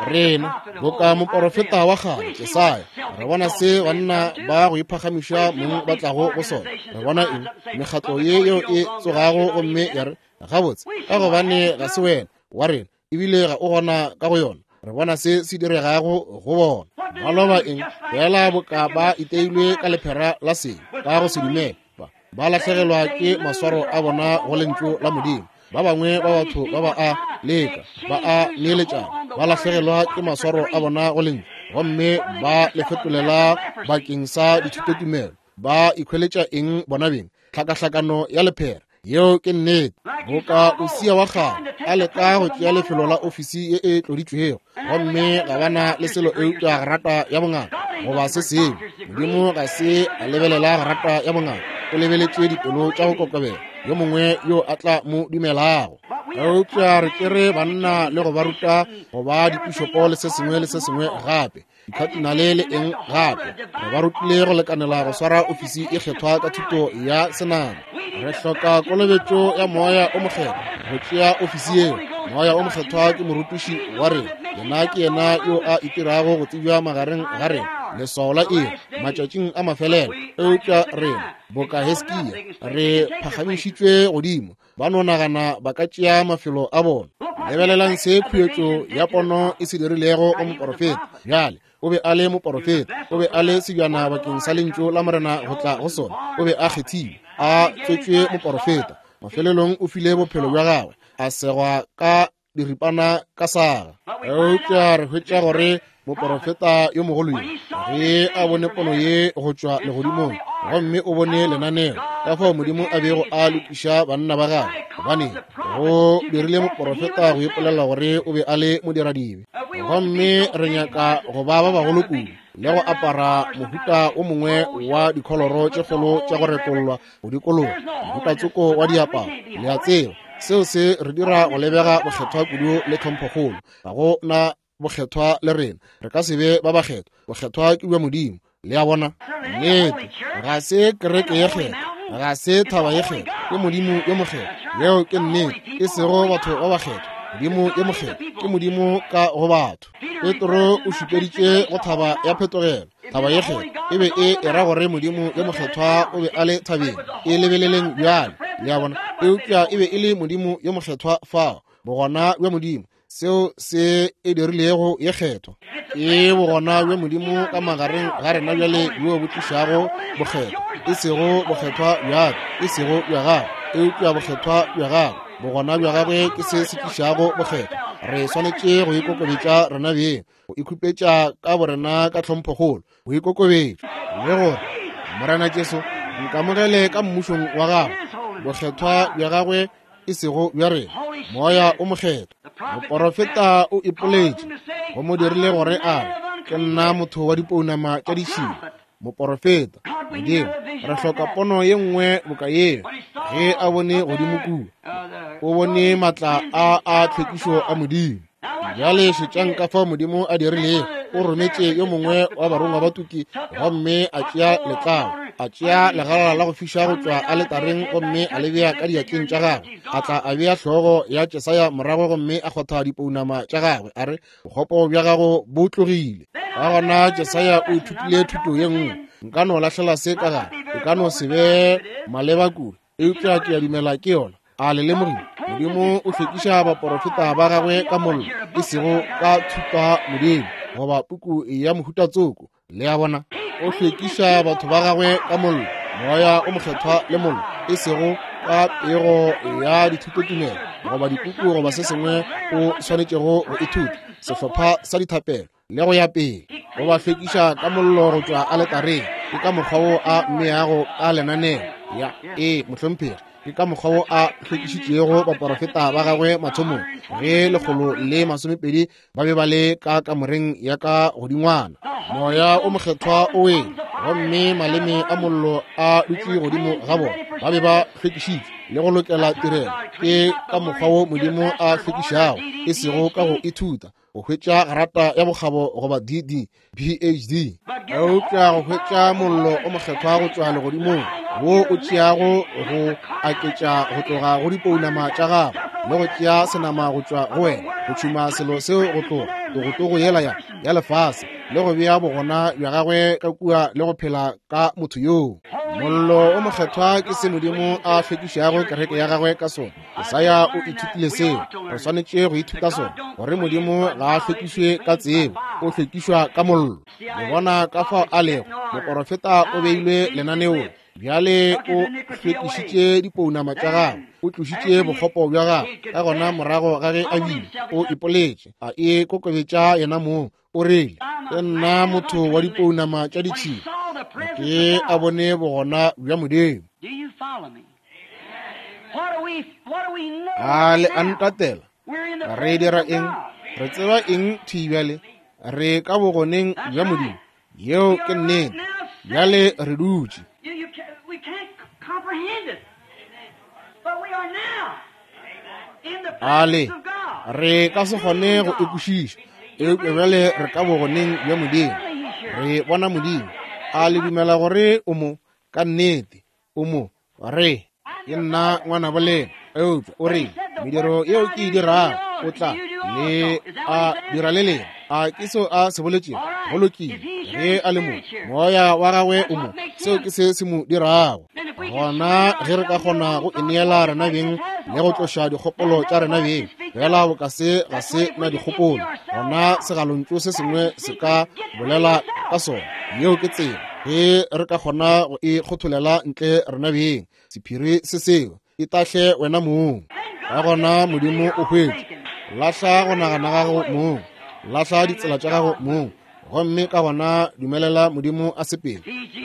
Rena boka moporofeta wa kgale Jesaya, re bona se banna ba go iphagamiša mong ba tlago go sona. Re bona eng? Mekgatlo ye yeo e tsogago gomme ya re, gabotse, ka gobane ga se wena wa rena, ebile ga o gona ka go yona. Re bona se se diregago go bona. Ba loba eng? Fela boka ba iteilwe ka lephera la seng, ka go se dumele. Ba ba lahlegelwa ke maswaro a bona go lentšu la Modimo. Ba bangwe ba batho ba ba a leka, ba a neeletšana, ba lahlegelwa ke maswaro a bona go lentšu, gomme ba le fetolela bakeng sa dithutotumelo. Ba ikhweletša eng bona beng? Tlhakahlakano ya lephera. Yeo ke nnete. Boka Usia wa kgale a leka go tšea lefelo la ofisi ye e tloditšwego, gomme ga bana le selo eupša grata ya bongaka goba se sengwe. Modimo ga se a lebelela grata ya bongaka, o lebeletše dipelo tša go kokobela, yo mongwe yo a tla mo dumelago. Eupša re tšere banna le go ba ruta go ba dipišopo le se sengwe le se sengwe gape, dikhatinale le eng gape. Re ba rutile go lekanela go swara ofisi e kgethwa ka thuto ya senama. Re hloka kolobetšo ya Moya o Mokgethwa go tšea ofisi yeo. Moya o Mokgethwa ke morutiši wa rena. Yena ke yena yo a itirago go tsebja magareng ga rena. Leswao la eng matšatšing a mafelelo? Eupša rena boka Hiskia re phagamišitšwe godimo. Ba no nagana ba ka tšea mafelo a bona. Lebelelang se khuetšo ya pono e se dirilego go moporofeta. Bjale o be a le moporofeta, o be a le sebjana bakeng sa lentšu la Morena go tla go sona. O be a kgethilwe, a tswetšwe moporofeta. Mafelelong o file bophelo bja gagwe, a segwa ka diripana ka saga. Eupša re hwetša gore moporofeta yo mogolo yo, ge a bone pono ye go tšwa legodimong, gomme o bone lenaneo ka fao Modimo a bego a lokiša banna ba gagwe, gobane go dirile moporofeta go ipolela gore o be a le modiradibe. Gomme re nyaka go ba ba bagolo kudu le go apara mohuta o mongwe wa dikholoro tše kgolo tša go retollwa go dikologa, mohuta tsoko wa diaparo. Le a tseba, seo se re dira go lebega bokgethwa kudu le tlhomphokgolo. Ga go na bokgethwa le rena, re ka se be ba bakgethwa. Bokgethwa ke bja Modimo. Le a bona? Nnete, ga se kereke ye kgethwa, ga se thaba ye kgethwa, ke Modimo yo mokgethwa. Yeo ke nnete, e sego batho ba bakgethwa. Modimo yo mokgethwa ke Modimo ka go batho. Petro o šupeditše go thaba ya phetogelo, thaba ye kgethwa e be e era gore Modimo yo mokgethwa o be a le thabeng. E lebeleleng bjale, le a bona. Eupša e be e le Modimo yo mokgethwa fao, bogona bja Modimo, seo se e dirilego ye kgethwa. Ke bogona bja Modimo ka magareng ga rena bjale bjo bo tlišago bokgethwa, e sego bokgethwa bja ka, e sego bja gago, eupša bokgethwa bja gagwe. Bogona bja gagwe ke se se tlišago bokgethwa. Re swanetše go ikokobetša rena beng, go ikhupetša ka borena ka tlhomphokgolo, go ikokobetša le gore Morena Jesu nkamogele ka mmušong wa gagwe, bokgethwa bja gagwe e sego bja rena, Moya o mokgethwa. Moporofeta o ipoletše, go mo dirile gore a re, ke nna motho wa dipounama tša ditšhila. Moporofeta, Modimo, re hloka pono ye nngwe boka yeo. Ge a bone godimo kua, o bone matla a a tlhwekišo a Modimo. Bjale šetšang ka fao Modimo a dirilego. O rometše yo mongwe wa barongwa ba tuki gomme a tšea letlalo, a tšea legala la go fiša go tšwa aletareng gomme a le bea ka diatleng tša gagwe. A tla a bea hlogo ya Jesaya morago gomme a kgotha dipounama tša gagwe, a re, bokgopo bja gago bo tlogile. Ka gona Jesaya o ithutile thuto ye nngwe. Nka no lahlela se ka gare, e ka no se be maleba kudu, eupša ke a dumela ke yona. A le lemogile, Modimo o hlwekiša baporofeta ba gagwe ka mollo, e sego ka thupa Modimo goba puku ya mohuta tsoko. Le a bona, o hlwekiša batho ba gagwe ka mollo, Moya o mokgethwa le mollo, e sego ka pego ya dithutotumelo goba dipuku goba se sengwe o swanetšego go ithuta, sehlopha sa dithapelo le go ya pele. O ba hlwekiša ka mollo go tšwa aletareng. Ke ka mokgwa wo a mmeago ka lenaneo. Ya, ee, mohlomphegi, ke ka mokgwa wo a hlwekišitšego baporofeta ba gagwe mathomong, ge lekgolo le masomepedi ba be ba le ka kamoreng ya ka godingwana. Moya o mokgethwa o wele, gomme maleme a mollo a dutše godimo ga bona. Ba be ba hlwekišitšwe le go lokela tirelo. Ke ka mokgwa wo Modimo a hlwekišago, e sego ka go ithuta, go hwetša grata ya bokgabo goba D D, P H D, eupša go hwetša mollo o mokgethwa go tšwa legodimong, wo o tšeago go aketša go tloga go dipounama tša gago le go tšea senama go tšwa go wena, go tšhuma selo seo go tloga togotogo yela ya ya lefase, le go bea bogona bja gagwe ka kua le go phela ka motho yoo. Mollo o mokgethwa ke se Modimo a hlwekišago kereke ya gagwe ka sona. Jesaya o ithutile seo. Re swanetše go ithuta sona, gore Modimo ga a hlwekišwe ka tsebo, o hlwekišwa ka mollo. Le bona ka fao a lego. Moporofeta o beilwe lenaneong. Bjale o hlwekišitše dipounama tša gagwe, o tlošitše bokgopo bja gagwe. Ka gona morago ga ge a bile, o ipoletše, a e kokobetša yena mong. O rile, ke nna motho wa dipounama tša ditšhila, ke a bone bogona bja Modimo. A le a ntatela? Re dira eng? Re tseba eng thwi bjale? Re ka bogoneng bja Modimo. Yeo ke nnete. Bjale re dutše. A le, re ka se kgone go e kwešiša, eupša bjale re ka bogoneng bja Modimo. Re bona Modimo. A le dumela gore o mo? Ka nnete o mo. Re, ke nna ngwana bolena, eupša o re, mediro yeo ke e dirago o tla le a dira le lena. A ke seo a se boletšego? Go lokile. Ge a le mo, moya wa gagwe o mo, seo ke se se mo dirago. Gona ge re ka kgona go ineela rena beng le go tloša dikgopolo tša rena beng, fela boka se ga se na dikgopolo, gona segalontšu se sengwe se ka bolela ka sona. Yeo ke tsela ge re ka kgona go e kgotholela ntle rena beng, sephiri se seo, itahle wena mong. Ka gona Modimo o hwetše. Lahla go nagana gago mong, lahla ditsela tša gago mong, gomme ka gona dumelela Modimo a sepele.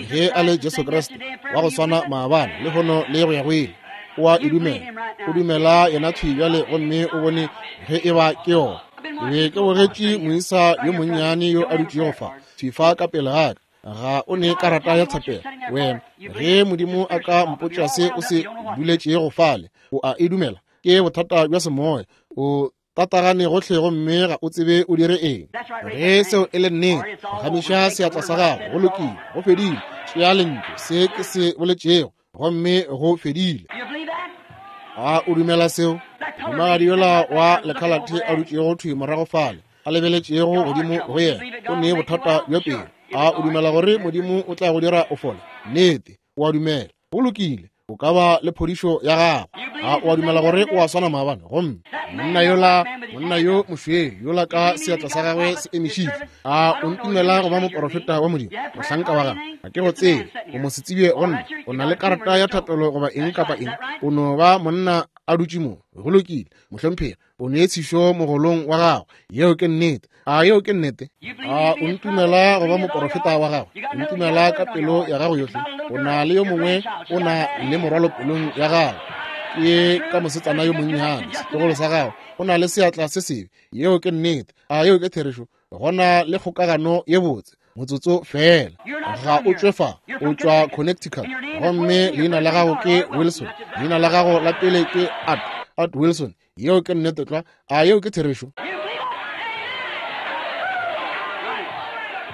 Ge a le Jesu Kriste wa go swana maabane, lehono le go ya go ile, o a e dumela. O dumela yena thwi bjale, gomme o bone ge e ba ke yona. Ke be ke bogetše moisa yo monnyane yo a dutšego fa, thwi fa ka pele ga ka. Ga o ne karata ya thapelo wena. Ge Modimo a ka mpotša se o se duletšego fale, o a e dumela. Ke bothata bja semoya. O tatagane gohle gomme ga o tsebe o dire eng. Ge seo e le nnete, gamiša seatla sa gago. Go lokile, go fedile. Tšea lentšu se ke se boletšego, gomme go fedile. A o dumela seo? Mohumagadi yola wa lekhalathe a dutšego thwi morago fale, a lebeletšego godimo go yena, o ne bothata bja pelo. A o dumela gore Modimo o tla go dira o fole? Nnete, o a dumela. Go lokile, o ka ba le phodišo ya gago. A o a dumela gore o a swana maabane? Gomme monna yola, monna yo mošweu yola ka seatla sa gagwe se emišitšwe, a o ntumela go ba moporofeta wa Modimo, mohlanka wa gagwe? Ga ke go tsebe, o mo se tsebe go nna. O na le karata ya thapelo goba eng kapa eng, o no ba monna a dutše mo. Go lokile, mohlomphegi, o ne tshišo mogolong wa gago. Yeo ke nnete. A yeo ke nnete? A o ntumela go ba moporofeta wa gago? O ntumela ka pelo ya gago yohle? O na le yo mongwe, o na le morwalo pelong ya gago. Ke ka mosetsana yo monnyane, setlogolo sa gago, o na le seatla se sebe. Yeo ke nnete. A yeo ke therešo? Gona le kgokagano ye botse. Motsotso fela. Ga o tšwe fa, o tšwa Connecticut. Gomme leina la gago ke Wilson. Leina la gago la pele ke Art, Art Wilson. Yeo ke nnete tlwa. A yeo ke therešo?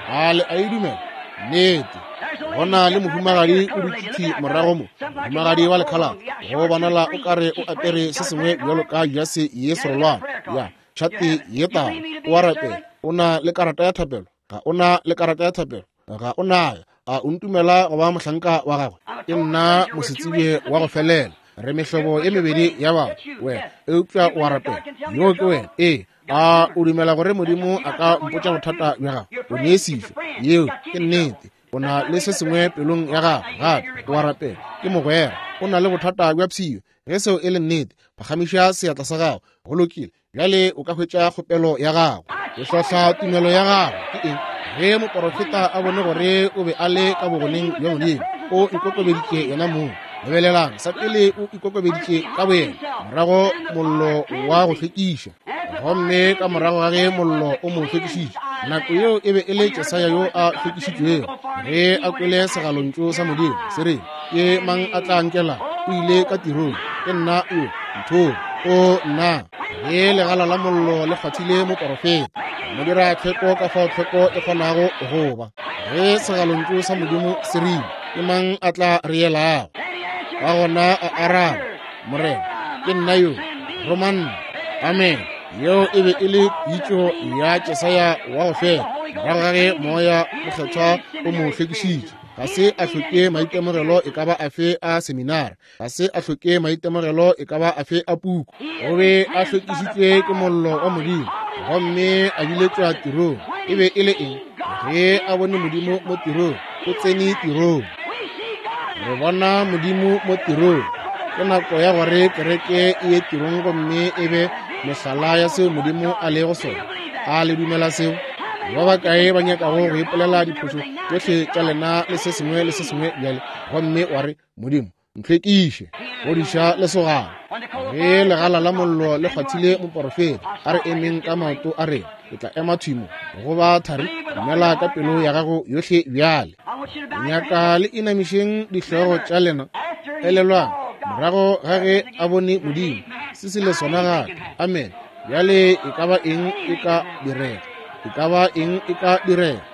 A le a e dumela? Nnete. Gona le mohumagadi o dutše morago mo, mohumagadi wa lekhalate, go bonala o kare o apere se sengwe bjalo ka jase ye serolwana ya tšhate ye tala. O a rapela. O na le karata ya thapelo? Ga o na le karata ya thapelo? Ga o nayo. A o ntumela go ba mohlanka wa gagwe? Ke nna mosetsebje wa go felela. Re mehlobo e mebedi ya batho, wena, eupša o a rapela. Yo ke wena. Ee. A o dumela gore Modimo a ka mpotša bothata bja gago? O ne sešo. Yeo ke nnete. O na le se sengwe pelong ya gago, gape o a rapela. Ke mogwera. O na le bothata bja pshio. Ge seo e le nnete, phagamiša seatla sa gago. Go lokile. Bjale o ka hwetša kgopelo ya gago. Ke hlohla tumelo ya gago. Ke eng? Ge moporofeta a bone gore o be a le ka bogoneng bja Modimo, o ikokobeditše yena mong. Lebelelang, sa pele o ikokobeditše ka boyena, morago mollo wa go hlwekiša. Gomme ka morago ga ge mollo o mo hlwekišitše, nako yeo e be e le Jesaya yo a hlwekišitšwego. Ge a kwele segalontšu sa Modimo se re, ke mang a tla nkela? O ile ka tirong. Ke nna o, nthong. O nna. Ge legala la mollo le kgwathile moporofeta, mo dira tlhweko ka fao tlhweko e kgonago go ba. Ge segalontšu sa Modimo se rile, ke mang a tla re elago? Ka gona a araba, Morena, ke nna yo, roma nna. Amen. Yeo e be e le pitšo ya Jesaya wa go fela, morago ga ge moya mokgethwa o mo hlwekišitše. Ga se a hloke maitemogelo e ka ba afe a seminara, ga se a hloke maitemogelo e ka ba afe a puku. O be a hlwekišitšwe ke mollo wa Modimo, gomme a biletšwa tirong. E be e le eng? Ge a bone Modimo mo tirong, o tsene tirong. Re bona Modimo mo tirong. Ke nako ya gore kereke e ye tirong gomme e be mehlala ya seo Modimo a lego sona. A le dumela seo? Ba bakae ba nyakago go ipolela diphošo tšohle tša lena le se sengwe le se sengwe bjale, gomme wa re, Modimo, ntlhwekiše, godiša lesogana. Ge legala la mollo le kgwathile moporofeta, a re emeng ka maoto a rena. Ke tla ema thwi mo go ba thari. Dumela ka pelo ya gago yohle bjale. Nyaka le inamišeng dihlogo tša lena. Elelwang, morago ga ge a bone Modimo, se se le sona gape. Amen. Bjale e ka ba eng e ka direga? E ka ba eng e ka direga?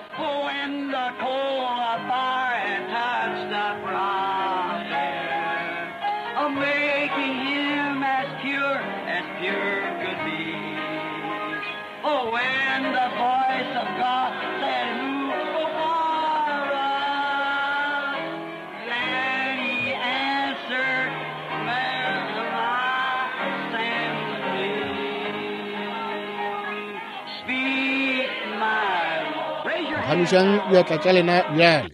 Phagamišang diatla tša lena bjale.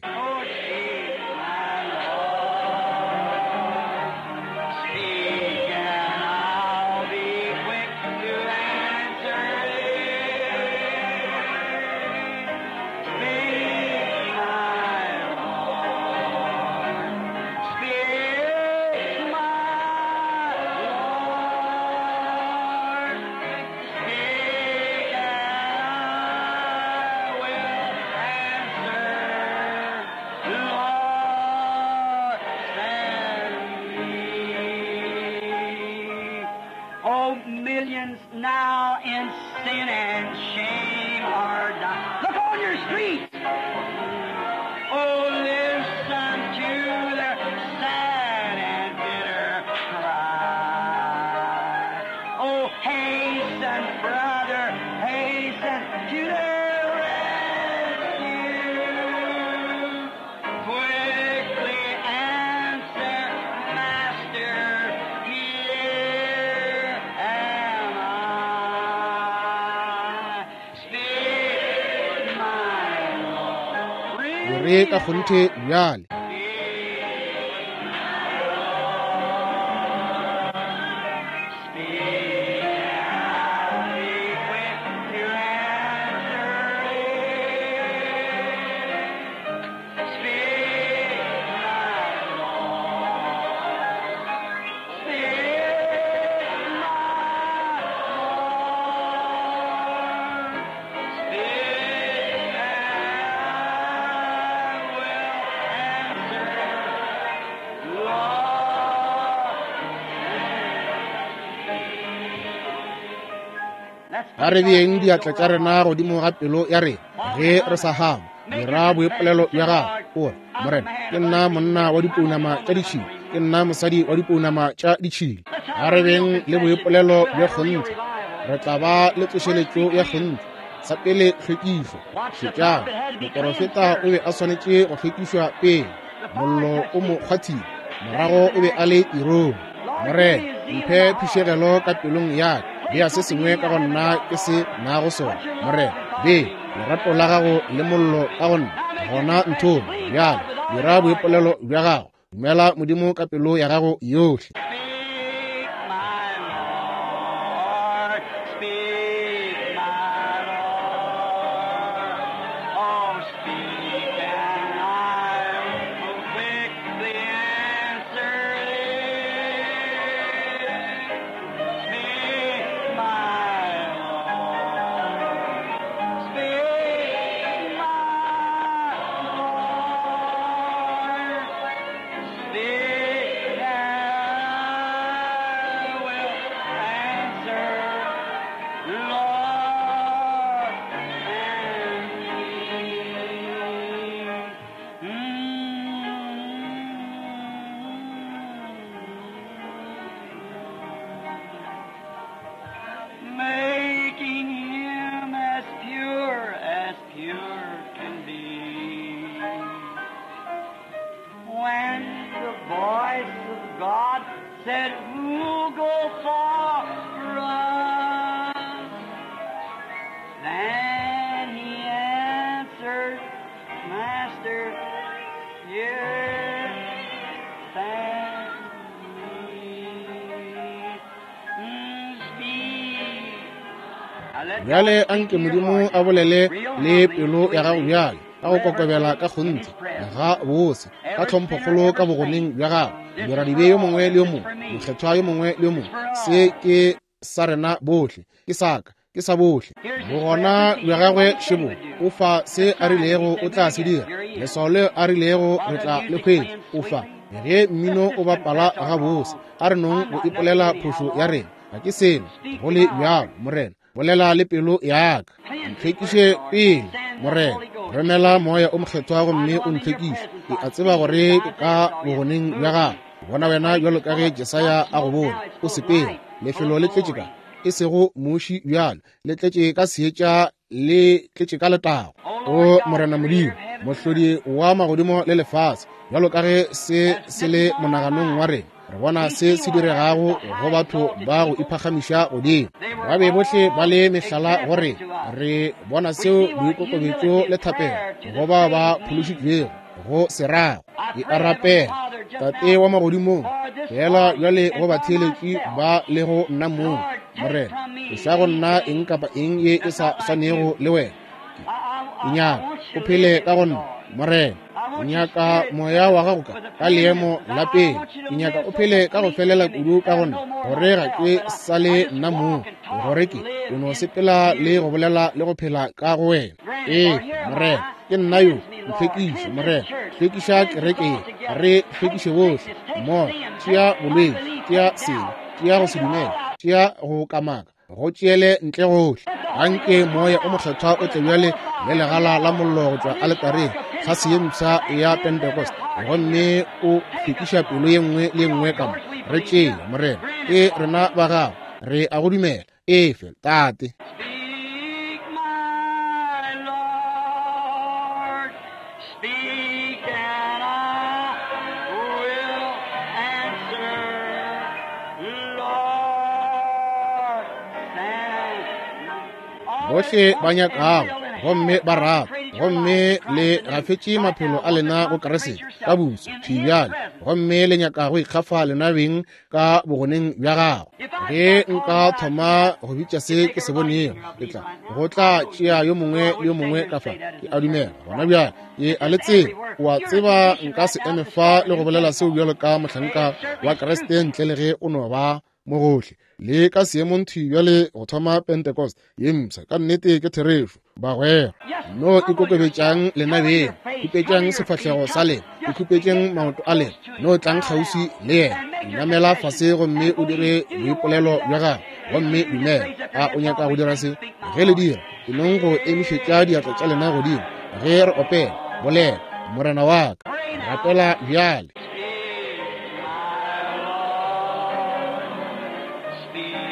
E re ka kgonthe bjale. A re beeng diatla tša rena godimo ga pelo ya rena ge re sa hama. Dira boipolelo bja gago. O re, Morena, ke nna monna wa dipounama tša ditšhila, ke nna mosadi wa dipounama tša ditšhila. A re beng le boipolelo bja kgonthe, re tla ba le tsošeletšo ya kgonthe. Sa pele, hlwekišo. Šetšang, moporofeta o be a swanetše go hlwekišwa pele. Mollo o mo kgwathile, morago o be a le tirong. Morena, mphe phišegelo ka pelong ya ka. Bea se sengwe ka go nna ke se nago sona. Morena, bea lerato la gago le mollo ka go nna. Gona nthome bjale, dira boipolelo bja gago. Dumela Modimo ka pelo ya gago yohle. Bjale anke Modimo a bolele le pelo ya gago bjale, ka go kokobela ka kgonthe, ga bose, ka tlhomphokgolo ka bogoneng bja gago. Diradibe yo mongwe le yo mongwe, mokgethwa yo mongwe le yo mongwe, se ke sa rena bohle, ke sa ka, ke sa bohle. Bogona bja gagwe šebo, o fa se a rilego o tla se dira, leswao leo a rilego re tla le hwetša, o fa. Ge mmino o bapala ga bose, a re nong go ipolela phošo ya rena. Ga ke selo, go le bjalo, Morena. Bolela le pelo ya ka. Ntlhwekiše pele, Morena. Romela moya o mokgethwa gomme o ntlhwekiše. Ke a tseba gore ke ka bogoneng bja gago. Bona wena bjalo ka ge Jesaya a go bone. O sepele, lefelo le tletše ka, e sego muši bjalo, le tletše ka seetša, le tletše ka letago. O Morena Modimo, mohlodi wa magodimo le lefase, bjalo ka ge se se le monaganong wa rena, re bona se se diregago go batho ba go iphagamiša godimo. Ba be bohle ba le mehlala gore re bona seo boikokobetšo le thapelo go bao ba phološitšwego go se rago. Ke a rapela, Tate wa magodimong, fela bjale go batheeletši ba le go nna mong, Morena, tloša go nna eng kapa eng ye e sa swanego le wena. Ke nyaka o phele ka go nna, Morena. Ke nyaka moya wa gago ka ka leemo la pele. Ke nyaka o phele ka go felela kudu ka go nna, gore ga ke sa le nna mong, gore ke ke no sepela le go bolela le go phela ka go wena. Ee, Morena, ke nna yo, ntlhwekiše, Morena. Hlwekiša kereke ye, re hlwekiše bohle mmogo. Tšea bolwetši, tšea sebe, tšea go se dumele, tšea go kamaka, go tšeele ntle gohle. Anke moya o mokgethwa o tle bjale le legala la mollo go tšwa aletareng, tlhase ye mpsha ya Pentecost, gomme o hlwekiša pelo ye nngwe le ye nngwe ka mo. Re tšee, Morena, ke rena ba gago, re a go dumela. Efe, Tate. Speak, my Lord, speak and I will answer. Lord, send Bohle ba nyakago gomme ba rata, gomme le gafetše maphelo a lena go Kriste ka buso thwi bjale, gomme le nyaka go ikgafa lena beng ka bogoneng bja gago. Ge nka thoma go bitša se ke se bonego, ke tla go tla tšea yo mongwe le yo mongwe ka fa. Ke a dumela gona bjale, ke a le tseba. O a tseba nka se eme fa le go bolela seo bjalo ka mohlanka wa Kriste ntle le ge o no ba mo gohle le ka seemong thwi bjale go thoma Pentecost ye mpsha. Ka nnete ke therešo, bagwera. No ikokobetšang lena beng, khupetšang sefahlego sa lena, ikhupetšeng maoto a lena, no tlang kgauswi le yena. Namela fase gomme o dire boipolelo bja gago, gomme dumela. A o nyaka go dira se? Ge le dira, e nong go emišetša diatla tša lena godimo ge re opela. Bolela, Morena wa ka, rapela bjale. Speak,